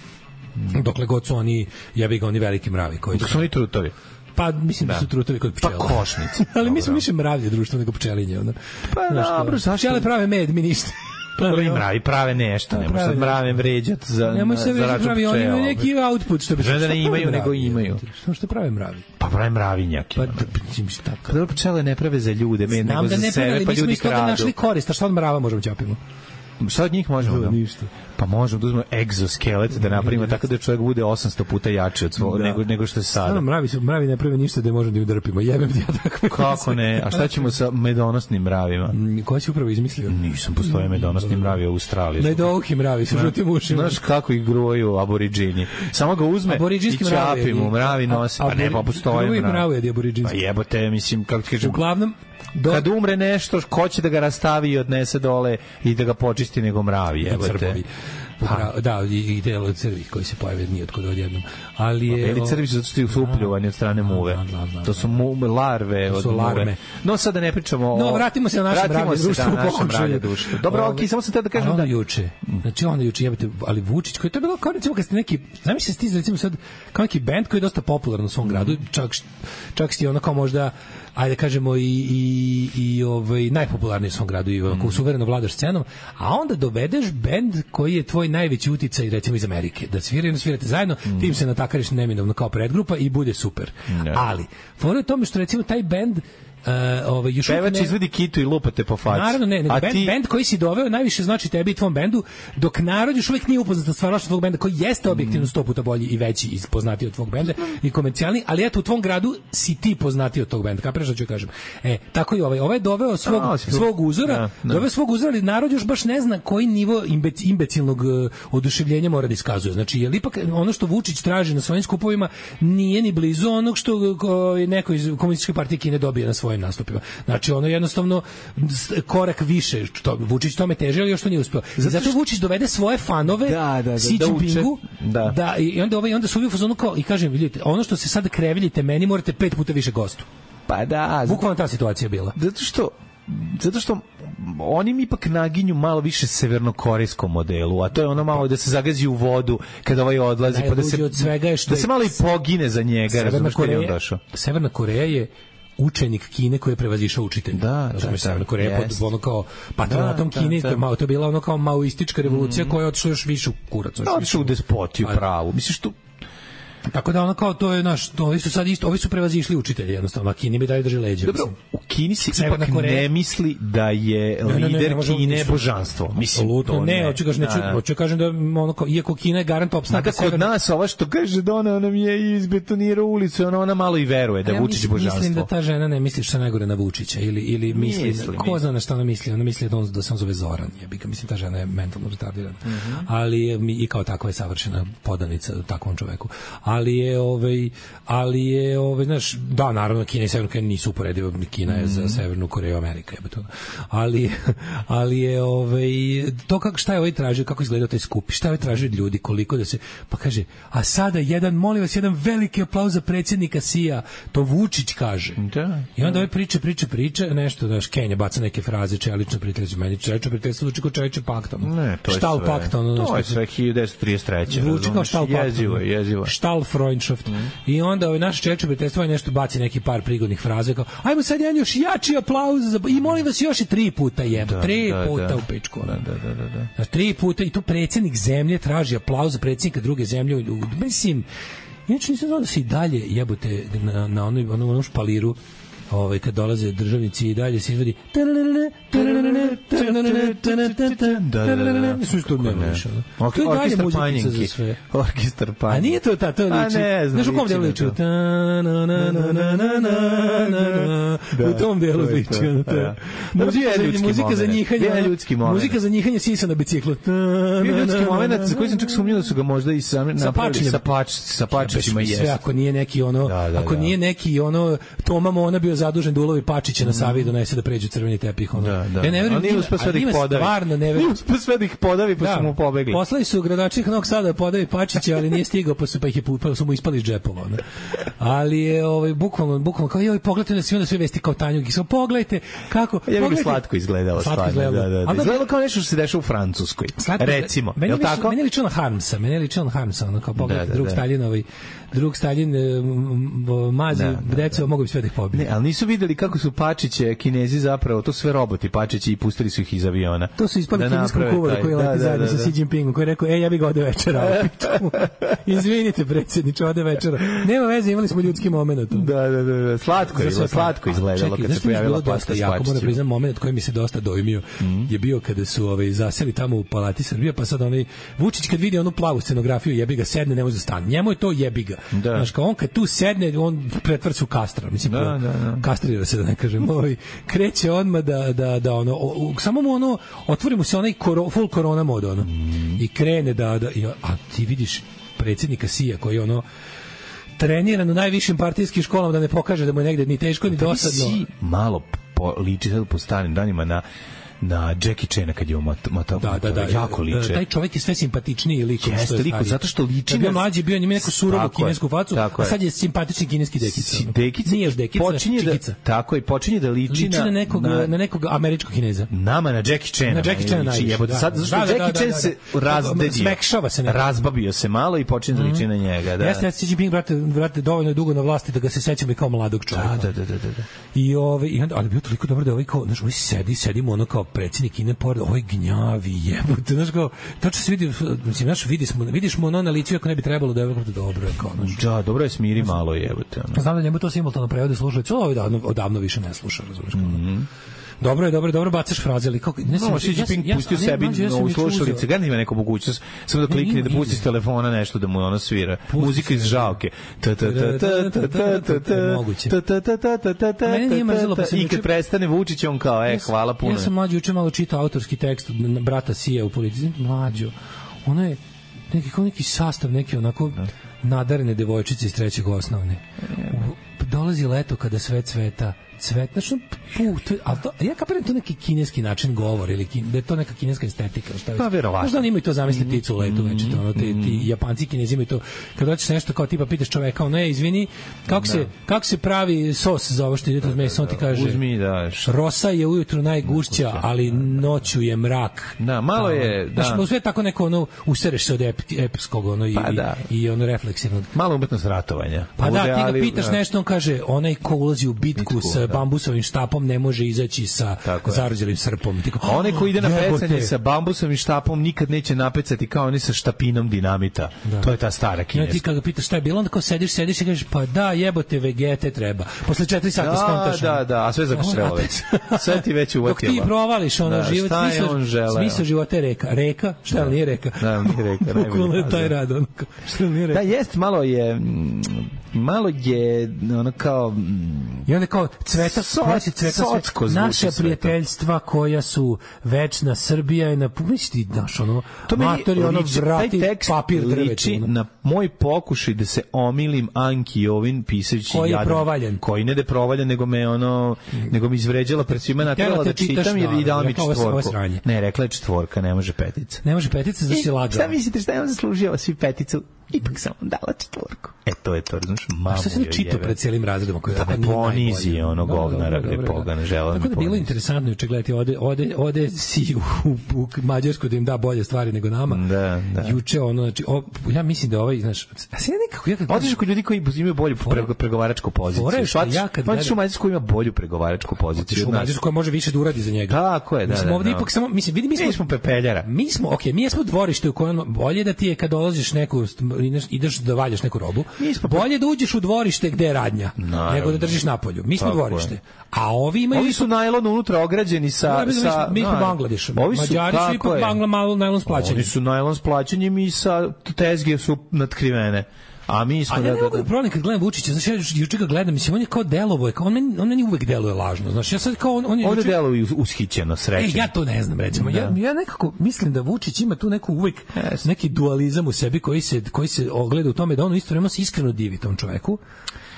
Mm. Dokle god su oni, jebi ga, oni veliki mravi. Koji dok su oni trutovi. Pa mislim da, da su trutovi kod pčela. Pa košnici. Ali mi smo više mravlje društvo nego pčelinje. Ono. Pa dobro, zašto? Pčele prave med, mi ništa. Prvi mravi prave nešto, ne može mrave vređat za nemoj se vređati mravi, oni imaju neki output što bi se da ne imaju nego imaju. Što što prave mravi? Pa prave mravinjaki. Pa mislim šta? Kada pčele ne prave za ljude, me nego za sebe, pa ljudi kradu. Našli korist, a šta od mrava možemo ćapimo? Šta od njih možemo? Da, ništa. Pa možemo da uzmemo egzoskelet da napravimo tako da čovjek bude osamsto puta jači od svog, da. nego, nego što je sada. Stvarno, mravi, mravi ne prave ništa da možemo da udrpimo. Jebem ti ja tako. Kako ne? A šta ćemo sa medonosnim mravima? Ko si upravo izmislio? Nisam, postoje medonosni mravi u Australiji. Medohi mravi sa žutim ušima. Znaš kako ih gruju aboriđini. Samo ga uzme i čapimo, mravi nose. Pa ne, pa postoje mravi. Pa jebote, mislim, kako ti kažem. Uglavnom, Do... Kad umre nešto, ko će da ga rastavi i odnese dole i da ga počisti nego mravi, jebote. Pa. Da, i, i delo crvi koji se pojave nije otkud odjednom. Ali je... Beli crvi su zato što su upljuvani od strane muve. Da, da, da, to su mu, larve to su od larme. Muve. No, sada ne pričamo o... No, vratimo se na naše mravlje društvo u pokušaju. Dobro, okej, okay, samo sam te da kažem ono da... juče, znači ono juče, jebate, ali Vučić, koji je to bilo kao recimo kad ste neki... Zamisli se stiz, recimo sad, kao neki band koji je dosta popularan u svom gradu, čak, čak ste ono kao možda... ajde kažemo i i i ovaj najpopularniji u svom gradu i onako mm. suvereno vladaš scenom, a onda dovedeš bend koji je tvoj najveći uticaj recimo iz Amerike, da sviraju, svirate zajedno, mm. tim se natakariš neminovno kao predgrupa i bude super. Mm. Ali fora je tome što recimo taj bend Uh, ovaj još pevač ne... izvedi kitu i lupate po faci. Naravno ne, nego bend, ti... bend koji si doveo najviše znači tebi i tvom bendu, dok narod još uvijek nije upoznat sa stvarnošću tvog benda koji jeste objektivno sto puta bolji i veći i poznatiji od tvog benda i komercijalni, ali eto u tvom gradu si ti poznatiji od tog benda. Kapiraš šta ću kažem? E, tako i ovaj, ovaj je doveo svog no, svog uzora, no, no. doveo svog uzora, ali narod još baš ne zna koji nivo imbec, imbecilnog uh, oduševljenja mora da iskazuje. Znači, je ipak ono što Vučić traži na svojim skupovima nije ni blizu onog što ko, neko iz komunističke partije Kine dobije na svojim nastupima. Znači ono jednostavno korak više, što Vučić tome teže, ali još to nije uspeo. Zato, zato što... Vučić dovede svoje fanove da, da, da, Xi Jinpingu, da, da, i onda ovaj onda su u fazonu kao i kažem, vidite, ono što se sad kreveljite meni morate pet puta više gostu. Pa da, bukvalno ta situacija bila. Zato što zato što oni mi ipak naginju malo više severnokorejskom modelu, a to je ono malo da se zagazi u vodu kada ovaj odlazi, pa da se od svega je što da se malo i pogine za njega, razumiješ kad je on došao. Severna Koreja je učenik Kine koji je prevazišao učitelja. Da, da, da. Severna Koreja pod ono kao patronatom da, Kine, da, da. Malo, to je bila ono kao maoistička revolucija mm. koja je otišla još više u kurac. Da, otišla u despotiju pravu. Misliš tu tako da ono kao to je naš, to, ovi su sad isto, ovi su prevazišli učitelji jednostavno, a Kini bi dalje drži leđa. Dobro, mislim. U Kini se ipak ne misli da je ne, lider ne, ne, ne, Kine božanstvo. Mislim, apsolutno ne, hoću kažem, neću, hoću kažem da ono kao, iako Kina je garant opstanka kod nas, ova što kaže da ona nam je izbetonirao ulicu, ona, ona malo i veruje da je Vučić božanstvo. Mislim da ta žena ne misli šta najgore na Vučića ili, ili misli, misli ko zna na šta ona misli, ona misli da on da se on zove Zoran, jebika, mislim ta žena je mentalno retardirana. Mm -hmm. Ali i kao takva je savršena podanica takvom čoveku. Ali je ovaj ali je ovaj znaš da naravno Kina i Severna Koreja nisu uporedive. Kina je za Severnu Koreju Amerika, je to. Ali ali je ovaj to kako šta je ovaj tražio, kako izgledao taj skup, šta je ovaj tražio od ljudi, koliko da se pa kaže, a sada jedan, molim vas, jedan veliki aplauz za predsjednika S I A, to Vučić kaže. Da. I onda ovaj priča, priča, priča, nešto da Kenja baca neke fraze, čelično prijateljstvo, meni čelično prijateljstvo zvuči kao čelično paktom. Ne, to je Štal sve. paktom, to je sve hiljadu devetsto trideset treće. Zvuči kao štal paktom. Jezivo, jezivo. Štal Freundschaft. Mm. I onda ovaj naš čelično prijateljstvo nešto baci neki par prigodnih fraza kao, ajmo sad jedan još jači aplauz za... i molim vas još i tri puta jebo, da, tri da, puta da. u pičku. Da, da, da, da, da. Na tri puta i to predsjednik zemlje traži aplauz za predsjednika druge zemlje. Mislim, inače nisam znao da se i dalje jebote na, na onoj, onom, onom špaliru ovaj, kad dolaze državnici i dalje se izvodi da, da, da. Sve što ne više. Orkestar Panjinki. Orkestar Panjinki. A nije to ta, to liči. Znaš u kom delu liči? U tom delu liči. Muzika za njihanje. Muzika za njihanje sisa na biciklu. Ljudski moment za koji sam čak sumnjao da su ga možda i sami napravili sa pačićima. Sve ako nije neki ono, ako nije neki ono Toma Mona bio zadužen da ulovi Pačića na Savi i donese da pređu crveni tepih. Ono. Da, da. Ja ne verujem, nije uspeo sve da ih podavi. Stvarno ne verujem. Uspeo sve da ih podavi, pa da. Su mu pobegli. Poslali su gradonačelnik Novog Sada da podavi Pačića, ali nije stigao, pa su, pa ih je, pa su mu ispali iz džepova. Ne? Ali je ovaj, bukvalno, bukvalno, kao joj, pogledajte da svi onda sve vesti kao Tanjug. I samo pogledajte kako... Ja bih slatko izgledalo. Slatko izgledalo. Da, da, da. Izgledalo kao nešto što se dešava u Francuskoj. Slatko, recimo. Meni je li tako? Meni je ličilo na Harmsa. Meni je ličilo na Harmsa. Ono kao pogledajte drug Staljinovi. Drug Stalin mazi deco, mogu bi sve da ih pobiti. Ne, ali nisu videli kako su Pačiće, Kinezi zapravo, to sve roboti Pačići i pustili su ih iz aviona. To su ispali da kineskog kuvara koji leti zajedno sa Xi Jinpingom, koji je rekao, e, ja bih ga ode večera. Izvinite, predsjedniče, ode večera. Nema veze, imali smo ljudski moment. Da, da, da, slatko je, slatko izgledalo kad se pojavila pasta s Pačićima. Moram priznam, moment koji mi se dosta dojmio je bio kada su ovaj, zaseli tamo u Palati Srbije, pa sad onaj Vučić kad vidi onu plavu scenografiju, jebi ga, sedne, ne može da stane. Njemu je to jebi ga. Da. Znaš, kao on kad tu sedne, on pretvara se u kastra, mislim, da, da, da. kastrira se, da ne kažem, ovaj, kreće odmah da, da, da ono, o, samo mu ono, otvori mu se onaj koro, full korona mod, ono, mm. i krene da, da i, a ti vidiš predsjednika S I A koji ono, treniran u najvišim partijskim školama da ne pokaže da mu je negde ni teško ni dosadno. Si malo po, liči sad po starim danima na na Jackie Chana kad je on mata, da, da, da, jako liče. Taj čovjek je sve simpatičniji lik. Jeste liko, zato što liči na... Bio mlađi, bio njima neku surovu kinesku facu, a sad je simpatični kineski dekica. Dekica? Nije još dekica, počinje da, tako je, počinje da liči, liči na, na, nekog, na, na nekog američkog Kineza. Nama, na Jackie Chana. Na Jackie Chana najviše, da. Sad, zašto da, da, Jackie da, Chan da, da, se razdedio. Smekšava se nekako. Razbabio se malo i počinje da liči na njega. Da. Jeste, Xi Jinping, brate, brate, dovoljno dugo na vlasti da ga se sećam i kao mladog čovjeka. Da, da, da, da. I ove, i onda, ali bio toliko dobro da ovaj kao, znaš, ovaj sedi, sedimo ono kao predsjednik Kine, pored, ovaj gnjavi jebote, znaš kao, tačno se vidi, mislim, znaš, vidi smo, vidiš mu ono na licu, ako ne bi trebalo da je dobro, kao, znaš. Da, dobro je, smiri malo jebote. Ono. Znam da njemu to simultano prevode slušalice, ovo odavno, odavno više ne sluša, razumiješ, kao. Mm-hmm. Dobro je, dobro je, dobro bacaš fraze, ali kako ne znam, no, Xi Jinping ja, pustio ja, sebi ja, ja, u slušalice, ga nema neku mogućnost, samo da klikne da pusti s telefona nešto da mu ono svira. Muzika iz žalke. Ta ta ta ta ta ta ta ta ta ta ta ta. I kad prestane Vučić, on kao, e, hvala puno. Ja sam mlađi juče malo čitao autorski tekst brata S I A u policiji, mlađo. Ono je neki kao neki sastav, neki onako nadarene devojčice iz trećeg osnovne. Dolazi leto kada sve cveta, cvet, znači, put, ali to, ja kapiram to neki kineski način govora ili kin, da je to neka kineska estetika, šta je? Pa verovatno. Možda oni imaju to zamisli pticu u letu već, to, ono, ti, ti Japanci i Kinezi imaju to, kad hoćeš nešto kao tipa pitaš čoveka, ono je, izvini, kako se, kako se pravi sos za ovo što ide uz meso, on ti kaže, uzmi, da, rosa je ujutru najgušća, ali noću je mrak. Da, malo je, da. Znači, sve tako neko, ono, usereš se od ep, epskog, ono, i, pa, da. i, i ono, refleksivnog. Malo umetnost ratovanja. Pa da, ti ga pitaš nešto, on kaže, onaj ko ulazi u bitku sa bambusovim štapom ne može izaći sa zarođelim srpom. Tiko, a onaj ko ide na pecanje sa bambusovim štapom nikad neće napecati kao oni sa štapinom dinamita. Da. To je ta stara kineska. Ja, ti kada ga pitaš šta je bilo, onda kao sediš, sediš i kažeš, pa da, jebote, vegete treba. Posle četiri sata skontaš. Da, da, da, a sve zakuštrelo već. Sve ti već uvatilo. Dok ti provališ ono da, život, smisao života je reka. Reka? Šta da. Nije reka? Da, nije reka. Bukvalno je taj rad. Šta nije reka? Da, jest, malo je... malo je ono kao i onda kao cveta so, cveta naša prijateljstva koja su večna Srbija je na pumišti daš ono to matori ono vrati papir liči na moj pokušaj da se omilim Anki Jovin pisajući koji je jadan, provaljen koji ne da je provaljen nego me ono nego mi izvređala pred svima naterala da čitam jer i dala mi četvorku ne rekla je četvorka ne može petica ne može petica za si lagao šta mislite šta je on zaslužio svi peticu ipak sam dala četvorku e to je to znaš mamu šta se ne čita pred cijelim razredom koji da ne ponizi ono govnara gde poga ne žela tako da bilo interesantno juče gledati ode ode ode si u, u Mađarsku da im da bolje stvari nego nama da da juče ono znači o, ja mislim da ovaj znaš a se nekako ja kad odeš kod ljudi koji imaju bolju pregovaračku poziciju shvatiš ja kad hoćeš u Mađarsku ima bolju pregovaračku poziciju u Mađarsku koja može više da uradi za njega tako je da smo ovde ipak samo mislim vidi mi smo, mi smo pepeljara mi smo okej mi smo dvorište u kojem bolje da ti je kad dolaziš neku ideš da valjaš neku robu bolje da uđeš u dvorište gde je radnja naravno, nego da držiš napolju mi smo dvorište a ovi imaju ovi su najlon unutra ograđeni sa no, sa mi smo Bangladeš Mađari su ipak Bangla malo najlon splaćeni oni su najlon splaćenjem i sa tezge su natkrivene a mi smo a da ja ne mogu da problem kad gledam Vučića znači ja juče ga gledam mislim on je kao delovo je kao on meni on meni uvek deluje lažno znači ja sad kao on on je juče deluje ushićeno srećno e ja to ne znam recimo ja ja nekako mislim da Vučić ima tu neku uvek yes. neki dualizam u sebi koji se koji se ogleda u tome da on isto vremeno se iskreno divi tom čoveku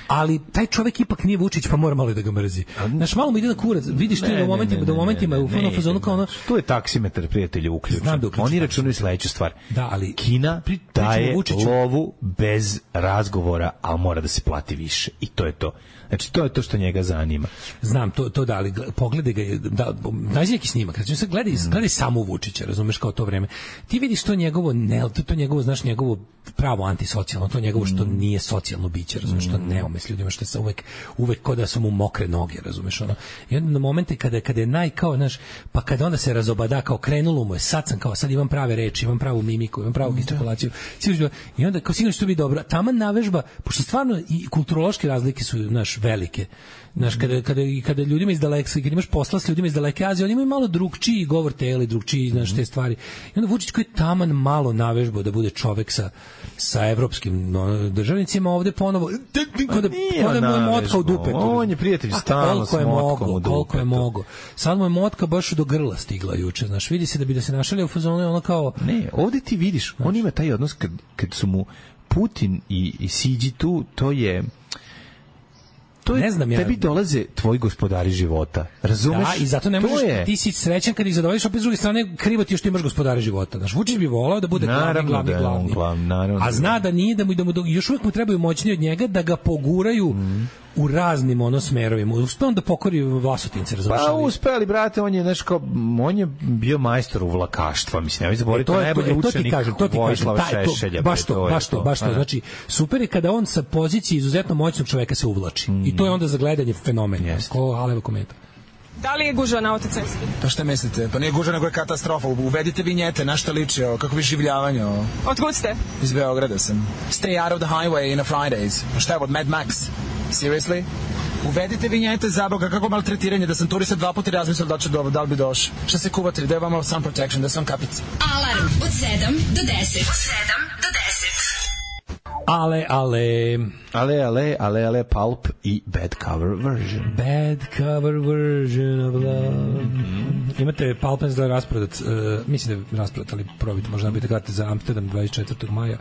ali taj čovjek ipak nije Vučić pa mora malo da ga mrzi. Znaš, malo mu ide na kurac. Vidiš ti u momentima, da u momentima u fonu fazonu kao ono tu je taksimetar prijatelju uključen. Da oni računaju sledeću stvar. Da, ali Kina pri, daje lovu bez razgovora, al mora da se plati više i to je to. Znači to je to što njega zanima. Znam to to da ali pogledaj ga da nađi neki snimak. Znači se gledaj, mm. gledaj samo Vučića, razumeš kao to vreme. Ti vidiš to njegovo ne, to, to njegovo znaš njegovo pravo antisocijalno, to njegovo što mm. nije socijalno biće, razumeš, što ne ume s ljudima, što se uvek uvek kao da su mu mokre noge, razumeš ono. I onda na momente kada kada je naj kao znaš, pa kada onda se razobada kao krenulo mu je, sad sam kao sad imam prave reči, imam pravu mimiku, imam pravu gestikulaciju. I onda kao sigurno što bi dobro. Taman navežba, pošto stvarno i kulturološke razlike su naš velike. Znaš, kada, kada, kada ljudima iz daleka, kada imaš posla s ljudima iz daleke Azije, oni imaju malo drugčiji govor tela, drugčiji, znaš, te stvari. I onda Vučić koji je taman malo navežbao da bude čovek sa, sa evropskim no, državnicima ovde ponovo, kada, kada mu je motka u dupetu. On je prijatelj stalno s motkom u dupetu. Koliko je mogo. Sad mu je motka baš do grla stigla juče, znaš, vidi se da bi da se našalio u fazonu, ono kao... Ne, ovde ti vidiš, on ima taj odnos kad, kad su mu Putin i, i Siđi tu, to je... To je, ne znam ja. Tebi dolaze tvoji gospodari života. Razumeš? Da, i zato ne možeš, je... ti si srećan kad ih zadovoljiš, opet s druge strane krivo ti što imaš gospodari života. Znaš, Vučić bi volao da bude naravno, glavni, glavni, da glavni. Glav, a zna da nije, da mu, da mu još uvijek mu trebaju moćni od njega da ga poguraju mm. u raznim ono smerovima. Uspeo on da pokori Vlasotince, razumeš? Pa uspeli, brate, on je, znaš, kao, on je bio majstor u vlakaštva, mislim, ja zaboraviti, to je najbolji to, učenik kažem, to ti Vojislava kažem, Šešelja. Baš to, baš to, baš to. Znači, super je kada on sa pozicije izuzetno moćnog čoveka se uvlači. Mm. I to je onda za gledanje fenomen. Yes. Ko Alevo komentar. Da li je gužva na autocesti? To što mislite? Pa nije gužva, nego je katastrofa. Uvedite vinjete, na šta liči, kako vi življavanje. Otkud ste? Iz Beograda sam. Stay out of the highway in a Fridays. Pa šta je od Mad Max? Seriously? Uvedite vinjete za Boga, kako maltretiranje, da sam turista dva puta razmislio da će dobro, da li bi došao. Šta se kuvati, da je vama sun protection, da sam kapica. Alarm od sedam do deset. Od sedam do deset. Ale, ale... Ale, ale, ale, ale, Pulp i Bad Cover Version. Bad Cover Version of Love. Mm-hmm. Imate Pulp da je rasprodat, uh, mislim da je rasprodat, ali probite, možda nabijete karate za Amsterdam dvadeset četvrtog maja.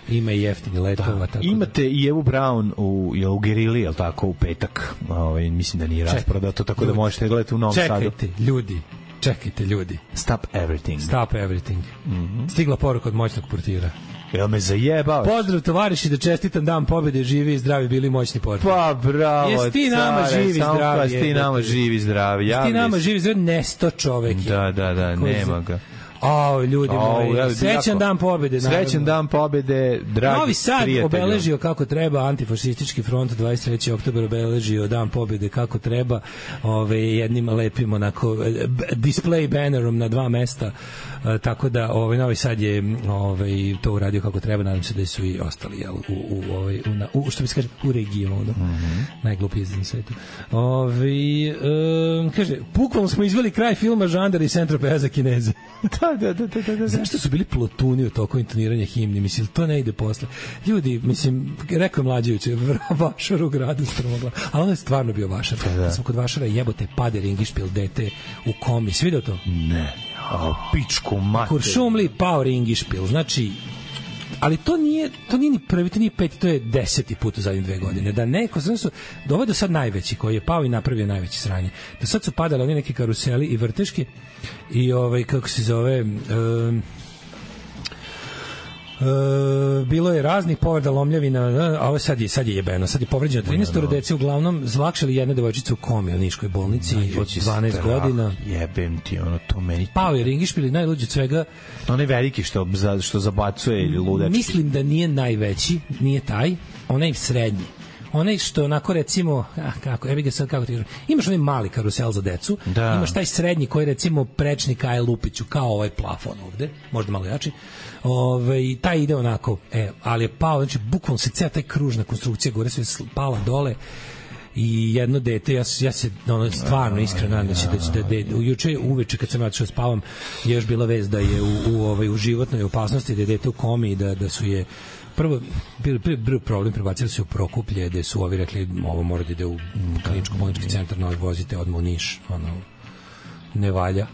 Ima i jeftini letova. Da. Tako imate da... i Evu Brown u, je u Gerili, je li tako, u petak. Ovaj, mislim da nije rasprodato, tako ljudi, da možete gledati u Novom Sadu. Čekajte, ljudi. Čekajte, ljudi. Stop everything. Stop everything. Mm-hmm. Stigla poruka od moćnog portira. Jel me zajebao? Pozdrav tovariši, da čestitam dan pobjede, živi i zdravi, bili moćni portir. Pa bravo, jesi ti nama care, živi i zdravi. Jesi ti nama živi i zdravi. Jesi ti nama živi i zdravi, nesto čovek. Da, da, da, nema ga. O, ljudi moji, ja, srećan dan pobjede. Srećan dan pobjede, dragi Novi Sad prijatelju. Obeležio kako treba, antifašistički front dvadeset trećeg oktobra obeležio dan pobjede kako treba, ove, jednim lepim onako display bannerom na dva mesta, e, tako da ovaj Novi Sad je ovaj, to uradio kako treba, nadam se da su i ostali jel, u, u, ovaj, u, na, u, što bi se kaže, u regionu, mm-hmm. najglupiji na svetu. Ove, e, kaže, bukvalno smo izveli kraj filma Žandar i Centropeja za Kineze. Da, da, da, da, da, da. Zašto su bili plotuni u toku intoniranja himni? Mislim, to ne ide posle. Ljudi, mislim, rekao je Mlađević, vašar u gradu Stromogla, ali ono je stvarno bio vašar. Da, da. Sam kod vašara jebote pade ringišpil dete u komi. Svi vidio to? Ne. A, pičku mater. Kuršumli pao ringišpil. Znači, ali to nije, to nije ni prvi, to nije peti, to je deseti put u zadnjih dve godine. Da neko, znači su, ovo je do sad najveći koji je pao i napravio najveći sranje. Do sad su padali oni neki karuseli i vrteški i ovaj, kako se zove, um, Uh, bilo je raznih povreda lomljavina, a ovo sad je, sad je jebeno, sad je povređeno trinaest dece, uglavnom zlakšali jedna devojčica u komi u Niškoj bolnici od dvanaest godina. Jebem ti, ono, to meni... Pao je ringišpil i najluđe od svega... Onaj veliki što, što zabacuje ili ludački. Mislim da nije najveći, nije taj, onaj srednji. Onaj što onako recimo, ah, kako, ja bih ga sad kako ti kažem, imaš onaj mali karusel za decu, da. Imaš taj srednji koji recimo prečnik Aje Lupiću, kao ovaj plafon ovde, možda malo jači, Ove, taj ide onako, e, ali je pao, znači bukvalno se cela taj kružna konstrukcija gore sve pala dole i jedno dete, ja, ja se ono, stvarno iskreno nadam da će da će da dete, juče uveče kad sam otišao spavam je još bila vest da je u, u, ovaj, u životnoj opasnosti, da je dete u komi i da, da su je prvo bio bio problem, prebacili su u Prokuplje, da su ovi rekli ovo mora da ide u kliničko bolnički centar, novi vozite odmah u Niš, ono ne valja.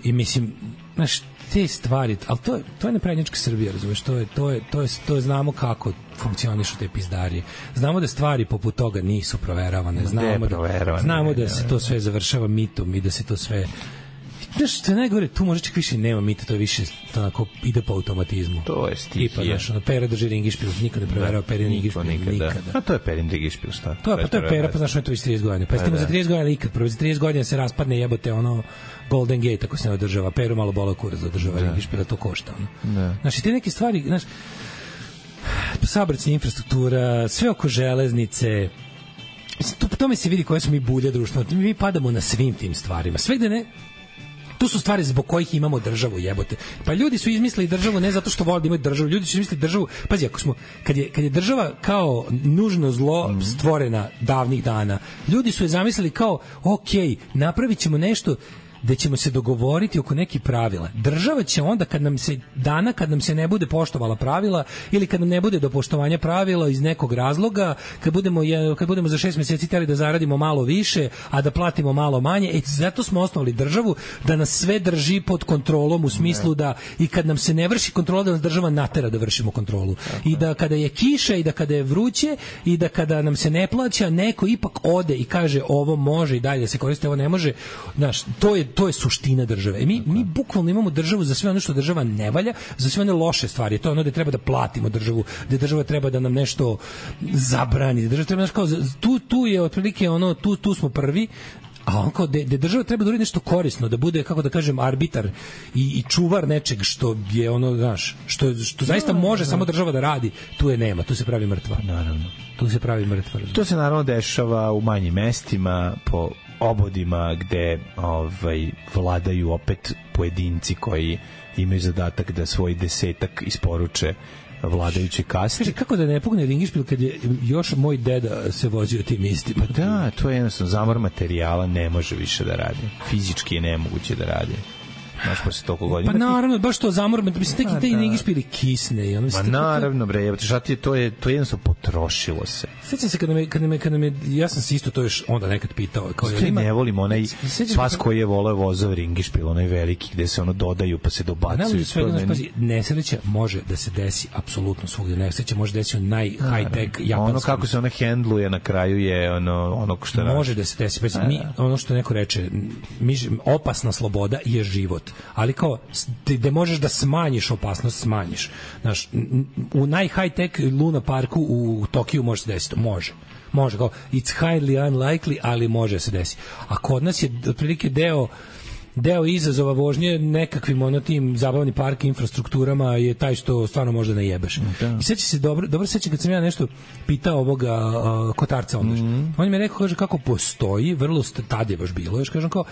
I mislim, znaš, te stvari, ali to je to je neprednjačka Srbija, razumeš, to je to je to je to je znamo kako funkcionišu te pizdarije. Znamo da stvari poput toga nisu proveravane, znamo da znamo da se to sve završava mitom i da se to sve znaš, što je najgore, tu može čak više nema mita, to je više onako ide po automatizmu. To je stihija. Tipa, znaš, ono, Pera drži ringišpil, niko ne proverava Perin ringišpil, nikada. A to je Perin ringišpil, šta? To je, pa to je Pera, pa znaš, ono je to već trideset godina. Pa jeste mu za trideset godina ikad, prvo za trideset godina se raspadne jebote, ono, Golden Gate, ako se ne održava, Peru malo bola kurac da održava ringišpila, to košta, ono. Znaš, i te neke stvari, znaš, saobraćajna infrastruktura, sve oko železnice, to, to mi se vidi koje smo mi bulje društvo, mi padamo na svim tim stvarima, sve gde ne. Tu su stvari zbog kojih imamo državu, jebote. Pa ljudi su izmislili državu ne zato što vole da imaju državu, ljudi su izmislili državu, pazi, ako smo, kad je, kad je država kao nužno zlo stvorena davnih dana, ljudi su je zamislili kao, ok, napravit ćemo nešto da ćemo se dogovoriti oko nekih pravila. Država će onda kad nam se dana kad nam se ne bude poštovala pravila ili kad nam ne bude do poštovanja pravila iz nekog razloga, kad budemo kad budemo za šest meseci hteli da zaradimo malo više, a da platimo malo manje, e, zato smo osnovali državu da nas sve drži pod kontrolom u smislu da i kad nam se ne vrši kontrola da nas država natera da vršimo kontrolu. I da kada je kiša i da kada je vruće i da kada nam se ne plaća, neko ipak ode i kaže ovo može i dalje se koristi, ovo ne može. Znaš, to je to je suština države. E mi, mi bukvalno imamo državu za sve ono što država ne valja, za sve one loše stvari. To je ono da treba da platimo državu, da država treba da nam nešto zabrani, da država treba, znaš, kao, tu, tu je otprilike ono, tu, tu smo prvi, a on kao, da država treba da uradi nešto korisno, da bude, kako da kažem, arbitar i, i čuvar nečeg što je ono, znaš, što, što zaista može samo država da radi, tu je nema, tu se pravi mrtva. Naravno. Tu se pravi mrtva. To se naravno dešava u manjim mestima, po obodima gde ovaj vladaju opet pojedinci koji imaju zadatak da svoj desetak isporuče vladajuće kaste. Kaže, kako da ne pugne ringišpil kad je još moj deda se vozio tim istima? Pa da, to je jednostavno zamor materijala, ne može više da radi. Fizički je nemoguće da radi. Znaš, posle toliko godina. Pa naravno, baš to zamor, mislim, neki te ringišpili kisne. I ono, Ma naravno, bre, evo, šati, to je, to je jednostavno potrošilo se. Sjećam se kada me, kada me, kada me, ja sam se isto to još onda nekad pitao. Kao, Što ima, ne volim onaj pas koji je voleo vozov ringišpil, onaj veliki, gde se ono dodaju pa se dobacuju. Meni... Nesreća može da se desi apsolutno svugdje. Nesreća može desiti u naj high-tech japanskom. Ono kako se ona hendluje na kraju je ono, ono što radi. Može da se desi. Pa, mi, ono što neko reče, mi, opasna sloboda je život. Ali kao, gde možeš da smanjiš opasnost, smanjiš. Znaš, u naj high-tech Luna parku u Tokiju može se desiti. Može. Može, kao, it's highly unlikely, ali može se desiti. A kod nas je otprilike deo deo izazova vožnje nekakvim ono tim zabavnim park infrastrukturama je taj što stvarno možda ne jebeš. Da. I seća se dobro, dobro sećam kad sam ja nešto pitao ovoga uh, Kotarca onda. Mm-hmm. On mi je rekao, kaže, kako postoji, vrlo tad je baš bilo, još kažem kao,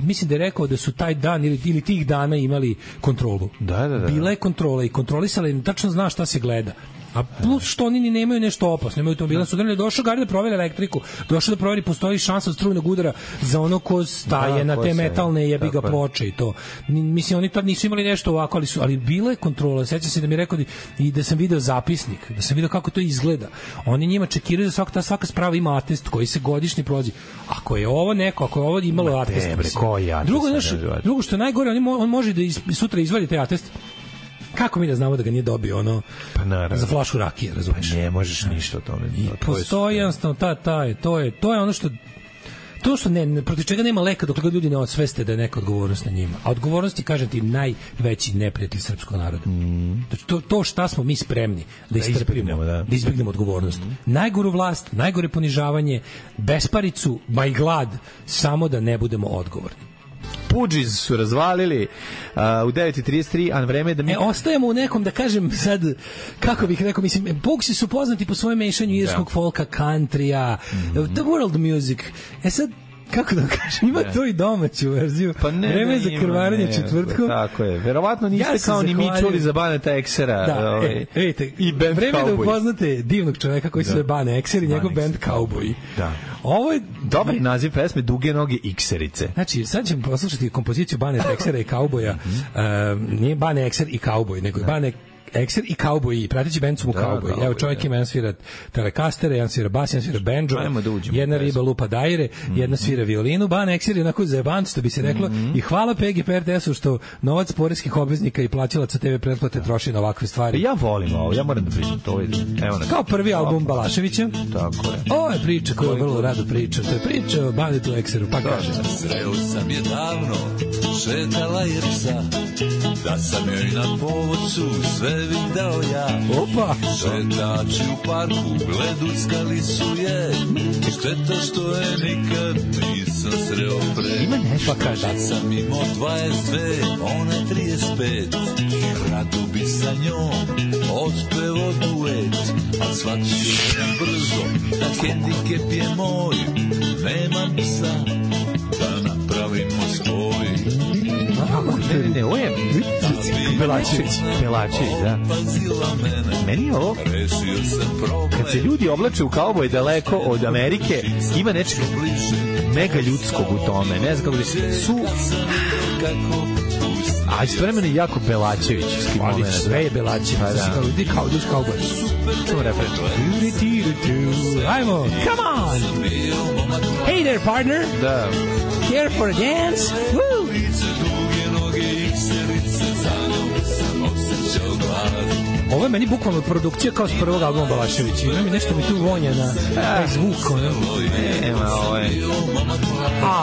mislim da je rekao da su taj dan ili, ili tih dana imali kontrolu. Da, da, da. Bila je kontrola i kontrolisala i tačno zna šta se gleda. A plus što oni ni nemaju nešto opasno, nemaju automobila, su doneli, došao Gari da proveri elektriku, došao da proveri postoji šansa od strujnog udara za ono ko staje da, na te metalne jebi ga ploče i to. Mislim, oni tad nisu imali nešto ovako, ali su, ali bila je kontrola. Sećam se da mi je rekao i da sam video zapisnik, da sam video kako to izgleda. Oni njima čekiraju da svaka, ta svaka sprava ima atest koji se godišnji prolazi. Ako je ovo neko, ako je ovo imalo atest, bre, koji atest? Drugo, znaš, drugo što je najgore, on, on može da iz, sutra izvadi taj atest. Kako mi da znamo da ga nije dobio ono pa naravno za flašu rakije, razumeš? Pa ne možeš ništa o tome. I postoji jednostavno ta ta to je to je ono što to što ne, protiv čega nema leka dok ljudi ne osveste da je neka odgovornost na njima. A odgovornost je, kažem ti, najveći neprijatelj srpskog naroda. Mm. To, to šta smo mi spremni da istrpimo, da, da izbegnemo odgovornost. Mm. Najgoru vlast, najgore ponižavanje, besparicu, ma i glad, samo da ne budemo odgovorni. Pudžiz su razvalili uh, u devet i trideset tri, a vreme je da mi... E, ostajemo u nekom, da kažem sad, kako bih rekao, mislim, Pugsi su poznati po svojem mešanju irskog yeah. folka, countrya, mm-hmm. the world music. E sad, kako da kažem, ima ne. to i domaću verziju. Pa ne, vreme za krvarenje četvrtkom. Tako je. Verovatno niste ja kao ni mi čuli za Baneta Eksera. Da, ovaj, e, vidite, i band vreme Cowboy. Da upoznate divnog čoveka koji da. se zove Bane Ekser i njegov band Cowboy. Da. Ovo je dobar naziv pesme, Duge noge Ikserice. Znači, sad ćemo poslušati kompoziciju Baneta Eksera i Cowboya. Mm-hmm. uh, nije Bane Ekser i Cowboy, nego je Bane Ekser i Cowboy, prateći band su mu Cowboy. Evo čovjek ima, jedan svira telekastere, jedan svira bas, jedan svira banjo, da jedna riba lupa dajre, mm-hmm. jedna svira violinu, Ban Ekser je onako zajeban, što bi se reklo, mm-hmm. i hvala P G P R T S-u što novac poreskih obveznika i plaćalaca te ve pretplate troši na ovakve stvari. Ja volim ovo, ja moram da pričam to. Evo kao prvi album Balaševića. Tako je. Ovo je priča koju vrlo rado pričam. To je priča o Banetu Ekseru, pa kaže. Sreo sam je davno, šetala je psa, da sam joj na povodcu sve video ja. Opa! Šetači u parku gleduckali su je, šteta što je nikad nisam sreo pre. Ima nešto pa kaže. Tad sam imao dvadeset dve, one trideset pet, rado bi sa njom otpevo duet, a shvatio sam brzo da hendikep je moj, nemam psa da napravimo spoj. Ne, ne, ne, ovo je Belačević, Belačević, da. Meni je ovo, kad se ljudi oblače u kauboj daleko od Amerike, ima nečeg mega ljudskog u tome, ne znam kako bi se, su... A istovremeno je jako Belačevićski moment. Sve je Belačević, pa da. Di kao, duš kauboj. Čemo refren? Ajmo, come on! Hey there, partner! Da. Here for a dance? Woo! Ovo je meni bukvalno produkcija kao s prvog albuma Balaševića. Ima mi nešto mi tu vonja na taj zvuk. Nema, ovo je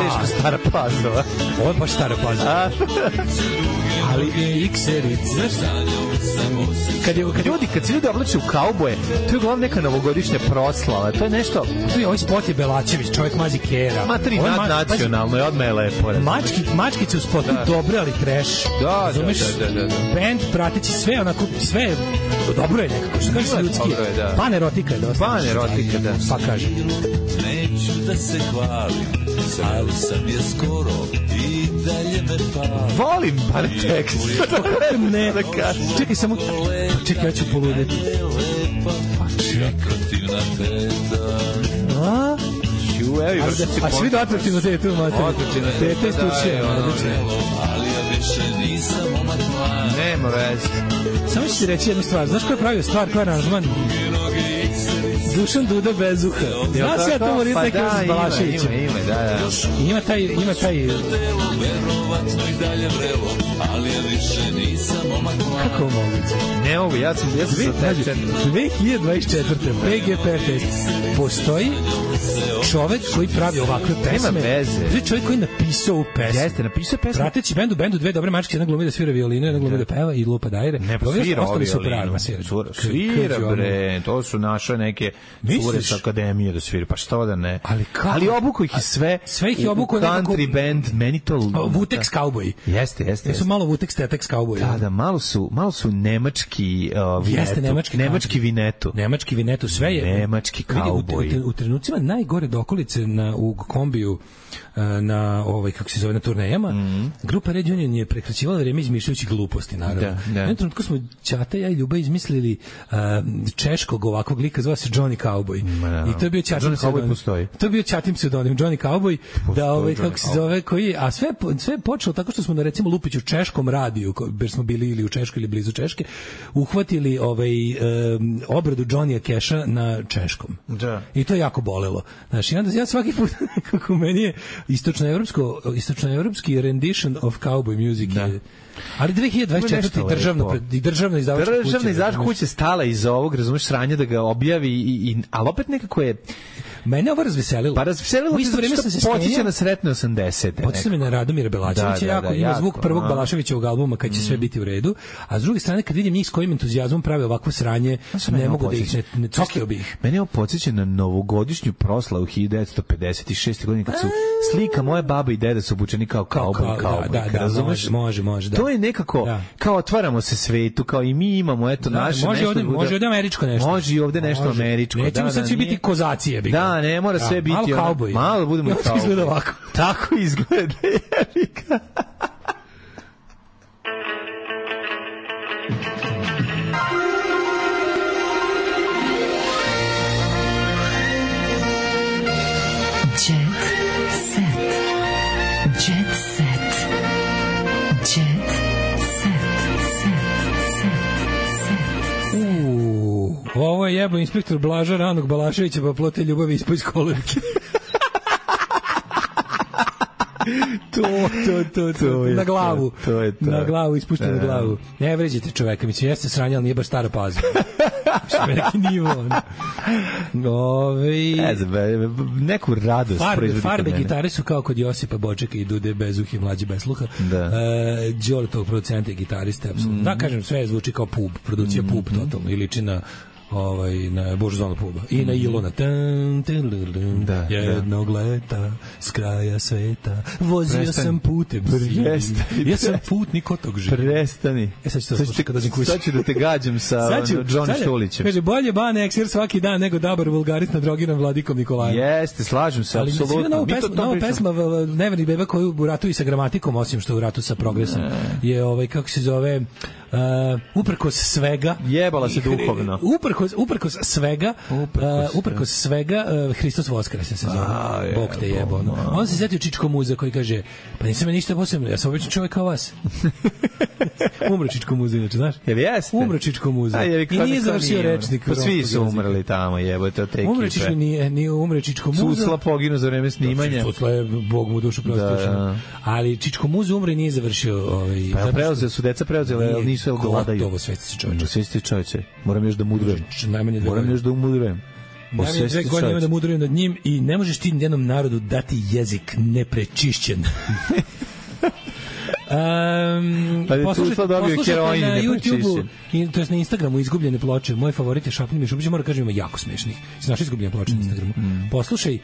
teško stara pazova. Ovo je baš stara pazova. Ali je X-Eric, znaš? Kad, je, kad, ljudi, kad se ljudi oblače u kauboje, to je uglavnom neka novogodišnja proslava. To je nešto... Tu je ovaj spot je Belačević, čovjek mazi kera. Materi nadnacionalno je, odmah je lepo. Mački, mačkice u spotu da. Dobre, ali trash. Da, Zumeš, da, da, da, da. Band prateći sve, onako, sve dobro je nekako, što kaže se ljudski. Da. Pan erotika je dosta. Pan erotika, da. Pa kaže. Neću da se hvalim, ali sam je skoro i dalje me pali. Volim par tekst. Ne, čekaj samo, čekaj, ja ću poludeti. Pa čekaj. A? Evo, a svi do atraktivno tetu, mater. Tete istučuje. Ali ja više nisam omak mlad. Nema veze. Samo ću ti reći jednu stvar. Znaš ko je pravio stvar, ko je aranžman? Dušan Duda bez uha. Znaš ja to moram neki uz Balaševića. Ima, ima, da, da. Ima taj, ima taj... Kako moguće? Ne mogu, ja sam, ja sam satečen. dve hiljade dvadeset četvrte. P G P R T S. Postoji čovek koji pravi ovakve pesme. Nema veze. To je čovek koji napisao u pesmu. Jeste, napisao pesmu. Prateći bendu, bendu dve dobre mačke, jedna glumi da svira violinu, jedna glumi da peva i lupa dajre. Ne, svira ostali su pravi. Svira, bre, to su naše neke cure sa akademije da sviraju, pa što da ne. Ali, ali obuku ih sve, sve ih je obuku country nekako, band, meni to... Vutex Cowboy. Jeste, jeste. Jesu malo Vutex Tetex Cowboy. Da, da, malo su, malo su nemački uh, vinetu. Jeste, nemački, nemački vinetu. Nemački vinetu, sve je. Nemački cowboy. U, u, u trenucima najgore dokolice na, u kombiju na ovaj kako se zove na turnejama, mm. grupa Red Union je prekraćivala vreme izmišljajući gluposti, naravno. Da, da. Na trenutku smo Ćata, ja i Ljuba izmislili uh, češkog ovakvog lika, zvao se Johnny Cowboy. No. I to je bio Ćatin pseudonim. To je bio Ćatin pseudonim, Johnny Cowboy, postoji, da ovaj kako se zove, koji, a sve sve je počelo tako što smo na recimo Lupiću češkom radiju, jer smo bili ili u Češkoj ili blizu Češke, uhvatili ovaj um, obradu Johnnya Keša na češkom. Da. I to je jako bolelo. Znači, onda ja svaki put kako meni je istočnoevropsko istočnoevropski rendition of cowboy music da. Je, ali dve hiljade dvadeset četvrte državno i državna izdavačka kuća. Državna izdavačka kuća stala iz ovog, razumeš, sranja da ga objavi i, i ali opet nekako je mene ovo razveselilo. Pa razveselilo, u isto vreme sam se podsjeća na sretne osamdesete. Podsjeća me na Radomira Belaševića, da, da, jako, da, ima jako, zvuk prvog Belaševićevog albuma kad će mm. sve biti u redu, a s druge strane kad vidim njih s kojim entuzijazmom prave ovakvo sranje, ne mogu da ih ne, ne cokio bih. Mene ovo podsjeća na novogodišnju proslavu hiljadu devetsto pedeset šeste godine kad su slika moje baba i deda su obučeni kao kauboj, kauboj. Da, da, razumeš? Može, može, da. To je nekako da. Kao otvaramo se svetu, kao i mi imamo eto da, naše može nešto. Ovde, može ovde američko nešto. Može i ovde nešto može. Američko. Nećemo da, sad da, svi biti kozacije. Da, ne mora sve biti malo kauboj. Malo budemo i kauboj. Izgleda ovako. Tako izgleda. Jerika. Ovo je jebo inspektor Blaža Ranog Balaševića, pa plote ljubavi ispod iz kolevke. to, to, to, to, to na glavu. To, to je to. Na glavu, ispušteno na glavu. Ne vređite čoveka, mislim, jeste sranje, ali nije baš stara paza. Mislim, neki nivo. Ove... Ne znam, neku radost farbe, farbe gitare su kao kod Josipa Bočeka i Dude Bezuhi, mlađi bez sluha. Da. E, Đole tog producenta i gitariste, apsolutno. Mm. Da, kažem, sve zvuči kao pub, produkcija mm. pub totalno, i liči na ovaj na Božzonu puba i na Ilona tan tan da, jednog da. Leta s kraja sveta vozio Prestani. Sam putem Prestani. Ja sam putnik od tog života. Prestani. E sad ću, sad, kada sad ću da te gađam sa Johnny Štulićem. Kaže, bolje Bane Eksir svaki dan nego dabar vulgarit nad drogiran Vladikom Nikolajem. Jeste, slažem se, apsolutno. Ali nova pesma Neverni beba koju u ratu i sa gramatikom, osim što u ratu sa progresom, je ovaj, kako se zove, Uh, uprkos svega jebala se duhovno uprkos, uprkos svega uprkos, uh, uprkos svega uh, Hristos Voskres se zove je, Bog te jebo no. On se setio Čičko Muza koji kaže pa nisam ja ništa posebno, ja sam običan čovjek kao vas. Umro Čičko Muza, inače, znaš? Jel jeste? Umro Čičko Muza i nije završio rečnik. Pa svi su umrli tamo, jebote, od te ekipe. Umro Čičko, nije, nije umro Čičko Muza. Susla poginu za vreme snimanja. Susla je, Bog mu dušu prosto. Ali Čičko Muza umro i nije završio ovaj. Pa preuzeli su deca preuzeli, ali nisu gladaju. Gotovo, svesti se čoveče. Svesti čoveče. Moram još da mudrujem. Najmanje dve Moram još da umudrujem. Najmanje dve godine ima da mudrujem nad njim i ne možeš ti jednom narodu dati jezik neprečišćen. Um, poslušajte, poslušajte na YouTube-u, to je na Instagramu Izgubljene ploče. Moj favorit je Šapni Mišubić, moram kažem, ima jako smešnih. Znaš Izgubljene ploče na Instagramu? Mm. Poslušaj,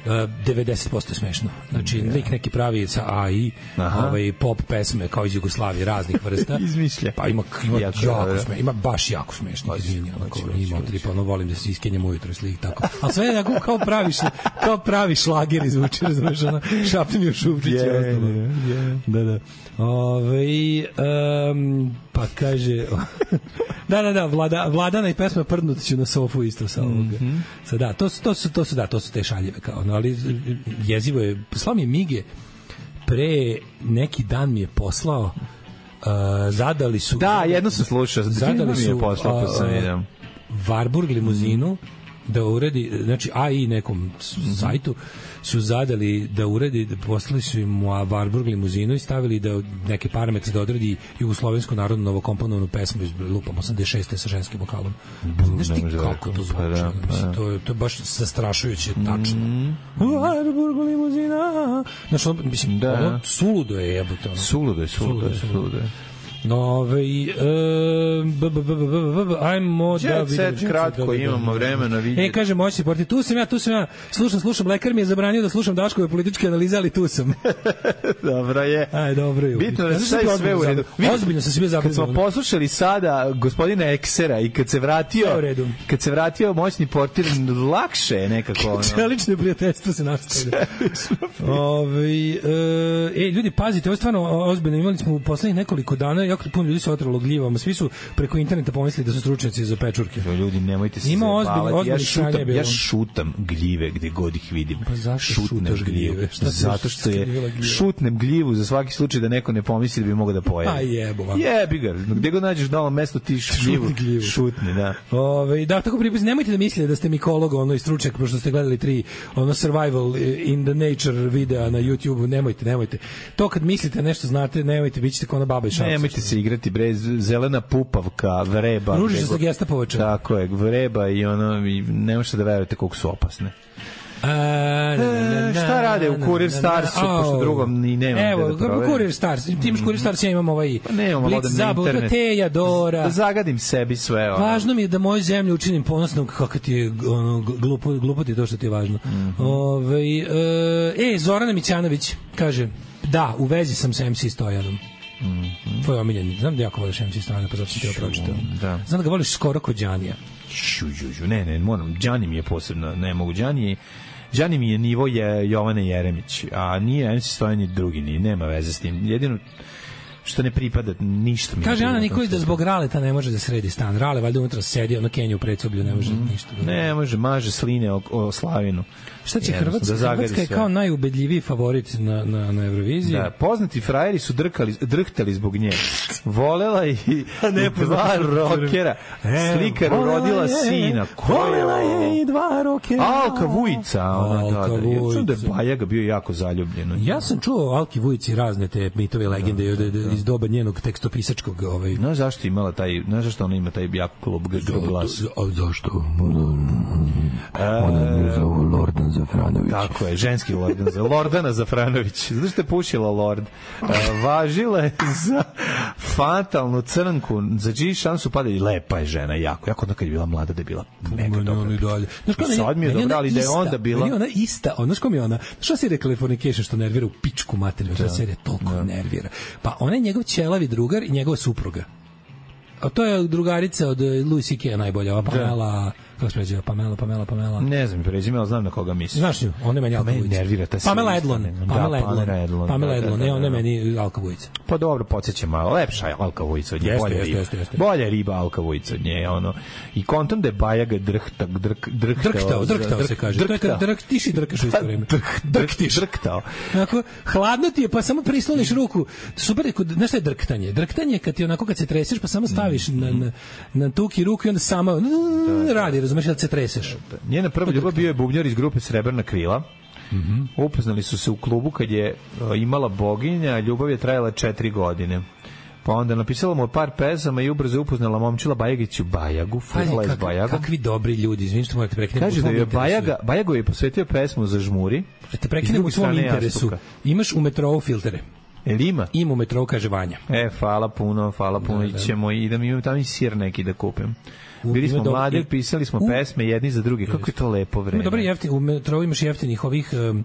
Uh, devedeset posto smešno. Znači, yeah. lik neki pravi sa A I, ovaj, pop pesme kao iz Jugoslavije, raznih vrsta. Izmišlja. Pa ima, ima jako, jako smešno, ima baš jako smešno. Izvinja, onako, ima tripa, ono, volim da se iskenjam ujutro slik, tako. Ali sve je jako kao pravi, šla, kao pravi šlager izvuči, razumeš, ono, Šapni mi u Šupčić i yeah, ostalo. Yeah. Da, da. Ove, um, pa kaže... da, da, da, Vlada, Vladana i pesma Prdnut ću na sofu isto sa ovoga. Mm-hmm. Sa, da, to, to, su, to, su, da, to su te šaljive kao, no, ali jezivo je, poslao mi je Mige pre neki dan mi je poslao uh, zadali su da, jedno sam slušao zadali su poslao, pa sam uh, Warburg limuzinu da uredi, znači A I nekom sajtu su zadali da uredi, da poslali su im u Warburg limuzinu i stavili da neke parametre da odredi jugoslovensku narodnu novokomponovanu pesmu iz lupam osamdeset šeste sa ženskim vokalom. Znaš ti kako to zvuči? Pa, pa, to, je, to je baš zastrašujuće tačno. Mm. Warburg limuzina. Znaš, ono, mislim, da. ono suludo je jebote. Ono. Suludo je, suludo je, suludo je. Ove, ajmo da vidimo. Kratko, imamo vremena vidjeti. E, kaže, moćni porti, tu sam ja, tu sam ja, slušam, slušam, lekar mi je zabranio da slušam Daškove političke analize, ali tu sam. Dobro je. Aj, dobro je. Bitno da sve sve u redu. Ozbiljno sam se bio zabrinuo. Kad smo poslušali sada gospodina Eksera i kad se vratio, kad se vratio moćni portir, lakše je nekako. Čelično prijateljstvo se nastavlja. Ove, e, ljudi, pazite, ovo je stvarno ozbiljno. Imali smo u poslednjih nekoliko dana jako puno ljudi se otralo gljivama. Svi su preko interneta pomislili da su stručnjaci za pečurke. Ljudi, nemojte se Ima zabavati. Ja šutam, ja šutam gljive gde god ih vidim. Pa zašto šutaš gljive? Zato što je šutnem gljivu za svaki slučaj da neko ne pomisli da bi mogao da pojede. A jebo vam. Jebi ga. Gde god nađeš novo mesto ti gljivu, gljivu. Šutni, da. Ove, da, tako pripriz, nemojte da mislite da ste mikolog, ono i stručnjak, pošto ste gledali tri ono survival in the nature videa na YouTube, nemojte, nemojte. To kad mislite nešto znate, nemojte, bit ćete kao ona baba i šapca. Nemojte se igrati, bre, zelena pupavka, vreba. Ružiš se sa gestapovača. Tako je, vreba i ono, i ne možete da verujete koliko su opasne. A, na, na, na, šta rade u Kurir Starsu, pošto drugom ni nema. Evo, kako Kurir Stars, ti imaš Kurir Stars, ja imam ovaj pa nemamo Blic Zabuka, Teja, Dora. Da zagadim sebi sve. Ono. Važno mi je da moju zemlju učinim ponosnom, kako ti je ono, glupo, glupo ti je to što ti je važno. Mm-hmm. Ove, e, e, Zorana Mićanović kaže, da, u vezi sam sa em ce Stojanom. Mm-hmm. Tvoj omiljen, znam da jako voliš em ce Stojana, pa zato sam ti ovo pročitao. Da. Znam da ga voliš skoro kod Đanija. Šu, žu, žu, ne, ne, moram, Đani mi je posebno, ne mogu, Đani je Đani mi je nivo je Jovane Jeremić, a nije em ce Stojan ni drugi, ni, nema veze s tim. Jedino što ne pripada, ništa mi. Kaže Ana Nikolić da zbog Raleta ne može da sredi stan. Rale valjda unutra sedi, ono Kenju u predsoblju, ne može mm-hmm. ništa. Da ne može, maže sline o, o Slavinu. Šta će Hrvatska? Da Hrvatska je kao najubedljiviji favorit na, na, na Euroviziji. Da, poznati frajeri su drkali, drhtali zbog nje. Volela i ne dva rokera. Slikar rodila sina. Volela je i dva rokera. Alka Vujica. Ona, Alka da, da. Ja čuo da je Bajaga bio jako zaljubljen. Ja sam čuo o Alki Vujici razne te mitove legende da, da, da. iz doba njenog tekstopisačkog. Ovaj. No, zašto imala taj, znaš zašto ona ima taj jak klub glas? A zašto? Ona je zovu Lordan Zafranović. Tako je, ženski Lordan Zafranović. Lordana Zafranović. Znaš što je pušila Lord? Uh, važila je za fatalnu crnku, za čiji šansu pada i lepa je žena, jako. Jako onda kad je bila mlada da je bila mega dobra. Sad mi je dobra, ali da je onda bila... Meni ona ista, znaš ko mi je ona? Što si rekla Californication što nervira u pičku materiju? Ta serija toliko da. nervira. Pa ona je njegov ćelavi drugar i njegova supruga. A to je drugarica od Louis C K najbolja, ova Pamela, kako se pređeva, Pamela, Pamela, Pamela. Ne znam, pređeva, ali znam na koga misliš. Znaš nju, ona je meni Alka Vujica. Nervira ta Pamela Edlon, Pamela Edlon, Pamela Edlon, ne, ona je meni Alka Vujica. Pa dobro, podsjeća malo, lepša je Alka Vujica od nje, bolja riba. Bolja riba Alka Vujica od nje, ono. I kontam da je Bajaga drhtak, drk, drhtao. Drhtao, drhtao se kaže. To je kad drhtiš i drkaš u isto vreme. Drhtiš. Drhtao. Onako, hladno ti je, pa samo prisloniš ruku. Super, znaš šta je drktanje? Drktanje kad ti onako kad se treseš, pa samo staviš na, na, na tuki ruku i onda sama radi, razumeš, da se treseš. Njena prva ljubav bio je bubnjar iz grupe Srebrna krila. Mm-hmm. Upoznali su se u klubu kad je imala boginja, ljubav je trajala četiri godine. Pa onda napisala mu par pesama i ubrzo upoznala momčila Bajagiću Bajagu, furla iz Bajaga. Kakvi dobri ljudi, izvinite što morate prekinuti. Kaže da je Bajaga, Bajago je posvetio pesmu za žmuri. Da te prekinem u svom interesu. Imaš u metrou filtere. Jel ima? Ima u metrou, kaže Vanja. E, hvala puno, hvala puno. Da, da. Ićemo i da mi imam tamo i sir neki da kupim. Bili smo mladi, pisali smo u, pesme jedni za drugi. Kako je to lepo vreme. Dobro, jeftin, u metrou imaš jeftinih ovih... Um,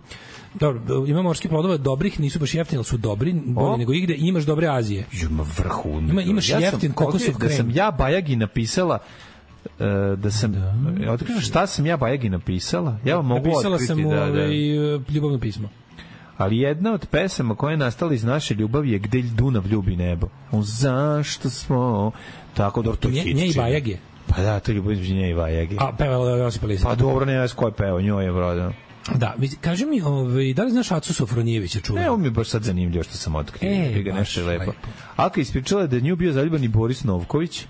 dobro, ima morskih plodova dobrih, nisu baš jeftini, ali su dobri, bolji nego igde. Imaš dobre Azije. Ima vrhu. Ima, imaš ja jeftin kokosov krem. Da sam ja Bajagi napisala uh, da sam... Da. Otkrivam šta sam ja Bajagi napisala? Ja vam mogu napisala otkriti. Napisala sam da, da. ovaj, ljubavno pismo. Ali jedna od pesama koja je nastala iz naše ljubavi je Gde Dunav ljubi nebo. O, zašto smo... Tako da to je hit. Nje i Bajage. Pa da, to je ljubav između nje i Bajage. A pevala Josipa Lisac. Pa dobro, ne znam ko je pevao, njoj je broda. Da, kaži mi, ovaj, da li znaš Acu Sofronijevića čuva? Ne, on mi je baš sad zanimljivo što sam otkrio. E, ga nešto je lepo. lepo. Alka ispričala da je nju bio zaljuban i Boris Novković.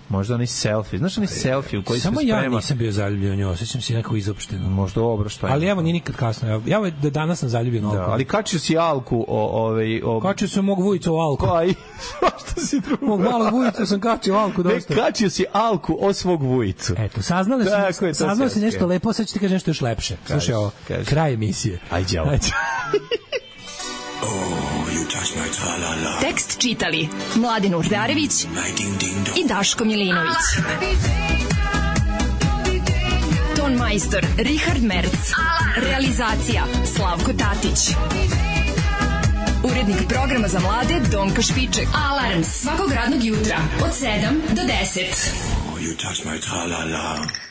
Možda onaj selfie. Znaš onaj selfie u koji se sprema? Samo ja nisam bio zaljubljen u njoj, osjećam se nekako izopšteno. Možda ovo, šta je. Ali evo, nije nikad kasno. Ja, ja da danas sam zaljubljen Alku. Da, ali kačio si Alku o... Ovaj, o... Kačio sam mog Vujicu o Alku. Pa i... Što si drugo? Mog malog Vujicu sam kačio Alku dosta. Ne, kačio si Alku o svog Vujicu. Eto, saznali sam, saznali si nešto lepo, sad ću ti kaži nešto još lepše. Slušaj, ovo, kraj emisije. Ajde, ovo. Tekst čitali Mladin Urdarević i Daško Milinović. Ton majstor Richard Merc. Realizacija Slavko Tatić. Urednik programa za mlade Donka Špiček. Alarms svakog radnog jutra od sedam do deset. You touch my tra-la-la.